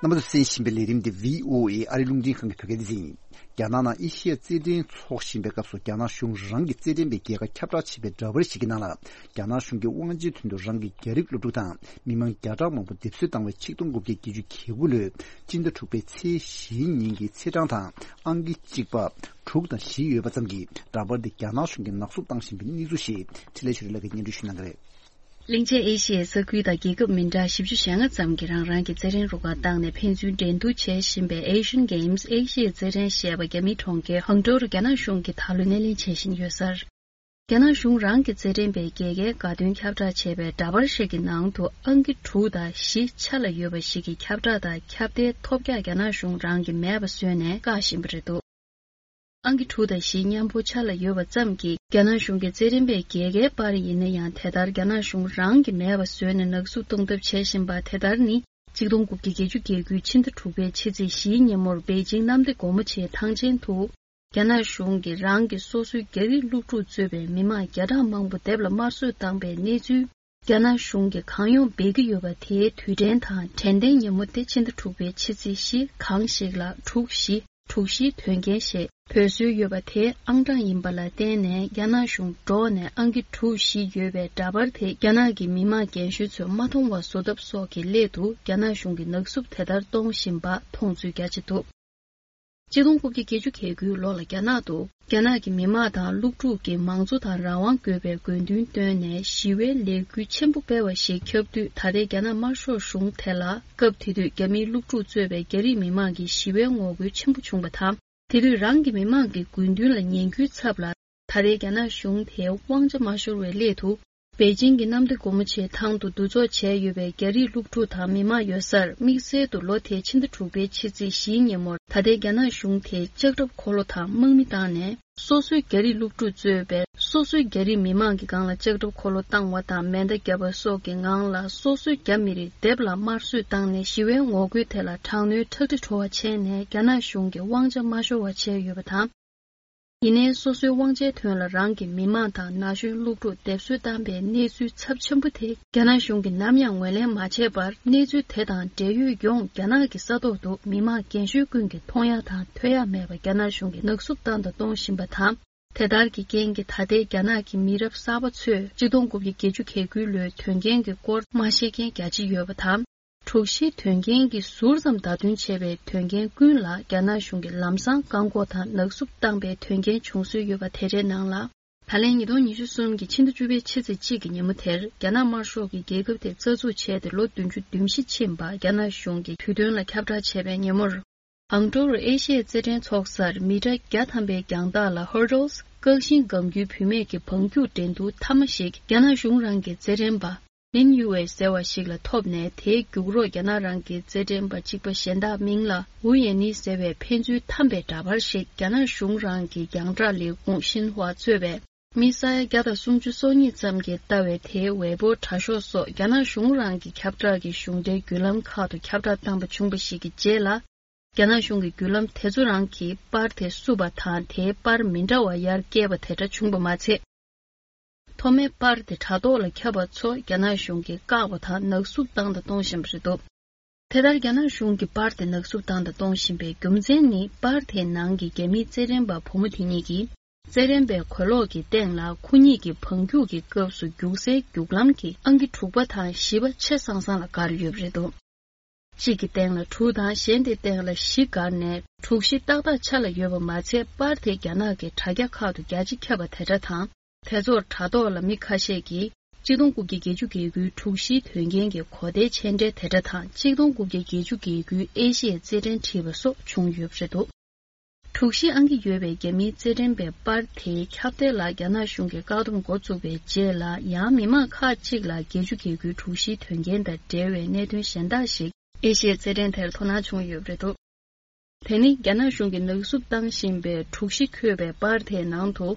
རྣམ་པ་ཚོས་གསན་བཞིན་པའི་ལས་རིམ་འདི་བྷི་ཨོ་ཨེ་ཨ་རིའི་རླུང་འཕྲིན་ཁང་གི་བོད་སྐད་སྡེ་ཚན་ཡིན། རྒྱ་ནག་ནང་ཨེ་ཤི་ཡ་རྩེད་འགྲན་འཚོགས་བཞིན་པའི་སྐབས་སུ་རྒྱ་ནག་གཞུང་རང་གི་རྩེད་འགྲན་པའི་རྒྱལ་ཁ་ཁྱབ་བསྒྲགས་བྱས་པའི་འདྲ་པར་ཞིག་གི་ནང་ལ། རྒྱ་ནག་གཞུང་གིས་དབང་ཆའི་དོན་དུ་རང་གི་རྒྱ་རིགས་སློབ་ཕྲུག་དང་མི་མང་བརྒྱ་ཕྲག་མང་པོ་སྡེབ་གསོད་བཏང་བའི་ཆིག་སྟོང་དགུ་བརྒྱ་བརྒྱད་ཅུ་གྱ་དགུ་ལོའི་སྤྱི་ཟླ་དྲུག་པའི་ཚེས་བཞི་ཉིན་གྱི་ཚེས་གྲངས་དང་ཨང་ཀི་གཅིག་པ། དྲུག་དང་བཞི་ཡོད་པ་ཙམ་གྱིས་འདྲ་པར་འདི་རྒྱ་ནག་གཞུང་གིས་ནག་བསུབ་བཏང་བཞིན་པའི་གནས་ཚུལ་ཞིག་འཕྲིན་ལས་ཆོས་སྒྲོན་ལགས་ཀྱིས་སྙན་སྒྲོན་ཞུ་གནང་གི་རེད། གླིང་ཆེན་ཨེ་ཤི་ཡའི་ས་ཁུལ་དང་རྒྱལ་ཁབ་མི་འདྲ་བཞི་བཅུ་ཞེ་ལྔ་ཙམ་གྱིས་རང་རང་གི་རྩེད་འགྲན་རུ་ཁག་བཏང་ནས་ཕན་ཚུན་འགྲན་བསྡུར་བྱེད་བཞིན་པའི་Asian Games ཨེ་ཤི་ཡའི་རྩེད་འགྲན་ཞེས་པ་རྒྱ་མིའི་གྲོང་ཁྱེར་ཧང་ཀྲོའུ་རུ་རྒྱ་ནག་གཞུང་གིས་ད་ལོ་སྣེ་ལེན་བྱེད་བཞིན་ཡོད་ས་རེད། རྒྱ་ནག་གཞུང་རང་གི་རྩེད་འགྲན་པའི་རྒྱལ་ཁའི་དགའ་སྟོན་ཁྱབ་བསྒྲགས་བྱས་པའི་འདྲ་པར་ཞིག་གི་ནང་དུ་ཨང་ཀི་དྲུག་དང་བཞི་ཆ་ལ་ཡོད་པ་ཞིག་གི་ཁྱབ་བསྒྲགས་དང་ཁྱབ་གདལ་ཐོལ་རྒྱག་རྒྱ་ནག་གཞུང་རང་གིས་མེད་པ་བཟོས་ནས་བཀག་བཞིན་པ་རེད་འདུག། ཨང་ཀི་དྲུག་དང་བཞི་མཉམ་པོ་ཆ་ལ་ཡོད་པ་ཙམ་གྱིས་རྒྱ་ནག་གཞུང་གིས་རྩེད་འགྲན་པའི་རྒྱལ་ཁའི་པར་ཡིན་ན་ཡང་དེ་ལྟར་རྒྱ་ནག་གཞུང་རང་གིས་མེད་པ་བཟོས་ནས་ནག་བསུབ་གཏོང་ཐབས་བྱེད་བཞིན་པ་དེ་ལྟར་ནི། ཆིག་སྟོང་དགུ་བརྒྱ་བརྒྱད་ཅུ་གྱ་དགུ་ཕྱི་ཟླ་དྲུག་པའི་ཕྱི་ཚེས་བཞིའི་ཉིན་མོར་པེ་ཅིང་གནམ་བདེ་སྒོ་མོ་ཆེའི་ཐང་ཆེན་དུ། རྒྱ་ནག་གཞུང་གིས་རང་གི་སོ་སོའི་རྒྱ་རིགས་སློབ་ཕྲུག་གཙོས་པའི་མི་མང་བརྒྱ་ཕྲག་མང་པོ་སྡེབ་ལ་དམར་གསོད་བཏང་པའི་གནས་ཚུལ། རྒྱ་ནག་གཞུང་གིས་གང་ཡོང་འབད་ཀྱི་ཡོད་པ་དེའི་དུས་དྲན་དང་དྲན་རྟེན་ཉིན་མོ་སྟེ་ཕྱི་ཟླ་དྲུག་པའི་ཕྱི་ཚེས་བཞི་གང་ཞིག་ལ་དྲུག་བཞི་དྲུག་བཞི་དོན་རྐྱེན་ཞེས་འབོད་སྲོལ་ཡོད་པ་དེའི་ཨང་གྲངས་ཡིན་པ་ལ་བརྟེན་ནས་རྒྱ་ནག་གཞུང་འབྲོག་ནས་ཨང་ཀི་དྲུག་བཞི་ཡོད་པའི་འདྲ་པར་དེ་རྒྱ་ནག་གི་མི་དམངས་རྒན་གཞོན་ཚོས་མ་མཐོང་བ་བཟོ་ཐབས་སོགས་ཀྱི་སླད་དུ་རྒྱ་ནག་གཞུང་གིས་ནག་བསུབ་དེ་ལྟར་གཏོང་བཞིན་པ་མཐོང་ཚུལ་རྒྱ་ཆེ་འདུག། ཆིག་སྟོང་དགུ་བརྒྱ་བརྒྱད་ཅུ་གྱ་དགུའི་ལོ་ལ་རྒྱ་ནག་ཏུ་རྒྱ་ནག་གི་མི་དམངས་དང་སློབ་ཕྲུག་གིས་མང་གཙོ་དང་རང་དབང་དགོས་པའི་དགོས་འདུན་བཏོན་ནས་ཞི་བའི་ལས་འགུལ་ཆེན་པོ་སྤེལ་བ་ཞིག་ཁྱབ་དུས། ད་ལྟའི་རྒྱ་ནག་དམར་ཤོག་གཞུང་དེ་ལ་སྐབས་དེ་དུས་རྒྱ་མིའི་སློབ་ཕྲུག་གཙོས་པའི་རྒྱ་རིགས་མི་དམངས་ཀྱིས་ཞི་བའི་ངོ་རྒོལ་ཆེན་པོ་བྱུང་བ་དང་། དེ་དུས་རང་གི་མི་དམངས་ཀྱི་དགོས་འདུན་ལ་ཉན་རྒྱུའི་ཚབ་ལ། ད་ལྟའི་རྒྱ་ནག་གཞུང་དེ་དབང་ཆ་མ་ཤོར་བའི་སླད་དུ། པེ་ཅིང་གི་གནམ་བདེ་སྒོ་མོ་ཆེའི་ཐང་དུ་འདུ་ཚོགས་བྱས་ཡོད་པའི་རྒྱ་རིགས་སློབ་ཕྲུག་དང་མི་མང་ཡོད་སར། དམིགས་བསལ་དུ་ལོ་དེའི་ཕྱི་ཟླ་དྲུག་པའི་ཕྱི་ཚེས་བཞིའི་ཉིན་མོར། ད་ལྟའི་རྒྱ་ནག་གཞུང་དེས་ལྕགས་ཁྲབ་འཁོར་ལོ་དང་དམག་མི་བཏང་ནས། སོ་སོའི་རྒྱ་རིགས་སློབ་ཕྲུག་གཙོས་པའི་སོ་སོའི་རྒྱ་རིགས་མི་མང་གི་སྒང་ལ་ལྕགས་ཁྲབ་འཁོར་ལོ་བཏང་བ་དང་མེ་མདའ་བརྒྱབ་པ་སོགས་ཀྱི་ངང་ལ། སོ་སོའི་རྒྱ་མི་རིགས་སྡེབ་ལ་དམར་གསོད་བཏང་ནས། ཞི་བའི་ངོ་རྒོལ་དེ་ལ་དྲག་གནོན་ཁྲག་དྲི་བྲོ་བ་བྱས་ནས། རྒྱ་ནག་གཞུང་གི་དབང་ཆ་མ་ཤོར་བ་བྱས་ཡོད་པ་དང་། ཡིན་ནའི། སོ་སོའི་དབང་ཆའི་དོན་ལ་རང་གི་མི་མང་དང་ན་གཞོན་སློབ་ཕྲུག་སྡེབ་གསོད་བཏང་པའི་གནས་ཚུལ་ཚབས་ཆེན་པོ་དེ། རྒྱ་ནག་གཞུང་གིས་ནམ་ཡང་ངོས་ལེན་མ་བྱས་པར། གནས་ཚུལ་དེ་དང་འབྲེལ་ཡོད་ཡོངས་རྒྱ་ནག་གི་ས་ཐོག་ཏུ་མི་མང་རྒན་གཞོན་ཀུན་གྱིས་མཐོང་ཡག་དང་ཐོས་ཡག་མེད་པར་རྒྱ་ནག་གཞུང་གིས་ནག་བསུབ་བཏང་དང་གཏོང་བཞིན་པ་དང་། དེ་ལྟར་གྱི་རྐྱེན་གྱིས། ད་ལྟའི་རྒྱ་ནག་གི་མི་རབས་གསར་པ་ཚོས་ཆིག་སྟོང་དགུ་བརྒྱ་བརྒྱད་ཅུ་གྱ་དགུའི་ལོའི་དོན་རྐྱེན་གྱི་སྐོར་མ་ཤེས་མཁན་རྒྱ་ཆེ་ཡོད་པ་དང་། དྲུག་བཞིའི་དོན་རྐྱེན་གྱིས་ཟུར་ཙམ་བརྡ་སྟོན་བྱས་པའི་དོན་རྐྱེན་ཀུན་ལ་རྒྱ་ནག་གཞུང་གིས་ལམ་སང་བཀག་འགོག་དང་ནག་བསུབ་བཏང་པའི་དོན་རྐྱེན་བྱུང་སྲོལ་ཡོད་པ་དེ་འདྲའི་ནང་ལ། ད་ལན་ཉིས་སྟོང་ཉི་ཤུ་གསུམ་གྱི་ཕྱི་ཟླ་བཅུ་པའི་ཕྱི་ཚེས་གཅིག་གི་ཉིན་མོ་དེར། རྒྱ་ནག་དམར་ཤོག་གིས་རྒྱལ་ཁབ་དེ་རྩ་འཛུགས་བྱས་ཏེ་ལོ་བདུན་ཅུ་དོན་བཞི་ཕྱིན་པ་རྒྱ་ནག་གཞུང་གིས་དུས་སྟོན་ལ་ཁྱབ་བསྒྲགས་བྱས་པའི་ཉིན་མོར། ཨང་ཀྲོ་རུ་ཨེ་ཤི་ཡའི་རྩེད་འགྲན་ཚོགས་སར་མི་ཊར་བརྒྱ་ཐམ་པའི་རྒྱང་ཐག་ལ་ཧར་ཌལ། བཀག་ཤིང་སྒམ་རྒྱུའི་བུད་མེད་ཀྱི་བང་རྒྱུག་འགྲན་བསྡུར་མཐའ་མ་ཞིག་རྒྱ་ནག་གཞུང་རང་གི་རྩེད་འགྲན་པ། ལིན་ཡུ་ཝེ་ཟེར་བ་ཞིག་ལ་ཐོབ་ནས། དེའི་རྒྱུགས་རོགས་རྒྱ་ནག་རང་གི་རྩེད་འགྲན་པ་གཅིག་པ་གཞན་དག་མིང་ལ་ཝུ་ཡན་ནི་ཟེར་བའི་ཕན་ཚུན་འཐམ་པའི་འདྲ་པར་ཞིག་རྒྱ་ནག་གཞུང་རང་གི་རྒྱང་བསྒྲགས་ལས་ཁུངས་ཤིན་ཧྭ་གཙོས་པའི་མི་ས་ཡ་བརྒྱ་དང་སུམ་ཅུ་སོ་གཉིས་ཙམ་གྱིས་ལྟ་བའི་དེའི་ཝེ་པོ་དྲ་ཤོག་སོགས་རྒྱ་ནག་གཞུང་རང་གི་ཁྱབ་བསྒྲགས་ཀྱི་གཞུང་འབྲེལ་བརྒྱུད་ལམ་ཁག་ཏུ་ཁྱབ་བསྒྲགས་བཏང་པ་བྱུང་བ་ཞིག་གི་རྗེས་ལ། རྒྱ་ནག་གཞུང་གིས་བརྒྱུད་ལམ་དེ་ཚོ་རང་གིས་པར་དེ་བསུབས་པ་དང་། དེའི་པར་མི་འདྲ་བ་ཡར་བཀལ་བ་དེ་འདྲ་བྱུང་བ་མ་ཚད། ཐོག་མའི་པར་དེ་དྲ་ཐོག་ལ་ཁྱབ་པ་ཚོ་རྒྱ་ནག་གཞུང་གིས་བཀག་པ་དང་ནག་བསུབ་བཏང་དང་གཏོང་བཞིན་པ་རེད་འདུག་དེ་ལྟར་རྒྱ་ནག་གཞུང་གིས་པར་དེ་ནག་བསུབ་བཏང་དང་གཏོང་བཞིན་པའི་རྒྱུ་མཚན་ནི། པར་དེའི་ནང་གི་རྒྱ་མིའི་རྩེད་འགྲན་པ་བུ་མོ་དེ་གཉིས་ཀྱིས། རྩེད་འགྲན་པའི་གོས་ལོག་གི་སྟེང་ལ་ཁོ་གཉིས་ཀྱི་བང་རྒྱུག་གི་སྐབས་སུ་རྒྱུག་སའི་རྒྱུག་ལམ་གྱི་ཨང་ཀི་དྲུག་པ་དང་བཞི་པ་ཆ་ཚང་ཚང་ལ་བཀར་ཡོད་པ་རེད་འདུག་གཅིག་གི་སྟེང་ལ་དྲུག་དང་གཞན་དེའི་སྟེང་ལ་བཞི་བཀར་ནས་དྲུག་བཞི་ཏག་ཏག་ཆ་ལ་ཡོད་པ་མ་ཚད། པར་དེ་རྒྱ་ནག་གི་དྲ་རྒྱ་ཁག་ཏུ་རྒྱ་ཆེ་ཁྱབ་པ་དེ་འདྲ་དང་། དེ་ཚོར་དྲ་ཐོག་ལ་མི་ཁ་ཤས་ཀྱིས་ཆིག་སྟོང་དགུ་བརྒྱ་བརྒྱད་ཅུ་གྱ་དགུའི་དྲུག་བཞིའི་དོན་རྐྱེན་གྱི་གོ་བརྡའི་མཆན་འགྲེལ་དེ་འདྲ་དང་། ཆིག་སྟོང་དགུ་བརྒྱ་བརྒྱད་ཅུ་གྱ་དགུའི་ཨེ་ཤི་ཡའི་རྩེད་འགྲན་བྲིས་པ་སོགས་བྱུང་ཡོད་པ་རེད་འདུག་དྲུག་བཞི་ཨང་ཀི་ཡོད་པའི་རྒྱ་མིའི་རྩེད་འགྲན་པའི་པར་དེའི་ཁྱབ་གདལ་ལ་རྒྱ་ནག་གཞུང་གིས་བཀག་སྡོམ་འགོ་བཙུགས་པའི་རྗེས་ལ། ཡང་མི་མང་ཁག་ཅིག་ལ་བརྒྱད་ཅུ་གྱ་དགུའི་དྲུག་བཞིའི་དོན་རྐྱེན་དང་འབྲེལ་བའི་གནད་དོན་གཞན་དག་ཞིག་ཨེ་ཤི་ཡའི་རྩེད་འགྲན་དེར་དོ་སྣང་བྱུང་ཡོད་པ་རེད་འདུག་དེ་ནི་རྒྱ་ནག་གཞུང་གིས་ནག་བསུབ་བཏང་བཞིན་པའི་དྲུག་བཞི་འཁོད་པའི་པར་དེའི་ནང་དུ།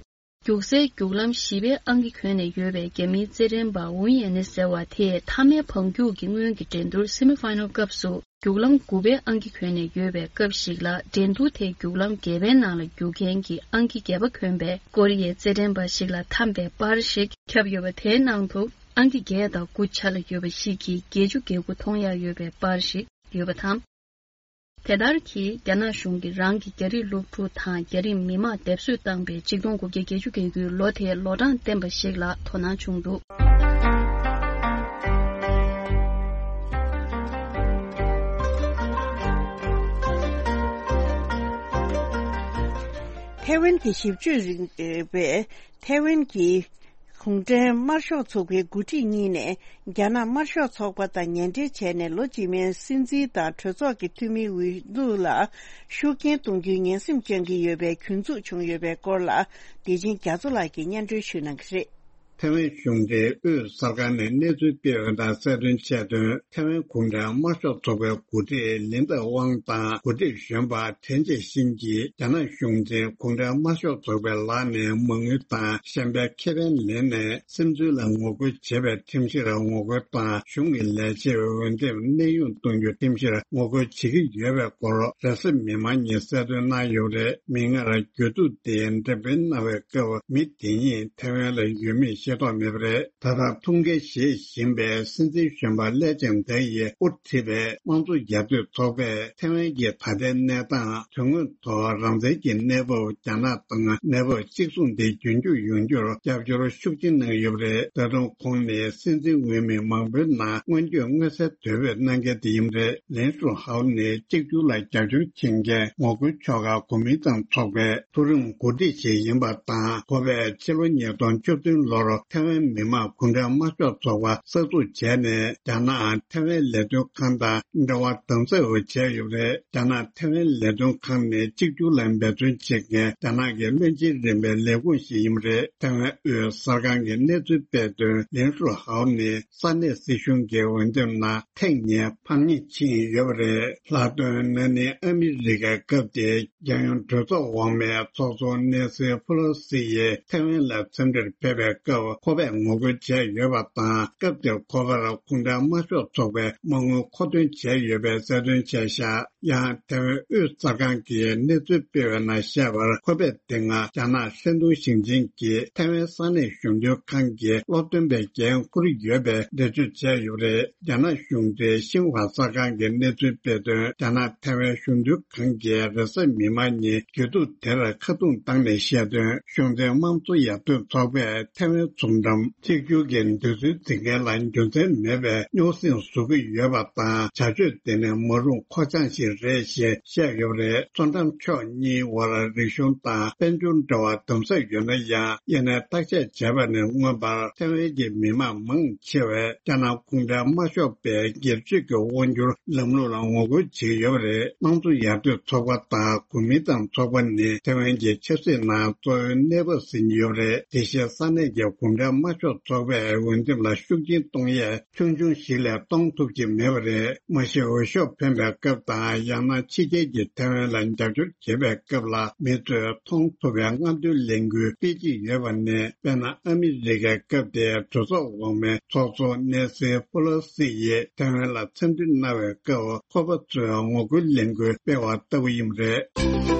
རྒྱུག་སའི་རྒྱུག་ལམ་བཞི་པའི་ཨང་ཀི་གྱོན་ནས་ཡོད་པའི་རྒྱ་མིའི་རྩེད་འགྲན་པ་ཝུན་ཡན་ནི་ཟེར་བ་དེས། མཐའ་མའི་བང་རྒྱུག་གི་སྔོན་གྱི་འགྲན་བསྡུར་སེ་མི་ཕའི་ནལ་སྐབས་སུ། རྒྱུག་ལམ་དགུ་པའི་ཨང་ཀི་གྱོན་ནས་ཡོད་པའི་སྐབས་ཤིག་ལ། འགྲན་བསྡུར་དེའི་རྒྱུག་ལམ་བརྒྱད་པའི་ནང་ལ་རྒྱུག་མཁན་གྱི་ཨང་ཀི་བརྒྱད་པ་གྱོན་པའི་ཀོ་རི་ཡའི་རྩེད་འགྲན་པ་ཞིག་ལ་འཐམས་པའི་པར་ཞིག་ཁྱབ་ཡོད་པ་དེའི་ནང་དུ། ཨང་ཀི་བརྒྱད་དང་དགུ་ཆ་ལ་ཡོད་པ་ཞིག་གིས་བརྒྱད་ཅུ་གྱ་དགུ་མཐོང་ཡག་ཡོད་པའི་པར་ཞིག་ཡོད་པ་དང་། དེ་ལྟར་གྱིས་རྒྱ་ནག་གཞུང་གིས་རང་གི་རྒྱ་རིགས་སློབ་ཕྲུག་དང་རྒྱ་རིགས་མི་མང་སྡེབ་གསོད་བཏང་པའི་ཆིག་སྟོང་དགུ་བརྒྱ་བརྒྱད་ཅུ་གྱ་དགུའི་ལོ་དེའི་ལོ་གྲངས་བསྟན་པ་ཞིག་ལ་དོ་སྣང་བྱུང་འདུག་ཐའེ་ཝན་གྱི་ཞིབ་དཔྱོད་རིག་པས་ཐའེ་ཝན་གྱི་གུང་ཁྲན་དམར་ཤོག་ཚོགས་པའི་འགོ་ཁྲིད་གཉིས་ནས་རྒྱ་ནག་དམར་ཤོག་ཚོགས་པ་དང་ངན་འབྲེལ་བྱས་ནས་ལོ་རྗེས་མའི་སྲིད་འཛིན་དང་གྲོས་ཚོགས་ཀྱི་འཐུས་མིའི་འོས་བསྡུ་ལ་ཤུགས་རྐྱེན་གཏོང་རྒྱུའི་ངན་སེམས་བཅངས་ཀྱི་ཡོད་པའི་གྱོད་འཛུགས་བྱུང་ཡོད་པའི་སྐོར་ལ། བདེ་ཆེན་རྒྱ་མཚོ་ལགས་ཀྱིས་སྙན་སྒྲོན་ཞུ་གནང་གི་རེད། ཐའེ་ཝན་གཞུང་འབྲེལ་དབུས་གསར་ཁང་ནས་གནས་ཚུལ་སྤེལ་བ་དང་གསལ་སྟོན་བྱས་དོན། ཐའེ་ཝན་གུང་ཁྲན་དམར་ཤོག་ཚོགས་པའི་འགོ་ཁྲིད་ལིན་ཏེ་ཝང་དང་འགོ་ཁྲིད་གཞོན་པ་ཐེན་ཅེ་ཤིན་གྱིས་རྒྱ་ནག་གཞུང་འཛིན་གུང་ཁྲན་དམར་ཤོག་ཚོགས་པའི་ལག་ནས་མ་དངུལ་དང་ཤན་པའི་ཁེ་ཕན་ལེན་ནས་སིམ་འཛུལ་ལ་ངོ་རྒོལ་བྱེད་པའི་ཁྲིམས་གཞིར་ངོ་རྒོལ་དང་། གཞུང་གི་ལས་བྱེད་འོས་འདེམས་གནས་དབྱུང་གཏོང་རྒྱུའི་ཁྲིམས་གཞིར་ངོ་རྒོལ་བྱེད་ཀྱི་ཡོད་པའི་སྐོར་རེས་གཟའ་མིག་དམར་ཉིན་གསལ་སྟོན་གནང་ཡོད་པ་རེད། མིག་སྔར་གྱོད་འཛུགས་དེ་འགྲེམས་སྤེལ་གནང་བའི་སྐབས། མི་དེ་གཉིས་ཐའེ་ཝན་ལ་ཡོད་མེད་ ཤེས་རྟོགས་མེད་པ་རེད། ད་ལྟ་ཐུགས་འགན་བཞེས་བཞིན་པའི་སྲིད་འཛིན་གཞོན་པ་ལེ་ཅང་ཐའེ་ཡིས་དབུ་ཁྲིད་པའི་དམངས་གཙོ་ཡར་ཐོན་ཚོགས་པས་ཐའེ་ཝན་གྱི་ད་ལྟའི་གནས་སྟངས་དོན་དངོས་ཐོག་རང་བཙན་གྱི་གནས་བབ། རྒྱ་ནག་དང་གནས་བབ་གཅིག་མཚུངས་དེ་རྒྱུན་འཁྱོངས་ཡོང་རྒྱུར་རྒྱབ་སྐྱོར་ཤུགས་ཆེ་གནང་ཡོད་པ་རེད། ད་དུང་ཁོང་ནི་སྲིད་འཛིན་འོས་མི་མང་པོའི་ནང་སྔོན་སྐྱོད་མངོན་གསལ་དོད་པོས་གནང་མཁན་དེ་ཡིན་པ་རེད། ལིན་ཧྲུའུ་ཧའོ་ནི་གཅིག་གྱུར་ལ་རྒྱབ་སྐྱོར་བྱེད་མཁན་ངོ་རྒོལ་ཕྱོགས་ཁག་གོ་མིན་ཏང་ཚོགས་པའི་མཐོ་རིམ་འགོ་ཁྲིད་ཞིག་ཡིན་པ་དང་། ཁོ་པས་ཕྱི་ལོ་ཉིས་སྟོང་བཅུ་བདུན་ལོར་ཐའེ་ཝན་མི་དམངས་གུང་ཁྲན་དམར་ཤོག་ཚོགས་པ་གསར་འཛུགས་བྱས་ནས། རྒྱ་ནག་ཐའེ་ཝན་ལས་དོན་ཁང་དང་འབྲེལ་བ་དམ་ཟབ་བྱས་ཡོད་པ་རེད། རྒྱ་ནག་ཐའེ་ཝན་ལས་དོན་ཁང་ནི་གཅིག་གྱུར་ལ་འབད་བརྩོན་བྱེད་མཁན་རྒྱ་ནག་གི་བློན་ཆེན་རིམ་པའི་ལས་ཁུངས་ཤིག་ཡིན་པ་རེད། ཐའེ་ཝན་དབུས་གསར་ཁང་གི་གནས་ཚུལ་སྤེལ་དོན། ལིན་ཧྲུའུ་ཧའོ་ནི་ས་གནས་སྲིད་གཞུང་གི་འོས་འདེམས་ནང་ཐེངས་གཉིས་ཕམ་ཉེས་ཕྱིན་ཡོད་པ་རེད། ལྷག་དོན་ན་ནིང་ཨ་མི་རི་ཀའི་སྐབས་དེའི་རྒྱལ་ཡོངས་གྲོས་ཚོགས་འོག་མའི་ཚོགས་གཙོ་ནེ་སི་ཕུ་ལོ་སི་ཡིས་ཐའེ་ཝན་ལ་འཚམས་འདྲིར་ཕེབས་པའི་སྐབས་ཁོ་པས་ངོ་རྒོལ་བྱས་ཡོད་པ་དང་། སྐབས་དེར་ཁོ་པར་གུང་ཁྲན་དམར་ཤོག་ཚོགས་པའི་མ་དངུལ་མཁོ་འདོན་བྱས་ཡོད་པའི་གསལ་སྟོན་བྱས་བཞག་ཡང་ཐའེ་ཝན་དབུས་གསར་ཁང་གིས་གནས་ཚུལ་སྤེལ་བའི་ནང་བཤད་པར། ཁོ་པས་དེ་སྔ་རྒྱ་ནག་ཧྲེན་ཏུང་ཞིང་ཆེན་གྱི་ཐའེ་ཝན་ས་གནས་གཞོན་དོན་ཁང་གི་སློབ་སྟོན་པའི་འགན་འཁུར་ཡོད་པའི་འགྲེལ་བརྗོད་བྱས་ཡོད་པ་རེད། རྒྱ་ནག་གཞུང་འབྲེལ་ཤིན་ཧྭ་གསར་ཁང་གིས་གནས་ཚུལ་སྤེལ་དོན། རྒྱ་ནག་ཐའེ་ཝན་གཞོན་དོན་ཁང་གི་རེས་གཟའ་མིག་དམར་ཉིན་དགེ་ཕྲུག་དེར་ཁ་རྡུང་བཏང་ནས་བཤད་དོན། གཞུང་འབྲེལ་དམངས་གཙོ་ཡར་ཐོན་ཚོགས་པས་ཐའེ་ཝན་ཚོང་འགྲམ་གཅིག་གྱུར་གྱི་འདོད་ཚུལ་འཛིན་མཁན་ལ་རྒྱུ་མཚན་མེད་པའི་རྙོག་ཟིང་བཟོ་གི་ཡོད་པ་དང་། བྱ་སྤྱོད་དེ་ནི་མ་རུངས་མཁོ་བྱང་ཞིག་རེད་ཞེས་བཤད་ཡོད་པ་རེད། མཚོ་འགྲམ་ཕྱོགས་གཉིས་དབར་རིག་གཞུང་དང་དཔལ་འབྱོར་འབྲེལ་བ་དམ་ཟབ་ཡོད་ན་ཡང་། དབྱེ་ནས་བརྟག་དཔྱད་བྱས་པ་ནི། མངོན་པར་ཐའེ་ཝན་གྱི་མི་དམངས་མང་ཆེ་བས་རྒྱ་ནག་གུང་ཁྲན་དམར་ཤོག་པའི་སྒེར་གཅོད་ཀྱི་དབང་སྒྱུར་ལམ་ལུགས་ལ་ངོ་རྒོལ་བྱེད་ཀྱི་ཡོད་པ་རེད། དམངས་གཙོ་ཡར་ཐོན་ཚོགས་པ་དང་གོ་མིན་ཏང་ཚོགས་པ་ནི་ཐའེ་ཝན་གྱི་ཆབ་སྲིད་ནང་གཙོ་བོའི་གནས་བབ་ཟིན་ཡོད་པ་རེད། དེ་བཞིན་ས་གནས་ཀྱི་གུང་ཁྲན་དམར་ཤོག་ཚོགས་པའི་འོས་འདེམས་ལ་ཤུགས་རྐྱེན་གཏོང་ཡས་ཆུང་ཆུང་ཞིག་ལས་གཏོང་ཐུབ་ཀྱི་མེད་པ་རེད། མ་གཞི་འོས་ཤོག་འཕེན་པའི་སྐབས་དང་། ཡང་ན་ཕྱི་རྒྱལ་གྱིས་ཐའེ་ཝན་ལ་རྒྱབ་སྐྱོར་བྱེད་པའི་སྐབས་ལ་མི་ཚོས་མཐོང་ཐུབ་པའི་རྔམ་སྟོན་ལས་འགུལ་སྤེལ་གྱི་ཡོད་པ་ནི། དཔེར་ན། ཨ་མི་རི་ཀའི་སྐབས་དེའི་གྲོས་ཚོགས་འོག་མའི་ཚོགས་གཙོ་ནེ་སི་ཕུ་ལོ་སི་ཡིས་ཐའེ་ཝན་ལ་འཚམས་འདྲི་གནང་བའི་སྐབས། ཁོ་པ་ཚོས་ངོ་རྒོལ་ལས་འགུལ་སྤེལ་བ་ལྟ་བུ་ཡིན་པ་རེད།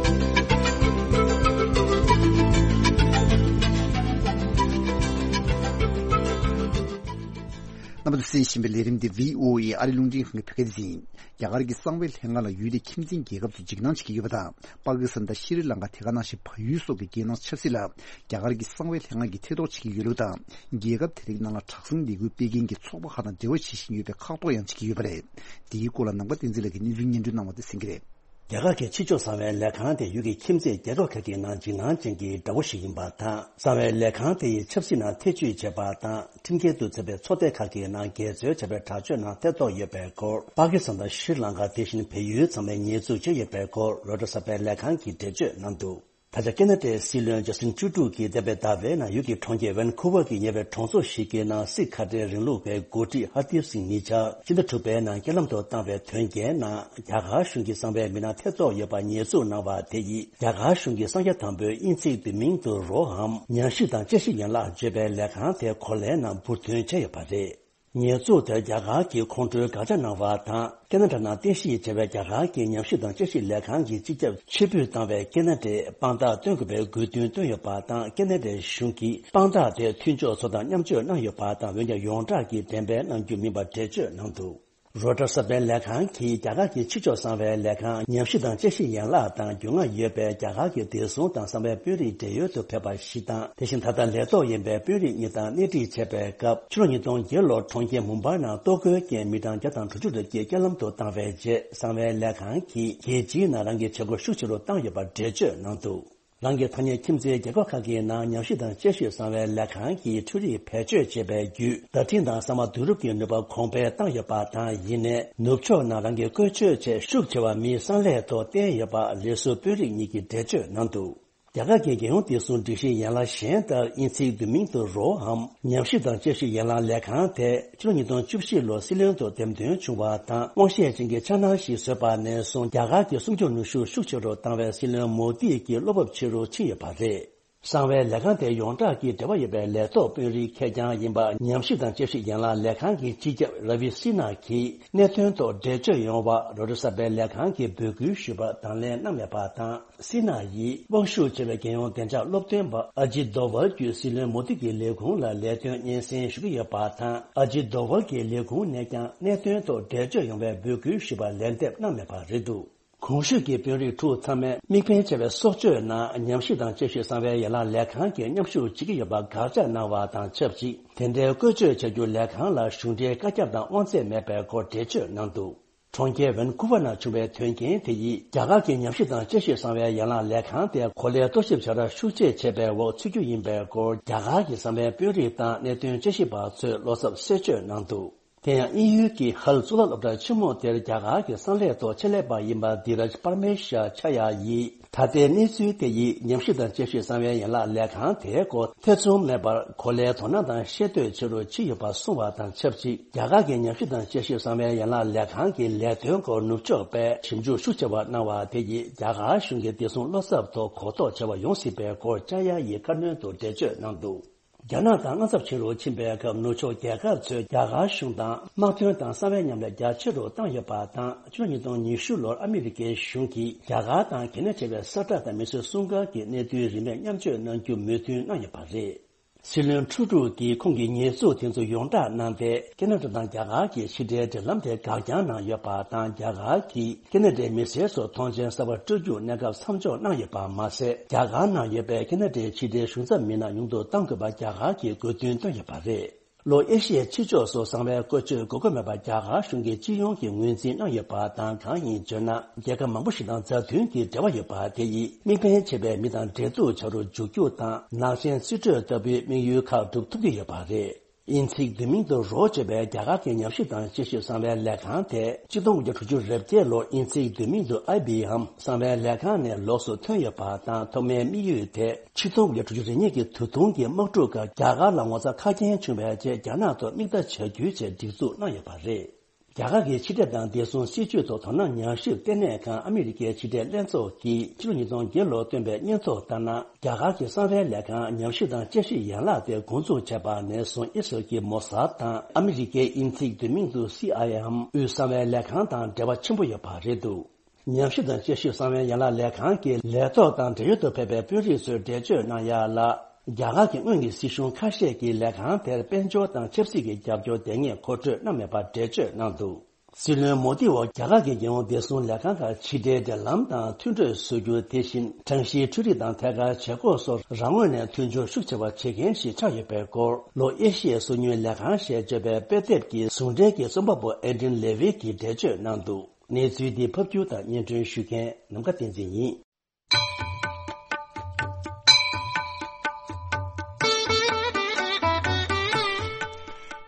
རྣམ་པ་ཚོས་གསན་བཞིན་པའི་ལས་རིམ་འདི་བྷི་ཨོ་ཨེ་ཨ་རི་རླུང་འཕྲིན་ཁང་གི་བོད་སྐད་སྡེ་ཚན་ཡིན། རྒྱ་གར་གྱི་གསང་བའི་ལྷན་ཁང་ལ་ཡུལ་དེའི་ཁྱིམ་མཚེས་རྒྱལ་ཁབ་ཚོས་འཇིགས་སྣང་བྱེད་ཀྱི་ཡོད་པ་དང་། པ་ཀི་སི་ཐན་དང་ཤྲི་ལང་ཀ། དེ་ག་ནང་བཞིན་བལ་ཡུལ་སོགས་ཀྱི་རྒྱལ་ནང་ཆབ་སྲིད་ལ་རྒྱ་གར་གྱི་གསང་བའི་ལྷན་ཁང་གིས་ཐེ་གཏོགས་བྱེད་ཀྱི་ཡོད་ལུགས་དང་། རྒྱལ་ཁབ་དེ་རིགས་ནང་ལ་དྲག་ཟིང་ལས་འགུལ་སྤེལ་མཁན་གྱི་ཚོགས་པ་ཁག་དང་འབྲེལ་བ་བྱེད་བཞིན་ཡོད་པའི་ཁག་ཐོག་ཡང་བྱེད་ཀྱི་ཡོད་པ་རེད། འདིའི་སྐོར་ལ་ནམ་མཁའ་བསྟན་འཛིན་ལགས་ཀྱིས་གནས་ཚུལ་སྙན་སྒྲོན་གནང་བ་དེ་གསན་གྱི་རེད། རྒྱ་གར་གྱི་ཕྱི་ཕྱོགས་གསང་བའི་ལས་ཁང་དེ་ཡུལ་གྱི་ཁྱིམ་མཚེས་རྒྱལ་ཁབ་ཁག་གི་ནང་འཇིགས་སྣང་ཅན་གྱི་དགྲ་བོ་ཞིག་ཡིན་པ་དང་། གསང་བའི་ལས་ཁང་དེ་ཡི་ཆབ་སྲིད་ནང་ཐེ་བྱུས་བྱས་པ་དང་། ཁྲིམས་འགལ་དུ་ཚུད་པའི་ཚོགས་སྡེ་ཁག་གི་ནང་འགལ་འཛོལ་བྱས་པའི་དྲག་སྤྱོད་ནང་ཐེ་གཏོགས་ཡོད་པའི་སྐོར། པ་ཀི་སི་ཐན་དང་ཤྲི་ལང་ཀ། དེ་བཞིན་བལ་ཡུལ་ཚང་མས་ཉེས་འཛུགས་བྱས་ཡོད་པའི་སྐོར། རོའི་ཊར་གསར་པའི་ལས་ཁང་གིས་འགྲེལ་བརྗོད་གནང་འདུག་ད་ཆ་ཀེ་ན་ཌའི་སྲིད་བློན་ཇ་སི་ཊིན་ཊུ་རུ་ཌོ་གིས་འདས་པའི་ཟླ་བའི་ནང་ཡུལ་གྱི་གྲོང་ཁྱེར་ཝན་ཁུ་ཝར་གྱི་ཉེ་བའི་གྲོང་ཚོ་ཞིག་གི་ནང་སིག་ཁ་བྲལ་རིང་ལུགས་པའི་འགོ་ཁྲིད་ཧར་དིབ་སིང་ཉེ་ཆར་ཕྱི་ཟླ་དྲུག་པའི་ནང་རྐྱེན་ལམ་དུ་བཏང་བའི་དོན་རྐྱེན་ནང་། རྒྱ་གར་གཞུང་གི་གསང་བའི་མི་སྣ་ཐེ་གཏོགས་ཡོད་པ་ཉེས་འཛུགས་གནང་བ་དེ་ཡིས། རྒྱ་གར་གཞུང་གི་གསང་རྒྱ་དམ་པོའི་དབྱིན་ཚིག་དུ་མིང་དུ་རོའམ་ཉམས་ཞིབ་དང་དཔྱད་ཞིབ་ཡན་ལག་བརྗོད་པའི་ལས་ཁང་དེ་གོ་ལའི་ནང་འབུར་ཐོན་བྱས་ཡོད་པ་རེད། ཉེས་འཛུགས་དེར་རྒྱ་གར་གྱི་ཁོང་ཁྲོའི་དགག་བྱ་གནང་བ་དང་། ཀེ་ན་ཌ་ནང་རྟེན་གཞི་བྱས་པའི་རྒྱ་གར་གྱི་ཉམས་ཞིབ་དང་དཔྱད་ཞིབ་ལས་ཁང་གིས་སྤྱི་ཁྱབ་ཕྱིར་འབུད་བཏང་བའི་ཀེ་ན་ཌའི་དཔང་རྟགས་སྟོན་དགོས་པའི་དགོས་འདུན་བཏོན་ཡོད་པ་དང་། ཀེ་ན་ཌའི་གཞུང་གིས་དཔང་རྟགས་དེ་མཐུན་ཕྱོགས་ཚོ་དང་མཉམ་སྤྱོད་གནང་ཡོད་པ་དང་། འོན་ཀྱང་ཡོངས་གྲགས་ཀྱི་འགྲེམས་སྤེལ་གནང་རྒྱུ་མིན་པར་འགྲེལ་བརྗོད་གནང་འདུག་རོའི་ཊར་གསར་པའི་ལས་ཁང་གིས་རྒྱ་གར་གྱི་ཕྱི་ཕྱོགས་གསང་བའི་ལས་ཁང་ཉམས་ཞིབ་དང་དཔྱད་ཞིབ་ཡན་ལག་དང་རྒྱུས་མངའ་ཡོད་པའི་རྒྱ་གར་གྱི་བདེ་སྲུང་དང་གསང་བའི་དཔོན་རིགས་བགྲེས་ཡོལ་དུ་ཕེབས་པ་ཞིག་དང་། དེ་བཞིན་ད་ལྟ་ལས་ཐོག་ཡིན་པའི་དཔོན་རིགས་གཉིས་དང་སྣེ་ཁྲིད་བྱས་པའི་སྐབས། ཕྱི་ལོ་ཉིས་སྟོང་བརྒྱད་ལོར་གྲོང་ཁྱེར་མུམ་བྷའི་ནང་ལྟོ་གོས་ཀྱི་མི་གྲངས་བརྒྱ་དང་དྲུག་ཅུ་ལྷག་ཅིག་རྐྱེན་ལམ་དུ་བཏང་བའི་རྗེས། གསང་བའི་ལས་ཁང་གིས་རྒྱལ་སྤྱིའི་ནང་རང་གི་བྱེད་སྒོ་ཤུགས་ཆེ་རུ་བཏང་ཡོད་པར་འགྲེལ་བརྗོད་གནང་འདུག་རང་གི་ཐ་སྙད་ཁྱིམ་མཚེས་རྒྱལ་ཁབ་ཁག་གི་ནང་ཉམས་ཞིབ་དང་དཔྱད་ཞིབ་གསང་བའི་ལས་ཁང་གིས་འཕྲུལ་རིག་བེད་སྤྱོད་བྱས་པའི་བརྒྱུད། བརྡ་འཕྲིན་དང་གསར་མ་བསྡུ་རུབ་ཀྱི་ནུས་པ་གོང་འཕེལ་བཏང་ཡོད་པ་དང་། ཡིན་ནའི་ནུབ་ཕྱོགས་ནང་རང་གི་བཀོལ་སྤྱོད་ཆེས་ཤུགས་ཆེ་བ་མིའི་གསང་ལས་ཐོག་བསྟན་ཡོད་པ་ལས་ཟུར་དཔོན་རིགས་གཉིས་ཀྱིས་འགྲེལ་བརྗོད་གནང་འདུག་རྒྱ་གར་གྱི་རྒྱལ་ཡོངས་བདེ་སྲུང་སྒྲིག་གཞིའི་ཡན་ལག་གཞན་ལྟར། དབྱིན་ཚིག་དུ་མིང་དུ་རོའམ་ཉམས་ཞིབ་དང་དཔྱད་ཞིབ་ཡན་ལག་ལས་ཁང་དེ། ཕྱི་ལོ་ཉིས་སྟོང་བཅུ་བཞི་ལོར་སྲིད་བློན་དུ་འདེམས་ཐོན་བྱུང་བ་དང་། དབང་ཤེད་ཅན་གྱི་འཆར་སྣང་ཞིག་བཟོས་པ་ནས་བཟུང་། རྒྱ་གར་གྱི་སྲུང་སྐྱོབ་ནུས་ཤུགས་ཤུགས་ཆེ་རུ་བཏང་བའི་སྲིད་བློན་མོ་དི་གྱི་བློ་འབབ་ཆེ་རུ་ཕྱིན་ཡོད་པ་རེད། གསང་བའི་ལས་ཁང་དེ་ཡོངས་གྲགས་ཀྱི་འབྲེལ་བ་ཡོད་པའི་ལས་ཐོག་དཔོན་རིགས་ཁེར་རྐྱང་ཡིན་པ། ཉམས་ཞིབ་དང་དཔྱད་ཞིབ་ཡན་ལག་ལས་ཁང་གི་སྤྱི་ཁྱབ་ར་བི་སི་ན་གྱིས་གནད་དོན་ཐོག་འགྲེལ་བརྗོད་ཡོང་བར་རོ་ཏྲི་གསར་པའི་ལས་ཁང་གིས་འབོད་སྐུལ་ཞུས་པར་དང་ལེན་གནང་མེད་པ་དང་། སི་ན་ཡིས་དབང་ཤུགས་ཆེ་བའི་རྒྱལ་ཡོངས་བདེ་འཇགས་སློབ་སྟོན་པ་ཨ་ཇི་དོ་ཝལ་བརྒྱུད་སྲིད་བློན་མོ་དི་གི་ལས་ཁུངས་ལ་ལས་དོན་སྙན་སེང་ཞུ་གི་ཡོད་པ་དང་། ཨ་ཇི་དོ་ཝལ་གྱི་ལས་ཁུངས་ནས་ཀྱང་གནད་དོན་ཐོག་འགྲེལ་བརྗོད་ཡོང་བའི་འབོད་སྐུལ་ཞུས་པར་ལན་འདེབས་གནང་མེད་པ་རེད་འདུག། གོང་ཞུས་ཀྱི་དཔོན་རིགས་དྲུག་ཚང་མས་དམིགས་འབེན་ཆེ་བའི་སྲོག་གཅོད་ནང་ཉམས་ཞིབ་དང་དཔྱད་ཞིབ་གསང་བའི་ཡན་ལག་ལས་ཁང་གིས་མཉམ་ཞུགས་བྱེད་ཀྱི་ཡོད་པ་དགག་བྱ་གནང་བ་དང་ཆབས་ཅིག། དེ་འདྲའི་བཀོལ་སྤྱོད་བྱ་རྒྱུར་ལས་ཁང་ལ་གཞུང་འབྲེལ་བཀའ་ཁྱབ་དང་དབང་ཚད་མེད་པའི་སྐོར་འགྲེལ་བརྗོད་གནང་འདུག། གྲོང་ཁྱེར་ཝན་ཀུ་ཝར་ནང་བྱུང་བའི་དོན་རྐྱེན་དེ་ཡིས་རྒྱ་གར་གྱི་ཉམས་ཞིབ་དང་དཔྱད་ཞིབ་གསང་བའི་ཡན་ལག་ལས་ཁང་དེ་གོ་ལའི་རྟོག་ཞིབ་བྱ་ར་ཤུགས་ཆེ་བྱས་པའི་འོག་ཚུད་རྒྱུ་ཡིན་པའི་སྐོར་རྒྱ་གར་གྱི་གསང་བའི་དཔོན་རིགས་དང་གནད་དོན་དཔྱད་ཞིབ་པ་ཚོས་བློ་འཚབ་གསལ་བརྗོད་གནང་འདུག། དེ་ཡང་དབྱིན་ཡུལ་གྱི་ཧལ་གཙུག་ལག་སློབ་གྲྭ་ཆེན་མོ་དེར་རྒྱ་གར་གྱི་གསང་ལས་ཐོག་ཆེད་ལས་པ་ཡིན་པ་དྷི་རཱཇ་པར་མེ་ཤ་ཆ་ཡ་ཡིས། ད་ལྟའི་གནས་ཚུལ་དེ་ཡིས་ཉམས་ཞིབ་དང་དཔྱད་ཞིབ་གསང་བའི་ཡན་ལག་ལས་ཁང་དེའི་སྐོར་ཐེ་ཚོམ་མེད་པར་གོ་ལའི་དོ་སྣང་དང་ཤེས་འདོད་ཆེ་རུ་ཕྱིན་ཡོད་པ་གསུངས་པ་དང་ཆབས་ཅིག། རྒྱ་གར་གྱི་ཉམས་ཞིབ་དང་དཔྱད་ཞིབ་གསང་བའི་ཡན་ལག་ལས་ཁང་གི་ལས་དོན་སྐོར་ནུབ་ཕྱོགས་པས་ཞིབ་འཇུག་ཤུགས་ཆེ་བ་གནང་བ་དེ་ཡིས་རྒྱ་གར་གཞུང་གི་བདེ་སྲུང་བློ་འཚབ་ཐོག་གོ་རྟོགས་ཆེ་བ་ཡོང་སྲིད་པའི་སྐོར་ཅཱ་ཡ་ཡིས་ཁ་སྣོན་དུ་འགྲེལ་བརྗོད་གནང་འདུག། རྒྱ་ནག་དང་དབང་ཚབ་ཆེ་རུ་ཕྱིན་པའི་སྐབས། ནུབ་ཕྱོགས་རྒྱལ་ཁབ་ཚོས་རྒྱ་གར་གཞུང་དང་དམག་དོན་དང་གསང་བའི་མཉམ་ལས་རྒྱ་ཆེ་རུ་བཏང་ཡོད་པ་དང་། ཕྱི་ལོ་ཉིས་སྟོང་ཉི་ཤུ་ལོར་ཨ་མི་རི་ཀའི་གཞུང་གིས་རྒྱ་གར་དང་གལ་གནད་ཆེ་བའི་ས་ཁྲ་དང་མི་སེར་སྲུང་སྐར་གྱི་གནད་དོན་རིན་མེད་མཉམ་སྤྱོད་གནང་རྒྱུ་མོས་མཐུན་གནང་ཡོད་པ་རེད། སྲིད་བློན་ཁྲུ་ཀྲུག་གིས་ཁོང་གི་ཉེས་འཛུགས་དེ་ཚོ་ཡོངས་བསྒྲགས་གནང་སྟེ། ཁེ་ན་ཌ་དང་རྒྱ་གར་གྱི་ཕྱི་འབྲེལ་འབྲེལ་ལམ་དེ་འགག་རྐྱང་གནང་ཡོད་པ་དང་། རྒྱ་གར་གྱིས་ཁེ་ན་ཌའི་མི་སེར་ཚོར་མཐོང་མཆན་གསར་པ་སྤྲོད་རྒྱུར་གནས་སྐབས་མཚམས་འཇོག་གནང་ཡོད་པ་མ་ཟད། རྒྱ་གར་ནང་ཡོད་པའི་ཁེ་ན་ཌའི་ཕྱི་འབྲེལ་གཞུང་ཚབ་མི་སྣ་ཉུང་དུ་གཏང་དགོས་པ་རྒྱ་གར་གྱིས་དགོས་འདུན་བཏོན་ཡོད་པ་རེད། ལྷོ་ཨེ་ཤི་ཡའི་ཕྱི་ཕྱོགས་སུ་གསང་བའི་བཀོལ་སྤྱོད་དགོས་མཁོ་མེད་པ་རྒྱ་གར་གཞུང་གིས་སྤྱི་ཡོངས་ཀྱི་ངོས་འཛིན་གནང་ཡོད་པ་དང་། གང་ཡིན་བརྗོད་ན། རྒྱལ་ཁབ་མང་པོ་ཞིག་དང་མཛའ་མཐུན་གྱི་འབྲེལ་བ་ཡོད་པ་དེ་ཡིས་དམིགས་འབེན་ཆེ་བའི་མི་དང་འབྲེལ་གཏུག་བྱ་རུ་འཇུག་རྒྱུ་དང་། ནག་ཅན་རྩིས་སྤྲོད་ལྟ་བུའི་དམིགས་ཡུལ་ཁག་སྒྲུབ་ཐུབ་ཀྱི་ཡོད་པ་རེད། དབྱིན་ཚིག་བསྡུས་མིང་དུ་རོ་ཅེས་པའི་རྒྱ་གར་གྱི་ཉམས་ཞིབ་དང་དཔྱད་ཞིབ་གསང་བའི་ལས་ཁང་དེ་ཆིག་སྟོང་དགུ་བརྒྱ་དྲུག་ཅུ་རེ་བརྒྱད་ལོར་དབྱིན་ཚིག་བསྡུས་མིང་དུ་ཨའི་བི་ཨེམ་གསང་བའི་ལས་ཁང་ནས་ལོགས་སུ་ཐོན་ཡོད་པ་དང་། ཐོག་མའི་དམིགས་ཡུལ་དེ་ཆིག་སྟོང་དགུ་བརྒྱ་དྲུག་ཅུ་རེ་གཉིས་ཀྱི་དུས་ཐུང་གི་དམག་འཁྲུག་སྐབས་རྒྱ་གར་ལ་ངོ་ཚ་ཁ་རྐྱེན་བྱུང་བའི་རྗེས། རྒྱ་ནག་ཐོག་དམིགས་ལྟ་བྱ་རྒྱུའི་ཆེད་སྒྲིག་འཛུགས་གནང་ཡོད་པ་རེད། རྒྱ་གར་གྱི་ཕྱི་འབྲེལ་དང་བདེ་སྲུང་སྲིད་ཇུས་ཐོག་དོ་སྣང་ཉམས་ཞིབ་ལྟེ་གནས་ཁང་ཨ་མི་རི་ཀའི་ཕྱི་འབྲེལ་ལྷན་ཚོགས་ཀྱིས་ཕྱི་ལོ་ཉིས་སྟོང་བརྒྱད་ལོར་བཏོན་པའི་སྙན་ཐོ་ལྟར་ན། རྒྱ་གར་གྱི་གསང་བའི་ལས་ཁང་ཉམས་ཞིབ་དང་དཔྱད་ཞིབ་ཡན་ལག་དེ་འགོ་འཛུགས་བྱས་པ་ནས་བཟུང་། ཨི་སི་རལ་གྱི་མོ་སཱད་དང་ཨ་མི་རི་ཀའི་དབྱིན་ཚིག་བསྡུས་མིང་དུ་སི་ཨའི་ཨེམ་དབུས་གསང་བའི་ལས་ཁང་དང་འབྲེལ་བ་ཆེན་པོ་ཡོད་པ་རེད་འདུག། ཉམས་ཞིབ་དང་དཔྱད་ཞིབ་གསང་བའི་ཡན་ལག་ལས་ཁང་གི་ལས་ཐོག་དང་འབྲེལ་ཡོད་དུ་ཕེབས་པའི་དཔོན་རིགས་ཚོས་འགྲེལ་བརྗོད་གནང་ཡ་ལ། རྒྱ་གར་གྱི་སྔོན་གྱི་སྲིད་གཞུང་ཁ་ཤས་ཀྱིས་ལས་ཁང་དེར་དཔལ་འབྱོར་དང་ཆབ་སྲིད་ཀྱི་རྒྱབ་སྐྱོར་དེ་སྔས་མཁོ་སྤྲོད་གནང་མེད་པར་འགྲེལ་བརྗོད་གནང་འདུག། སྲིད་བློན་མོ་དི་འོག་རྒྱ་གར་གྱི་རྒྱལ་ཡོངས་བདེ་སྲུང་ལས་ཁང་ཁག་ཕྱི་འབྲེལ་འབྲེལ་ལམ་དང་མཐུན་གྲོས་བཟོ་རྒྱུ། དེ་བཞིན་གྲངས་གཞིའི་འཕྲུལ་རིག་དང་ཐད་ཀར་བྱེད་སྒོ་སོགས་རང་ངོས་ནས་མཐུན་སྦྱོར་ཤུགས་ཆེ་བ་བྱེད་མཁན་ཞིག་ཆགས་ཡོད་པའི་སྐོར། ལྷོ་ཨེ་ཤི་ཡའི་སོ་ཉུལ་ལས་ཁང་ཞེས་བརྗོད་པའི་དཔེ་དེབ་ཀྱི་ཟུང་འབྲེལ་གྱི་རྩོམ་པ་པོ་ཨེ་ཌི་ཡན་ལེ་ཝི་གིས་འགྲེལ་བརྗོད་གནང་འདུག། གནས་ཚུལ་འདི་ཕབ་སྒྱུར་དང་སྙན་སྒྲོན་ཞུ་མཁན་ནམ་མཁའ་བསྟན་འཛིན་ཡིན།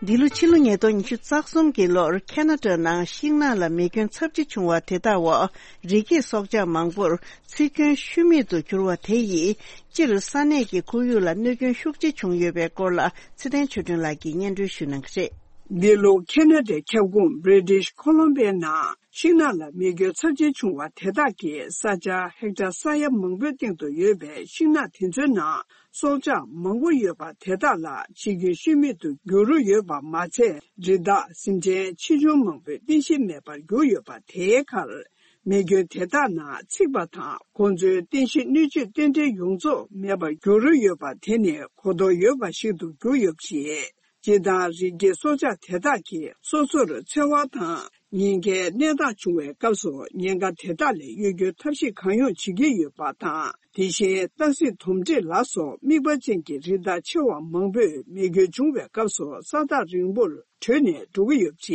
འདི་ལོ་ཕྱི་ལོ་ཉིས་སྟོང་ཉི་ཤུ་རྩ་གསུམ་གྱི་ལོར་ཁེ་ན་ཌ་ནང་ཤིང་ནགས་ལ་མེ་སྐྱོན་ཚབས་ཆེ་བྱུང་བ་དེ་དག་འོག་རི་སྐྱེས་སྲོག་ཆགས་མང་པོར་འཚིག་སྐྱོན་ཤུལ་མེད་དུ་གྱུར་བ་དེ་ཡིས་སྤྱིར་ས་གནས་ཀྱི་ཁོར་ཡུག་ལ་གནོད་སྐྱོན་ཤུགས་ཆེ་བྱུང་ཡོད་པའི་སྐོར་ལ་ཚེ་བརྟན་ཆོས་སྒྲོན་ལགས་ཀྱིས་སྙན་སྒྲོན་ཞུ་གནང་གི་རེད། འདི་ལོ་ཁེ་ན་ཌའི་ཁྱབ་ཁོངས་British Columbia་ནང་ཤིང་ནགས་ལ་མེ་སྐྱོན་ཚབས་ཆེ་བྱུང་བ་དེ་དག་གིས་ས་ཆ་ཧེག་ཊར་ས་ཡ་མང་པོའི་སྟེང་དུ་ཡོད་པའི་ཤིང་ནགས་དེ་ཚོའི་ནང་སྲོག་ཆགས་མང་པོ་ཡོད་པ་དེ་དག་ལ་འཆི་སྐྱོན་ཤུལ་མེད་དུ་འགྱུར་རོ་ཡོད་པ་མ་ཚད། རི་དྭགས་སེམས་ཅན་ཆེ་ཆུང་མང་པོའི་རྟེན་གཞི་མེད་པར་གྱུར་ཡོད་པ་དེའི་ཁར། མེ་སྐྱོན་དེ་དག་ནང་འཚིག་པ་དང་ཁོང་ཚོའི་རྟེན་གཞི་སྣོད་བཅུད་རྟེན་འབྲེལ་ཡོངས་རྫོགས་མེད་པར་འགྱུར་རོ་ཡོད་པ་དེ་ནི་གོ་རྟོགས་ཡོད་པ་ཞིག་ཏུ་གྱུར་ཡོད་པ་རེད། སྤྱིར་བཏང་རི་སྐྱེས་སྲོག་ཆགས་དེ་དག་གིས་སོ་སོར་འཚེ་བ་དང་ཉེན་ཁའི་གནས་སྟངས་བྱུང་བའི་སྐབས་སུ་ཉེན་ཁ་དེ་དག་ལས་གཡོལ་རྒྱུའི་ཐབས་ཤེས་གང་ཡོང་བྱེད་ཀྱི་ཡོད་པ་དང་། དེ་བཞིན་སྟག་གཟིག་དོམ་དྲེད་ལ་སོགས་དམིགས་པ་ཅན་གྱི་རི་དྭགས་ཆེ་བ་མང་པོས་མེ་སྐྱོན་བྱུང་བའི་སྐབས་སུ་ས་ཐག་རིང་པོར་བྲོས་ནས་འགྲོ་གི་ཡོད་པ་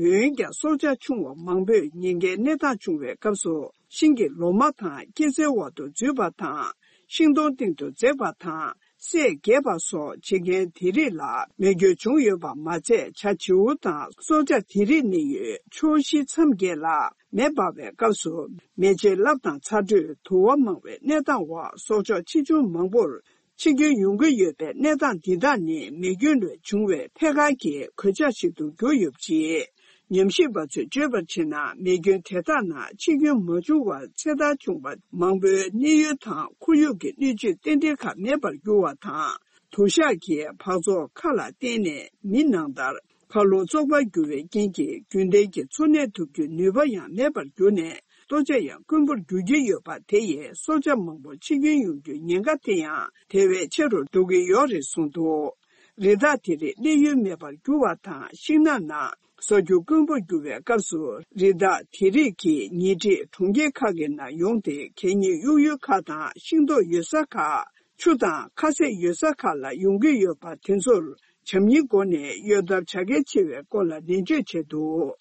རེད། འོན་ཀྱང་སྲོག་ཆགས་ཆུང་བ་མང་པོས་ཉེན་ཁའི་གནས་སྟངས་བྱུང་བའི་སྐབས་སུ་ཤིང་གི་ལོ་མ་དང་སྐྱེད་ཚལ་འོག་ཏུ་འཛུལ་བ་དང་། ཤིང་སྡོང་སྟེང་དུ་འཛེགས་པ་དང་། སྲས་འགྱེལ་བ་སོགས་བྱེད་མཁན་དེ་རིགས་ལ་མེ་སྐྱོན་བྱུང་ཡོད་པ་མ་ཚད། བྱ་བྱིའུ་དང་སྲོག་ཆགས་དེ་རིགས་གནས་ཡུལ་ཕྱོགས་བཞི་མཚམས་བརྒྱད་ལ་མེ་འབར་བའི་སྐབས་སུ་མེ་ལྕེ་རླབས་དང་ཚ་དྲོད་དུ་བ་མང་བའི་གནས་སྟངས་འོག་སྲོག་ཆགས་ཆེ་ཆུང་མང་པོར་འཆི་སྐྱོན་ཡོང་གི་ཡོད་པའི་གནས་སྟངས་འདི་དག་ནི་མེ་སྐྱོན་ལས་བྱུང་བའི་ཐད་ཀར་གྱི་གོད་ཆག་ཞིག་ཏུ་གྱུར་ཡོད་པ་རེད། ཉམས་ཞིབ་པ་ཚོས་བརྗོད་པར་བྱས་ན། མེ་སྐྱོན་དེ་དག་ནང་འཆི་སྐྱོན་མ་བྱུང་བར་ཚེ་ཐར་བྱུང་བ་མང་པོའི་གནས་ཡུལ་དང་ཁོར་ཡུག་གི་སྣོད་བཅུད་རྟེན་འབྲེལ་ཁག་མེད་པར་གྱུར་བ་དང་། དུ་ཞག་གི་འབག་བཙོག་ཁག་ལ་བརྟེན་ནས་མི་ནང་ལྟར་མཁའ་རླུང་བཙོག་པར་གྱུར་བའི་རྐྱེན་གྱིས་རྒྱུན་ལྡན་གྱི་འཚོ་གནས་ཐུབ་རྒྱུའི་ནུས་པ་ཡང་མེད་པར་གྱུར་ནས། ལྟོ་ཆས་ཡང་དཀོན་པོར་འགྱུར་གྱི་ཡོད་པ་དེ་ཡིས་སྲོག་ཆགས་མང་པོ་འཆི་སྐྱོན་ཡོང་རྒྱུའི་ཉེན་ཁ་དེ་ཡང་དེ་བས་ཆེ་རུ་འགྲོ་གི་ཡོད་རེད་གསུངས་འདུག་རི་དྭགས་དེ་རིགས་གནས་ཡུལ་མེད་པར་གྱུར་བ་དང་། ཤིང་ནགས་ནང་ས་རྒྱུ་དཀོན་པོར་གྱུར་བའི་སྐབས་སུ། རི་དྭགས་དེ་རིགས་ཀྱིས་ཉེ་འཁྲིས་གྲོང་ཁྱེར་ཁག་གི་ནང་ཡོང་སྟེ། གད་སྙིགས་གཡུག་ཡུལ་ཁག་དང་། ཤིང་ཏོག་ཡོད་ས་ཁག་ཆུ་དང་ཁ་ཟས་ཡོད་ས་ཁག་ལ་ཡོང་གི་ཡོད་པ་དེ་ཚོར་བྱམས་སྙིང་སྒོ་ནས་གཡོལ་ཐབས་བྱ་གལ་ཆེ་བའི་སྐོར་ལ་ནན་བརྗོད་བྱས་འདུག་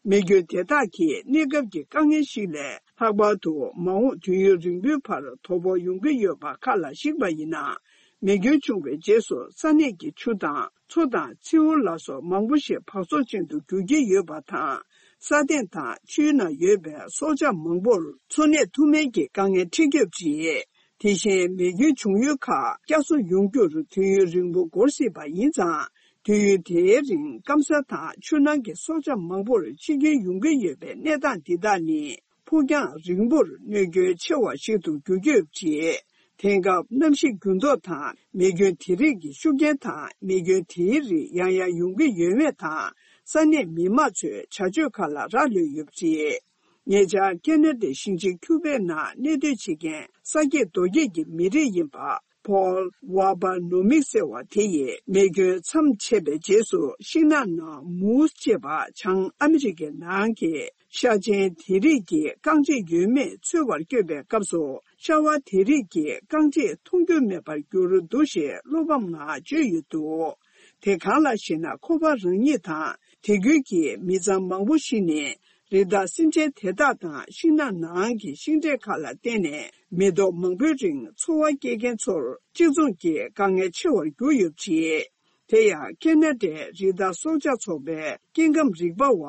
མེ་སྐྱོན་དེ་དག་གིས་གནས་སྐབས་ཀྱི་དཀའ་ངལ་ཞིག་ལས་ལྷག་པར་དུ། མ་འོངས་དུས་ཡུན་རིང་པོའི་བར་དོ་ཕོག་ཡོང་གི་ཡོད་པ་ཁག་ལ་གཞིགས་པ་ཡིན་ན། མེ་སྐྱོན་བྱུང་བའི་རྗེས་སུ་ས་གནས་ཀྱི་ཆུ་དང་མཚོ་དང་མཚེའུ་ལ་སོགས་མང་པོ་ཞིག་འབག་བཙོག་ཅན་དུ་འགྱུར་གྱི་ཡོད་པ་དང་། ས་སྟེང་དང་ཆུའི་ནང་ཡོད་པའི་སྲོག་ཆགས་མང་པོར་འཚོ་གནས་ཐུབ་མིན་གྱི་དཀའ་ངལ་འཕྲད་ཀྱི་ཡོད་པ་རེད། དེ་བཞིན་མེ་སྐྱོན་བྱུང་ཡུལ་ཁག་བསྐྱར་གསོ་ཡོང་རྒྱུར་དུས་ཡུན་རིང་པོ་འགོར་སྲིད་པ་ཡིན་ཙང་། དུས་ཡུན་དེའི་རིང་སྐམ་ས་དང་ཆུ་ནང་གི་སྲོག་ཆགས་མང་པོར་འཆི་སྐྱོན་ཡོང་གི་ཡོད་པའི་གནས་སྟངས་འདི་དག་ནི། ཕུགས་རྒྱང་རིང་པོར་གནོད་སྐྱོན་ཆེ་བ་ཞིག་ཏུ་འགྱུར་གྱི་ཡོད་པ་རེད། དེང་སྐབས་གནམ་གཤིས་འགྱུར་ལྡོག་དང་མེ་སྐྱོན་དེ་རིགས་ཀྱི་ཤུགས་རྐྱེན་དང་། མེ་སྐྱོན་དེའི་རིགས་ཡང་ཡང་ཡོང་གི་ཡོད་མེད་དང་། ས་གནས་མི་མང་ཚོས་བྱ་སྤྱོད་ཁག་ལ་རག་ལུས་ཡོད་པ་རེད། ཉེ་ཆར་ཁེ་ན་ཌའི་ཞིང་ཆེན་ཁྱུ་བེག་ནང་གནས་སྡོད་བྱེད་མཁན་ས་སྐྱེས་རྡོ་སྐྱེས་ཀྱི་མི་རིགས་ཡིན་པ། Paul Wabanomi ཟེར་བ་དེ་ཡིས་མེ་སྐྱོན་མཚམས་ཆད་པའི་རྗེས་སུ། ཤིང་ནགས་ནང་མུའུ་སི་ཅེས་པ་བྱང་ཨ་མི་རི་ཀའི་ནང་གི་ཤ་ཆེན་དེ་རིགས་ཀྱིས་རྐང་རྗེས་ཡོད་མེད་འཚོལ་བར་བསྐྱོད་པའི་སྐབས་སུ། ཤ་བ་དེ་རིགས་ཀྱིས་རྐང་རྗེས་མཐོང་རྒྱུ་མེད་པར་གྱུར་འདུག་ཞེས་བློ་ཕམ་ངང་བརྗོད་ཡོད་འདུག་དེ་གང་ལགས་ཤེ་ན། ཁོ་པ་རང་ཉིད་དང་དེ་ཁུལ་གྱི་མི་ཚང་མང་པོ་ཞིག་ནི། རི་དྭགས་སེམས་ཅན་དེ་དག་དང་ཤིང་ནགས་ནང་གི་ཤིང་འབྲས་ཁག་ལ་བརྟེན་ནས། མི་ཐོག་མང་པོའི་རིང་འཚོ་བ་སྐྱེལ་མཁན་ཚོར་གཅིག་མཚུངས་ཀྱི་དཀའ་ངལ་ཆེ་བར་གྱུར་ཡོད་པ་རེད། དེ་ཡང་ཁེ་ན་ཌའི་རི་དྭགས་སྲོག་ཆགས་ཚོགས་པའི་སྐྱེ་ཁམས་རིག་པ་བ་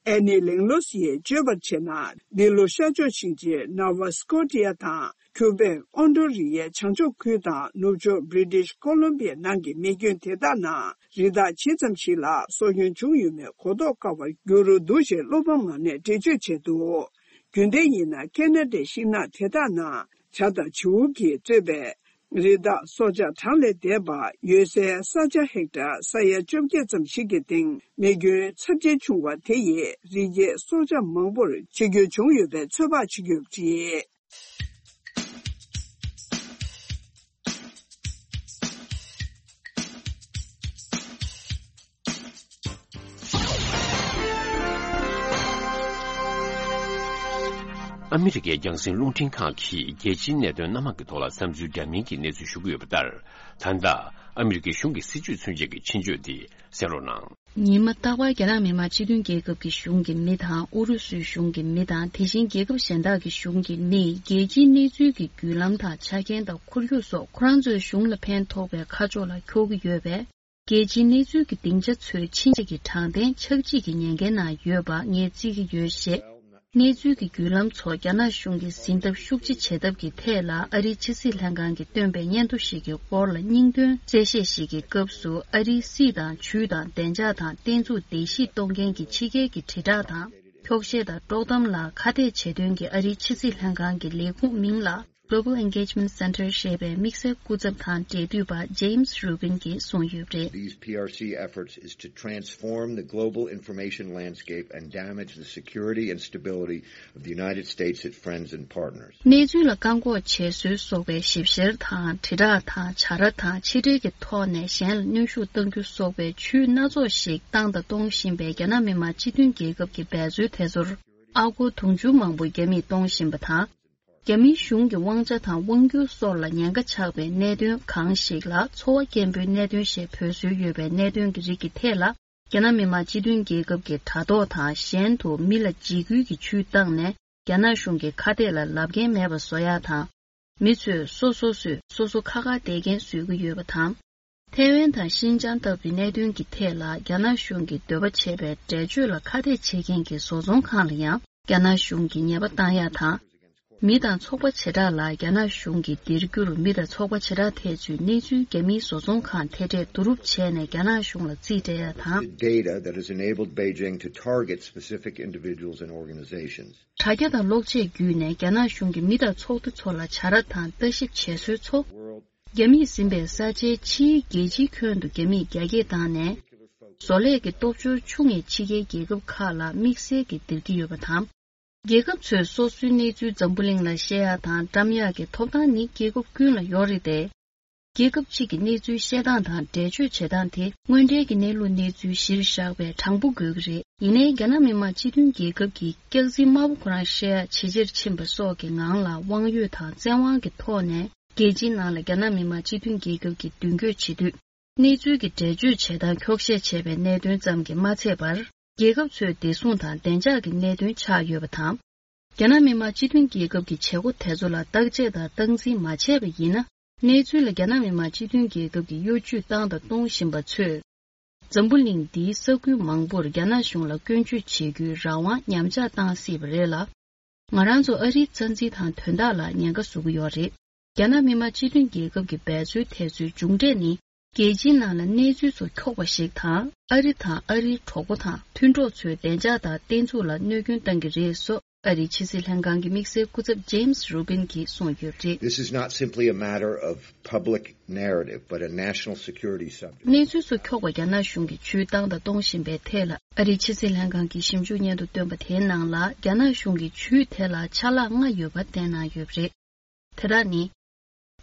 ཨེ་ནི་ལེང་ལོ་སི་ཡིས་བརྗོད་པར་བྱས་ན། འདི་ལོ་ཤར་ཕྱོགས་ཞིང་ཆེན་ནོ་ཝ་སི་ཀོ་ཊི་ཡ་དང་། ཁྱུ་བེག་ཨོན་ཌོ་རི་ཡའི་བྱང་ཕྱོགས་ཁུལ་དང་ནུབ་ཕྱོགས་བྷི་རི་ཊི་ཤི་ཀོ་ལོམ་བི་ཡའི་ནང་གི་མེ་སྐྱོན་དེ་དག་ནང་རི་དྭགས་ཇི་ཙམ་ཞིག་ལ་སྲོག་སྐྱོན་བྱུང་ཡོད་མེད་གོ་རྟོགས་དཀའ་བར་གྱུར་འདུག་ཅེས་བློ་ཕམ་ངང་ནས་འགྲེལ་བརྗོད་བྱས་འདུག་རྒྱུན་ལྡན་ཡིན་ན་ཁེ་ན་ཌའི་ཤིང་ནགས་དེ་དག་ནང་བྱ་དང་བྱིའུ་གིས་གཙོས་པའི་རི་དྭགས་སྲོག་ཆགས་གྲངས་ལས་འདས་པ་ཡོད་སའི་ས་ཆ་ཧེག་ཊར་ས་ཡ་བཅོ་བརྒྱད་ཙམ་ཞིག་གི་སྟེང་མེ་སྐྱོན་ཚབས་ཆེན་བྱུང་བ་དེ་ཡིས་རི་སྐྱེས་སྲོག་ཆགས་མང་པོར་འཆི་སྐྱོན་བྱུང་ཡོད་པའི་ཚོད་དཔག་བྱེད་ཀྱི་ཡོད་པ་རེད། ཨ་མི་རི་ཀའི་རྒྱང་སྲིང་རླུང་འཕྲིན་ཁང་གིས་རྒྱལ་སྤྱིའི་གནད་དོན་སྣ་མང་གི་ཐོག་ལ་བསམ་ཚུལ་འདྲ་མིན་གྱི་གནས་ཚུལ་ཞུ་གི་ཡོད་པ་ལྟར། ད་ལྟ་ཨ་མི་རི་ཀའི་གཞུང་གི་སྲིད་ཇུས་ཚུན་ཆད་ཀྱི་ཕྱིན་བརྗོད་འདི་གསན་རོགས་གནང་། ཉི་མ་རྟག་པར་རྒྱ་ནག་མི་དམངས་སྤྱི་མཐུན་རྒྱལ་ཁབ་ཀྱི་གཞུང་གི་མི་དང་། ཨུ་རུ་སུའི་གཞུང་གི་མི་དང་། དེ་བཞིན་རྒྱལ་ཁབ་གཞན་དག་གི་གཞུང་གི་མིས། རྒྱལ་སྤྱིའི་གནས་ཚུལ་གྱི་བརྒྱུད་ལམ་དང་ཆ་རྐྱེན་དང་ཁོར་ཡུག་སོགས་ཁོ་རང་ཚོའི་གཞུང་ལ་ཕན་ཐོགས་པའི་ཁ་ཕྱོགས་ལ་འཁྱོག་གི་ཡོད་པས། རྒྱལ་སྤྱིའི་གནས་ཚུལ་གྱི་སྡིངས་ཆ་ཚོའི་ཕྱིན་ཆད་ཀྱི་དྲང་བདེན་ཆགས་འཇིག་གི་ཉེན་ཁའི་ནང་ཡོད་པ་ངས་བརྩི་གི་ཡོད་ཞེས། གནས་ཚུལ་གྱི་བརྒྱུད་ལམ་ཚོ་རྒྱ་ནག་གཞུང་གིས་ཟིན་ཐབས་ཤུགས་ཆེ་བྱེད་ཐབས་ཀྱི་ཐད་ལ། ཨ་རིའི་ཕྱི་སྲིད་ལྷན་ཁང་གིས་བཏོན་པའི་སྙན་ཐོ་ཞིག་གི་སྐོར་ལ་སྙིང་དོན་གསལ་བཤད་ཞིག་གི་སྐབས་སུ། ཨ་རིའི་སྲིད་དང་ཇུས་དང་བདེ་འཇགས་དང་བརྟན་ཚུགས་བརྡལ་བཤིག་གཏོང་མཁན་གྱི་ཕྱི་རྒྱལ་གྱི་དྲིལ་བསྒྲགས་དང་འཁྱོག་བཤད་དང་དཀྲོག་གཏམ་ལ་ཁ་གཏད་བྱེད་དོན་གྱི་ཨ་རིའི་ཕྱི་སྲིད་ལྷན་ཁང་གི་ལས་ཁུངས་མིང་ལ། Global Engagement Center ཞེས་པའི་དམིགས་བསལ་སྐུ་ཚབ་དང་འབྲེལ་མཐུད་པ་James Rubin གྱིས་གསུངས་ཡོད་པ་རེད། These P R C efforts is to transform the global information landscape and damage the security and stability of the United States, its friends and partners. གནས་ཚུལ་ལ་བཀག་འགོག་བྱེད་སྲོལ་སོགས་པའི་ཞིབ་བཤེར་དང་། དྲིལ་བསྒྲགས་དང་། བྱ་ར་དང་། ཕྱི་འབྲེལ་གྱི་ཐོག་ནས་གཞན་ལ་གནོན་ཤུགས་གཏང་རྒྱུ་སོགས་པའི་ཇུས་སྣ་ཚོགས་ཤིག་བཏང་དང་གཏོང་བཞིན་པའི་རྒྱ་ནག་མི་དམངས་སྤྱི་མཐུན་རྒྱལ་ཁབ་ཀྱི་འབད་རྩོལ་དེ་ཚོར་ཨ་སྒོར་དུང་ཕྱུར་མང་པོ་རྒྱ་མིས་གཏོང་བཞིན་པ་དང་། རྒྱ་མིའི་གཞུང་གི་དབང་ཆ་དང་དབང་སྒྱུར་སོགས་ལ་ཉེན་ཁ་ཆགས་པའི་གནད་དོན་གང་ཞིག་ལ། འཚོ་བ་སྐྱེན་པོའི་གནད་དོན་ཞེས་འབོད་སྲོལ་ཡོད་པའི་གནད་དོན་གྱི་རིགས་ཀྱི་ཐད་ལ། རྒྱ་ནག་མི་དམངས་སྤྱི་མཐུན་རྒྱལ་ཁབ་ཀྱི་དྲ་ཐོག་དང་གཞན་དུ་མི་ལ་འཇིགས་སྐུལ་གྱི་ཇུས་བཏང་ནས། རྒྱ་ནག་གཞུང་གི་ཁ་གཏད་ལ་ལབ་མཁན་མེད་པ་བཟོ་ཡག་དང་། མི་ཚོས་སོ་སོ་སོས་སོ་སོ་ཁ་ཁ་གཏད་མཁན་བཟོ་གི་ཡོད་པ་དང་། ཐའེ་ཝན་དང་ཤིན་ཅང་ལྟ་བུའི་གནད་དོན་གྱི་ཐད་ལ་རྒྱ་ནག་གཞུང་གི་འདོད་པ་བྱས་པའི་འགྲེལ་བརྗོད་ལ་ཁ་གཏད་བྱེད་མཁན་གྱི་བཟོ་ཚོང་ཁང་ལ་ཡང་རྒྱ་ནག་གཞུང་གིས་ཉེས་པ་བཏང་ཡག་དང་། མི་དང་ཚོགས་པ་བྱེ་བྲག་ལ་རྒྱ་ནག་གཞུང་གིས་སྡེར་རྒྱུར་མི་དང་ཚོགས་པ་བྱེ་བྲག་ཐད་ཚུད་གནས་ཚུལ་རྒྱ་མིའི་བཟོ་ཚོང་ཁང་མཐེ་གྲས་བསྡུ་རུབ་བྱས་ནས་རྒྱ་ནག་གཞུང་ལ་རྩིས་སྤྲད་ཡ་དང་། The data that has enabled Beijing to target specific individuals and organizations. དྲ་རྒྱ་དང་གློག་ཆས་བརྒྱུད་ནས་རྒྱ་ནག་གཞུང་གིས་མི་དང་ཚོགས་སྡེ་ཚོ་ལ་བྱ་ར་དང་ལྟ་ཞིབ་བྱེད་སྲོལ་ཚོ། རྒྱ་མིས་ཟིན་པའི་ས་ཆའི་ཕྱིའི་རྒྱལ་སྤྱིའི་ཁྱོན་དུ་རྒྱ་མིས་རྒྱ་སྐྱེད་བཏང་ནས། བཟོ་ལས་ཀྱི་སྟོབས་འབྱོར་ཆུང་ངེས་ཕྱི་རྒྱལ་རྒྱལ་ཁབ་ཁག་ལ་དམིགས་བསལ་གྱིས་སྟེར་གྱི་ཡོད་པ་དང་། རྒྱལ་ཁབ་ཚོའི་སོ་སོའི་གནས་ཚུལ་འཛམ་བུ་གླིང་ལ་བཤད་ཡག་དང་བཀྲམ་ཡག་གི་ཐོབ་ཐང་ནི་རྒྱལ་ཁབ་ཀུན་ལ་ཡོད་རེད་དེ། རྒྱལ་ཁབ་གཅིག་གི་གནས་ཚུལ་བཤད་སྟངས་དང་འགྲེལ་བརྗོད་བྱེད་སྟངས་དེ་དངོས་འབྲེལ་གྱི་གནས་ལུགས་གནས་ཚུལ་གཞིར་བཞག་པའི་དྲང་པོ་དགོས་ཀྱི་རེད། ཡིན་ནའི་རྒྱ་ནག་མི་དམངས་སྤྱི་མཐུན་རྒྱལ་ཁབ་ཀྱི་སྐྱག་རྫུན་དམར་པོ་ཁོ་རང་བཤད་ཡག་ཇེ་ཆེར་ཕྱིན་པ་སོགས་ཀྱི་ངང་ལ་དབང་ཡོད་དང་བཙན་དབང་གི་ཐོག་ནས་རྒྱལ་སྤྱིའི་ནང་ལ་རྒྱ་ནག་མི་དམངས་སྤྱི་མཐུན་རྒྱལ་ཁབ་ཀྱིས་མདུན་སྐྱོད་བྱེད་དུས། གནས་ཚུལ་གྱི་འགྲེལ་བརྗོད་བྱེད་སྟངས་འཁྱོག་བཤད་བྱས་པའི་གནད་དོན་ཙམ་གྱིས་མ་ཚད་པར། རྒྱལ་ཁབ་ཚོའི་བདེ་སྲུང་དང་བདེ་འཇགས་ཀྱི་གནད་དོན་ཆགས་ཡོད་པ་དང་། རྒྱ་ནག་མི་དམངས་སྤྱི་མཐུན་རྒྱལ་ཁབ་ཀྱི་བྱེད་སྒོ་དེ་ཚོ་ལ་བརྟག་དཔྱད་དང་སྟངས་འཛིན་མ་བྱས་པ་ཡིན་ན། གནས་ཚུལ་ལ་རྒྱ་ནག་མི་དམངས་སྤྱི་མཐུན་རྒྱལ་ཁབ་ཀྱི་གཡོ་ཇུས་བཏང་དང་གཏོང་བཞིན་པ་ཚོས། འཛམ་བུ་གླིང་འདིའི་ས་ཁུལ་མང་པོར་རྒྱ་ནག་གཞུང་ལ་སྐྱོན་བརྗོད་བྱེད་རྒྱུའི་རང་དབང་ཉམས་ཆག་བཏང་སྲིད་པ་རེད་ལ། ང་རང་ཚོ་ཨ་རིའི་རྩ་འཛིན་དང་དོན་དག་ལ་ཉེན་ཁ་བཟོ་གི་ཡོད་རེད། རྒྱ་ནག་མི་དམངས་སྤྱི་མཐུན་རྒྱལ་ཁབ་ཀྱི་འབད་རྩོལ་དེ་ཚོའི་མཇུག་འབྲས་ནི། རྒྱལ་སྤྱིའི་ནང་ལ་གནས་ཚུལ་ཚོ་འཁྱོག་པ་ཞིག་དང་། ཨ་རི་དང་ཨ་རིའི་གྲོགས་པོ་དང་མཐུན་གྲོགས་ཚོའི་བདེ་འཇགས་དང་བརྟན་ཚུགས་ལ་གནོད་སྐྱོན་བཏང་གི་རེད་སོགས། ཨ་རིའི་ཕྱི་སྲིད་ལྷན་ཁང་གི་དམིགས་བསལ་སྐུ་ཚབ་James Rubin་གྱིས་གསུངས་ཡོད་པ་རེད། This is not simply a matter of public narrative, but a national security subject. གནས་ཚུལ་ཚོ་འཁྱོག་པ་རྒྱ་ནག་གཞུང་གིས་ཇུས་བཏང་དང་གཏོང་བཞིན་པའི་ཐད་ལ། ཨ་རིའི་ཕྱི་སྲིད་ལྷན་ཁང་གིས་ཞིབ་འཇུག་སྙན་ཐོ་བཏོན་པ་དེའི་ནང་ལ། རྒྱ་ནག་གཞུང་གིས་ཇུས་དེ་ལ་ཆ་ལག་ལྔ་ཡོད་པ་བསྟན་གནང་ཡོད་པ་རེད། དེ་དག་ནི།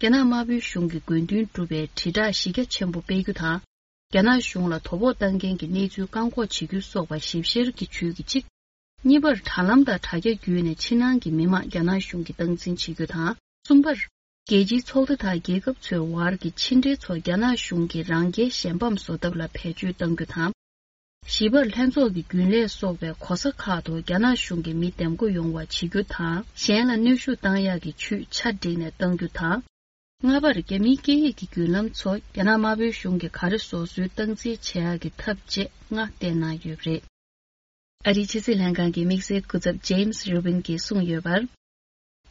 རྒྱ་ནག་དམར་པོའི་གཞུང་གི་དགོས་འདུན་སྒྲུབ་པའི་དྲིལ་བསྒྲགས་གཞི་རྒྱ་ཆེན་པོ་སྤེལ་རྒྱུ་དང་། རྒྱ་ནག་གཞུང་ལ་དོ་ཕོག་བཏང་མཁན་གྱི་གནས་ཚུལ་བཀག་འགོག་བྱེད་རྒྱུ་སོགས་པ་ཞིབ་བཤེར་གྱི་ཇུས་ཀྱི་གཅིག་གཉིས་པར། དྲ་ལམ་དང་དྲ་རྒྱ་བརྒྱུད་ནས་ཕྱི་ནང་གི་མི་མང་རྒྱ་ནག་གཞུང་གིས་སྟངས་འཛིན་བྱེད་རྒྱུ་དང་། གསུམ་པར། རྒྱལ་སྤྱིའི་ཚོགས་སྡེ་དང་རྒྱལ་ཁབ་ཚོའི་དབར་གྱི་ཕྱི་འབྲེལ་ཚོ་རྒྱ་ནག་གཞུང་གིས་རང་རྒྱལ་གཞན་ཕམ་བཟོ་ཐབས་ལ་བེད་སྤྱོད་གཏང་རྒྱུ་དང་། བཞི་པར། ལྷན་ཚོགས་ཀྱི་རྒྱུན་ལས་སོགས་པའི་གོ་ས་ཁག་ཏུ་རྒྱ་ནག་གཞུང་གི་མི་འདེམས་བསྐོ་ཡོང་བ་བྱེད་རྒྱུ་དང་། གཞན་ལ་གནོན་ཤུགས་བཏང་ཡག་གི་ཇུས་ཆ་བསྒྲིགས་ནས་གཏང་རྒྱུ་དང་། ལྔ་པར། རྒྱ་མིའི་སྐད་ཡིག་གི་བརྒྱུད་ལམ་ཚོ་རྒྱ་ནག་དམར་པོའི་གཞུང་གིས་ག་རེ་བཟོ་སྲོལ་སྟངས་འཛིན་བྱེད་ཡག་གི་ཐབས་བཅས་ལྔ་བསྟན་གནང་ཡོད་པ་རེད། ཨ་རིའི་ཕྱི་སྲིད་ལྷན་ཁང་གི་དམིགས་བསལ་སྐུ་ཚབ་James Rubin་གྱིས་གསུངས་ཡོད་པར།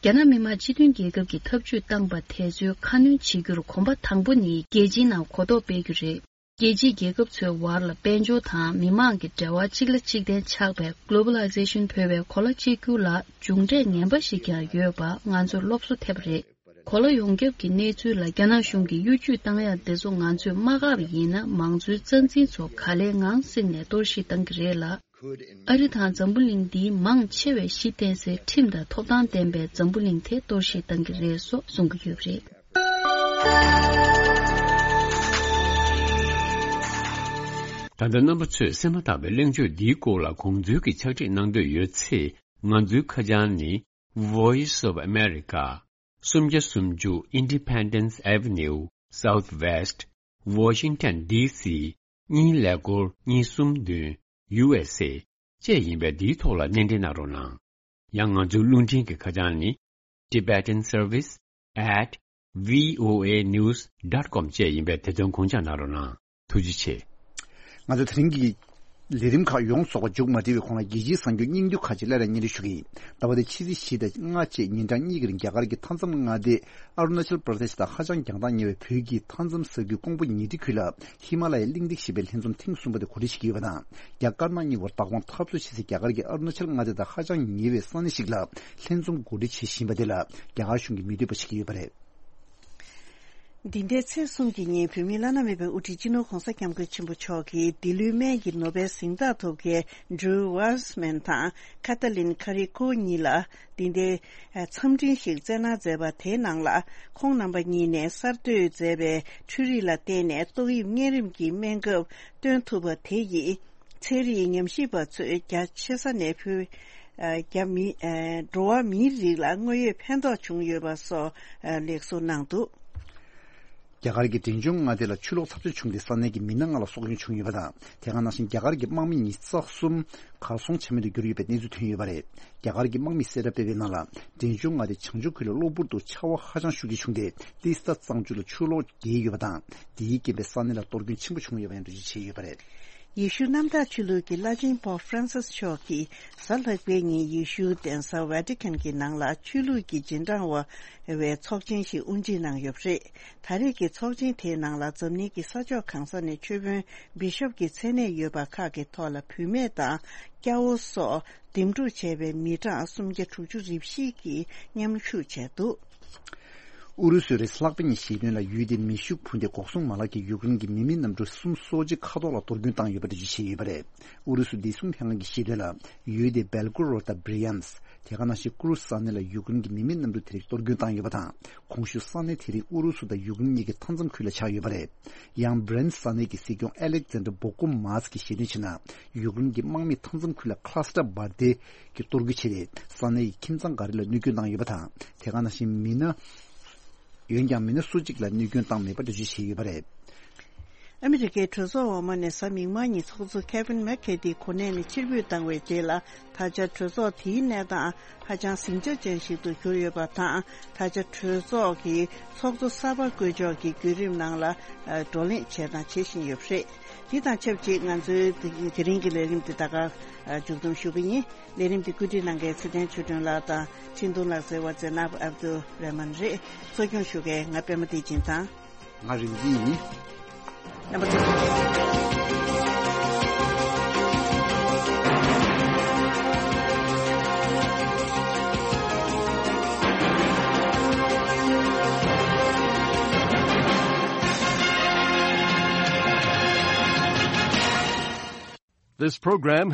རྒྱ་ནག་མི་དམངས་སྤྱི་མཐུན་རྒྱལ་ཁབ་ཀྱིས་ཐབས་ཇུས་བཏང་པ་དེ་ཚོའི་ཁ་སྣོན་བྱེད་རྒྱུར་གོམ་པ་དང་པོ་ནི་རྒྱལ་སྤྱིའི་ནང་གོ་རྟོགས་སྤེལ་རྒྱུ་རེད། རྒྱལ་སྤྱིའི་རྒྱལ་ཁབ་ཚོའི་དབར་ལ་དཔལ་འབྱོར་དང་མི་དམངས་ཀྱི་འབྲེལ་བ་གཅིག་ལ་གཅིག་བརྟེན་ཆགས་པའི་Globalization་འབོད་པའི་གོ་ལ་གཅིག་གྱུར་ལ་མཇུག་འབྲས་ངན་པ་ཞིག་ཀྱང་ཡོད་པ་ང་ཚོར་སློབ་གསོ་ཐེབས་པ་རེད། གོ་ལ་ཡོངས་ཁྱབ་ཀྱི་གནས་ཚུལ་ལ་རྒྱ་ནག་གཞུང་གིས་གཡོ་ཇུས་བཏང་ཡག་དེ་ཚོ་ང་ཚོས་མ་བཀག་པ་ཡིན་ན། མང་གཙོའི་རྩ་འཛིན་ཚོ་ག་ལེ་ངང་བསྲེགས་ནས་གཏོར་བཤིག་བཏང་གི་རེད་ལ། ཨ་རི་དང་འཛམ་བུ་གླིང་འདིའི་མང་ཆེ་བས་གཞི་རྟེན་སའི་ཁྲིམས་དང་ཐོབ་ཐང་ལྡན་པའི་འཛམ་བུ་གླིང་དེ་གཏོར་བཤིག་བཏང་གི་རེད་སོགས་གསུང་གི་ཡོད་པ་རེད། ད་ལྟ་རྣམ་པ་ཚོས་གསན་མ་ཐག་པའི་གླེང་བརྗོད་འདིའི་སྐོར་ལ་དགོངས་ཚུལ་གྱི་ཕྱག་བྲིས་གནང་འདོད་ཡོད་ཚེ། ང་ཚོའི་ཁ་བྱང་ནི། Voice of America། སུམ་བརྒྱ་སུམ་ཅུ་Independence Avenue Southwest། Washington D C། གཉིས་ཀླད་ཀོར་གཉིས་གསུམ་བདུན། U S A། བཅས་ཡིན་པས། འདིའི་ཐོག་ལ་སྣེ་འདྲེན་གནང་རོགས་གནང་། ཡང་ང་ཚོའི་རླུང་འཕྲིན་གྱི་ཁ་བྱང་ནི། Tibetan Service at V O A news dot com བཅས་ཡིན་པས། དེ་དོན་དགོངས་འཇགས་གནང་རོགས་གནང་། ཐུགས་རྗེ་ཆེ། ང་ཚོ་དེ་རིང་གི་ལས་རིམ་ཁག་ཡོངས་རྫོགས་པ་མཇུག་མ་སྒྲིལ་བའི་གོང་ལ། རྒྱལ་སྤྱིའི་གསར་འགྱུར་སྙིང་བསྡུས་ཁག་ཅིག་སླར་ཡང་སྙན་སྒྲོན་ཞུ་གི་ཡིན། ཟླ་བ་འདིའི་ཕྱི་ཚེས་བཞི་དང་ལྔ་བཅས་ཉིན་གྲངས་གཉིས་ཀྱི་རིང་རྒྱ་གར་གྱི་མཐའ་མཚམས་མངའ་སྡེ་ཨ་རུ་ན་ཅལ་པྲ་དེཤ་དང་ཧ་ཅང་རྒྱང་ཐག་ཉེ་བའི་བོད་ཀྱི་མཐའ་མཚམས་ས་ཁུལ་ཀོང་པོ་ཉེ་འཁྲིས་ཁུལ་ལ་ཧི་མ་ལ་ཡའི་གླེང་སྟེགས་ཞེས་པའི་ལྷན་འཛོམས་ཐེངས་གསུམ་པ་དེ་གོ་སྒྲིག་བྱེད་ཀྱི་ཡོད་པ་དང་། རྒྱ་དཀར་ནག་གཉིས་བར་བདག་དབང་འཐབ་རྩོད་བྱེད་སའི་རྒྱ་གར་གྱི་ཨ་རུ་ན་ཅལ་མངའ་སྡེ་དང་ཧ་ཅང་ཉེ་བའི་ས་གནས་ཤིག་ལ་ལྷན་འཛོམས་གོ་སྒྲིག་བྱེད་བཞིན་པ་དེ་ལ་རྒྱ་གར་གཞུང་གིས་མི་འདོད་པ་བྱེད་ཀྱི་ཡོད་པ་རེད། འདི་ཟླའི་ཚེས་གསུམ་གྱི་ཉིན་བོད་མིའི་བླ་ན་མེད་པའི་དབུ་ཁྲིད་སྤྱི་ནོར་༧གོང་ས་༧སྐྱབས་མགོན་ཆེན་པོ་མཆོག་གིས་ལྡི་ལིའི་སྨན་གྱི་ནོ་བེལ་གཟེངས་རྟགས་ཐོབ་མཁན་Drew Weissman་དང་Katalin Karikó་གཉིས་ལ་འདི་ཟླའི་འཚམས་འཕྲིན་ཞིག་བསྩལ་གནང་མཛད་པ་དེའི་ནང་ལ། ཁོང་རྣམ་པ་གཉིས་ནས་གསར་གཏོད་མཛད་པའི་འཕྲུལ་རིག་ལ་བརྟེན་ནས་ཏོག་དབྱིབས་གཉན་རིམས་ཀྱི་སྨན་ཁབ་སྟོན་ཐུབ་པ་དེ་ཡིས། ཚན་རིག་ཉམས་ཞིབ་པ་ཚོས་རྒྱ་ཆེ་ས་ནས་བོད། ཨ། རྒྱ་མི། ཨ། འགྲོ་བ་མིའི་རིགས་ལ་དངོས་ཡོད་ཕན་ཐོགས་བྱུང་ཡོད་པ་སོགས། ཨ། ལེགས་གསུངས་གནང་འདུག་རྒྱ་གར་གྱི་འབྲས་ལྗོངས་མངའ་སྡེ་ལ་ཆུ་ལོག་ཚབས་ཆེ་བྱུང་སྟེ་ས་གནས་ཀྱི་མི་སྣ་ལྔ་ལ་སྲོག་སྐྱོན་བྱུང་ཡོད་པ་དང་། དེ་ག་ནང་བཞིན་རྒྱ་གར་གྱི་དམག་མི་ཉི་ཤུ་རྩ་གསུམ་གར་སོང་ཆ་མེད་དུ་གྱུར་ཡོད་པའི་གནས་ཚུལ་ཐོན་ཡོད་པ་རེད། རྒྱ་གར་གྱི་དམག་མིས་གསལ་བསྒྲགས་སྤེལ་བའི་ནང་ལ། འབྲས་ལྗོངས་མངའ་སྡེ་བྱང་ཕྱོགས་ཁུལ་ལ་གློ་བུར་དུ་ཆར་པ་ཧ་ཅང་ཤུགས་ཀྱིས་བྱུང་སྟེ་ཏི་སྟ་གཙང་ཆུ་ལ་ཆུ་ལོག་རྒྱས་ཡོད་པ་དང་། དེའི་རྐྱེན་པས་ས་གནས་ལ་གཏོར་སྐྱོན་ཆེན་པོ་བྱུང་ཡོད་པ་ཡང་འགྲེལ་བརྗོད་བྱས་ཡོད་པ་རེད། ཡེ་ཤུ་གནམ་བདག་ཆོས་ལུགས་ཀྱི་བླ་ཆེན་པོབ་ཧྥ་རན་སིས་མཆོག་གིས་གཟའ་ལྷག་པའི་ཉིན་ཡེ་ཤུའི་གདན་ས་ཝེ་ཏི་ཁན་གྱི་ནང་ལ་ཆོས་ལུགས་ཀྱི་རྗེས་འབྲང་བ་བའི་ཚོགས་ཆེན་ཞིག་དབུ་འབྱེད་གནང་ཡོད་པ་རེད། ད་རེས་ཀྱི་ཚོགས་ཆེན་དེའི་ནང་ལ་འཛམ་གླིང་གི་ས་ཕྱོགས་གང་ས་ནས་ཆོས་དཔོན་བི་ཤོབ་ཀྱི་མཚན་གནས་ཡོད་པ་ཁག་གི་ཐོག་ལ་བུད་མེད་དང་སྐྱ་བོ་སོགས་འདེམས་སྒྲུག་བྱས་པའི་མི་གྲངས་སུམ་བརྒྱ་དྲུག་ཅུ་རེ་བཞི་གིས་མཉམ་ཞུགས་བྱས་འདུག། ཨུ་རུ་སུས་རེས་ལྷག་པའི་ཉིན་བཤད་དོན་ལ་ཡུལ་དེའི་མེ་ཤུགས་འཕུར་མདེལ་འགོག་སྲུང་མ་ལག་གིས་ཡུཀ་རེན་གྱི་མི་མེད་གནམ་གྲུ་གསུམ་སོ་གཅིག་མཁའ་ཐོག་ལ་གཏོར་སྐྱོན་བཏང་ཡོད་པ་འགྲེལ་བརྗོད་བྱས་ཡོད་པ་རེད། ཨུ་རུ་སུ་བདེ་སྲུང་ལྷན་ཁང་གིས་བཤད་དོན་ལ་ཡུལ་དེའི་སྦེལ་གོ་རོ་ཌ་དང་བྷི་རི་ཡམས། དེ་ག་ནང་བཞིན་ཀུ་རུ་ས་གནས་ལ་ཡུཀ་རེན་གྱི་མི་མེད་གནམ་གྲུ་དེ་རིགས་གཏོར་སྐྱོན་བཏང་ཡོད་པ་དང་། གོང་ཞུས་ས་གནས་དེ་རིགས་ཨུ་རུ་སུ་དང་ཡུཀ་རེན་གཉིས་ཀྱི་མཐའ་མཚམས་ཁུལ་ལ་ཆགས་ཡོད་པ་རེད། ཡང་བྷི་རན་ས་གནས་ཀྱི་སྲིད་སྐྱོང་ཨེ་ལེག་ཛན་ཌར་བོ་ཀོ་མཱས་ཀྱིས་བཤད་དོན་བྱས་ན། ཡུཀ་རེན་གྱི་དམག་མིས་མཐའ་མཚམས་ཁུལ་ལ་ཀླ་སི་ཊར་འབར་མདེལ་གྱི་གཏོར་རྒོལ་བྱས་ཏེ་ས་གནས་ཀྱི་ཁྱིམ་ཚང་འགའ་རེ་ལ་གནོད་སྐྱོན་བཏང་ཡོད་པ་དང་། དེ་ག་ནང་བཞིན་མི་སྣ། འོན་ཀྱང་མི་སྣ་སོ་གཅིག་ལ་གནོད་སྐྱོན་བཏང་མེད་པ་འགྲེལ་བརྗོད་བྱས་ཡོད་པ་རེད། ཨ་མི་རི་ཀའི་གྲོས་ཚོགས་འོག་མ་ནས་གཟའ་མིག་དམར་ཉིན་ཚོགས་གཙོ་ཁེ་ཝིན་མེག་ཁེ་ཏི་གོ་གནས་ནས་ཕྱིར་འབུད་བཏང་བའི་རྗེས་ལ། ད་ཆ་གྲོས་ཚོགས་དེའི་གནས་སྟངས་ཧ་ཅང་ཟིང་ཆ་ཅན་ཞིག་ཏུ་གྱུར་ཡོད་པ་དང་། ད་ཆ་གྲོས་ཚོགས་ཀྱི་ཚོགས་གཙོ་གསར་པ་བསྐོ་འཇོག་གི་བརྒྱུད་རིམ་ནང་ལ་བགྲོ་གླེང་བྱས་དང་བྱེད་བཞིན་ཡོད་པ་རེད། འདི་དང་ཆབས་ཅིག་ང་ཚོའི་དེ་རིང་གི་ལས་རིམ་འདི་ད་ག་མཇུག་བསྡོམས་ཞུ་གི་ཡིན། ལས་རིམ་འདི་བཀོད་སྒྲིག་གནང་མཁན་ཚེ་བརྟན་ཆོས་སྒྲོན་ལགས་དང་འཕྲིན་གཏོང་ལག་རྩལ་བ་ཛེ་ནབ་ཨབ་དུ་རེ་མན་རེད། གཙོ་སྐྱོང་ཞུ་མཁན་ང་པད་མ་བདེ་ཆེན་དང་། ང་རིག་འཛིན་ཡིན། རྣམ་པ་ཚོ། This program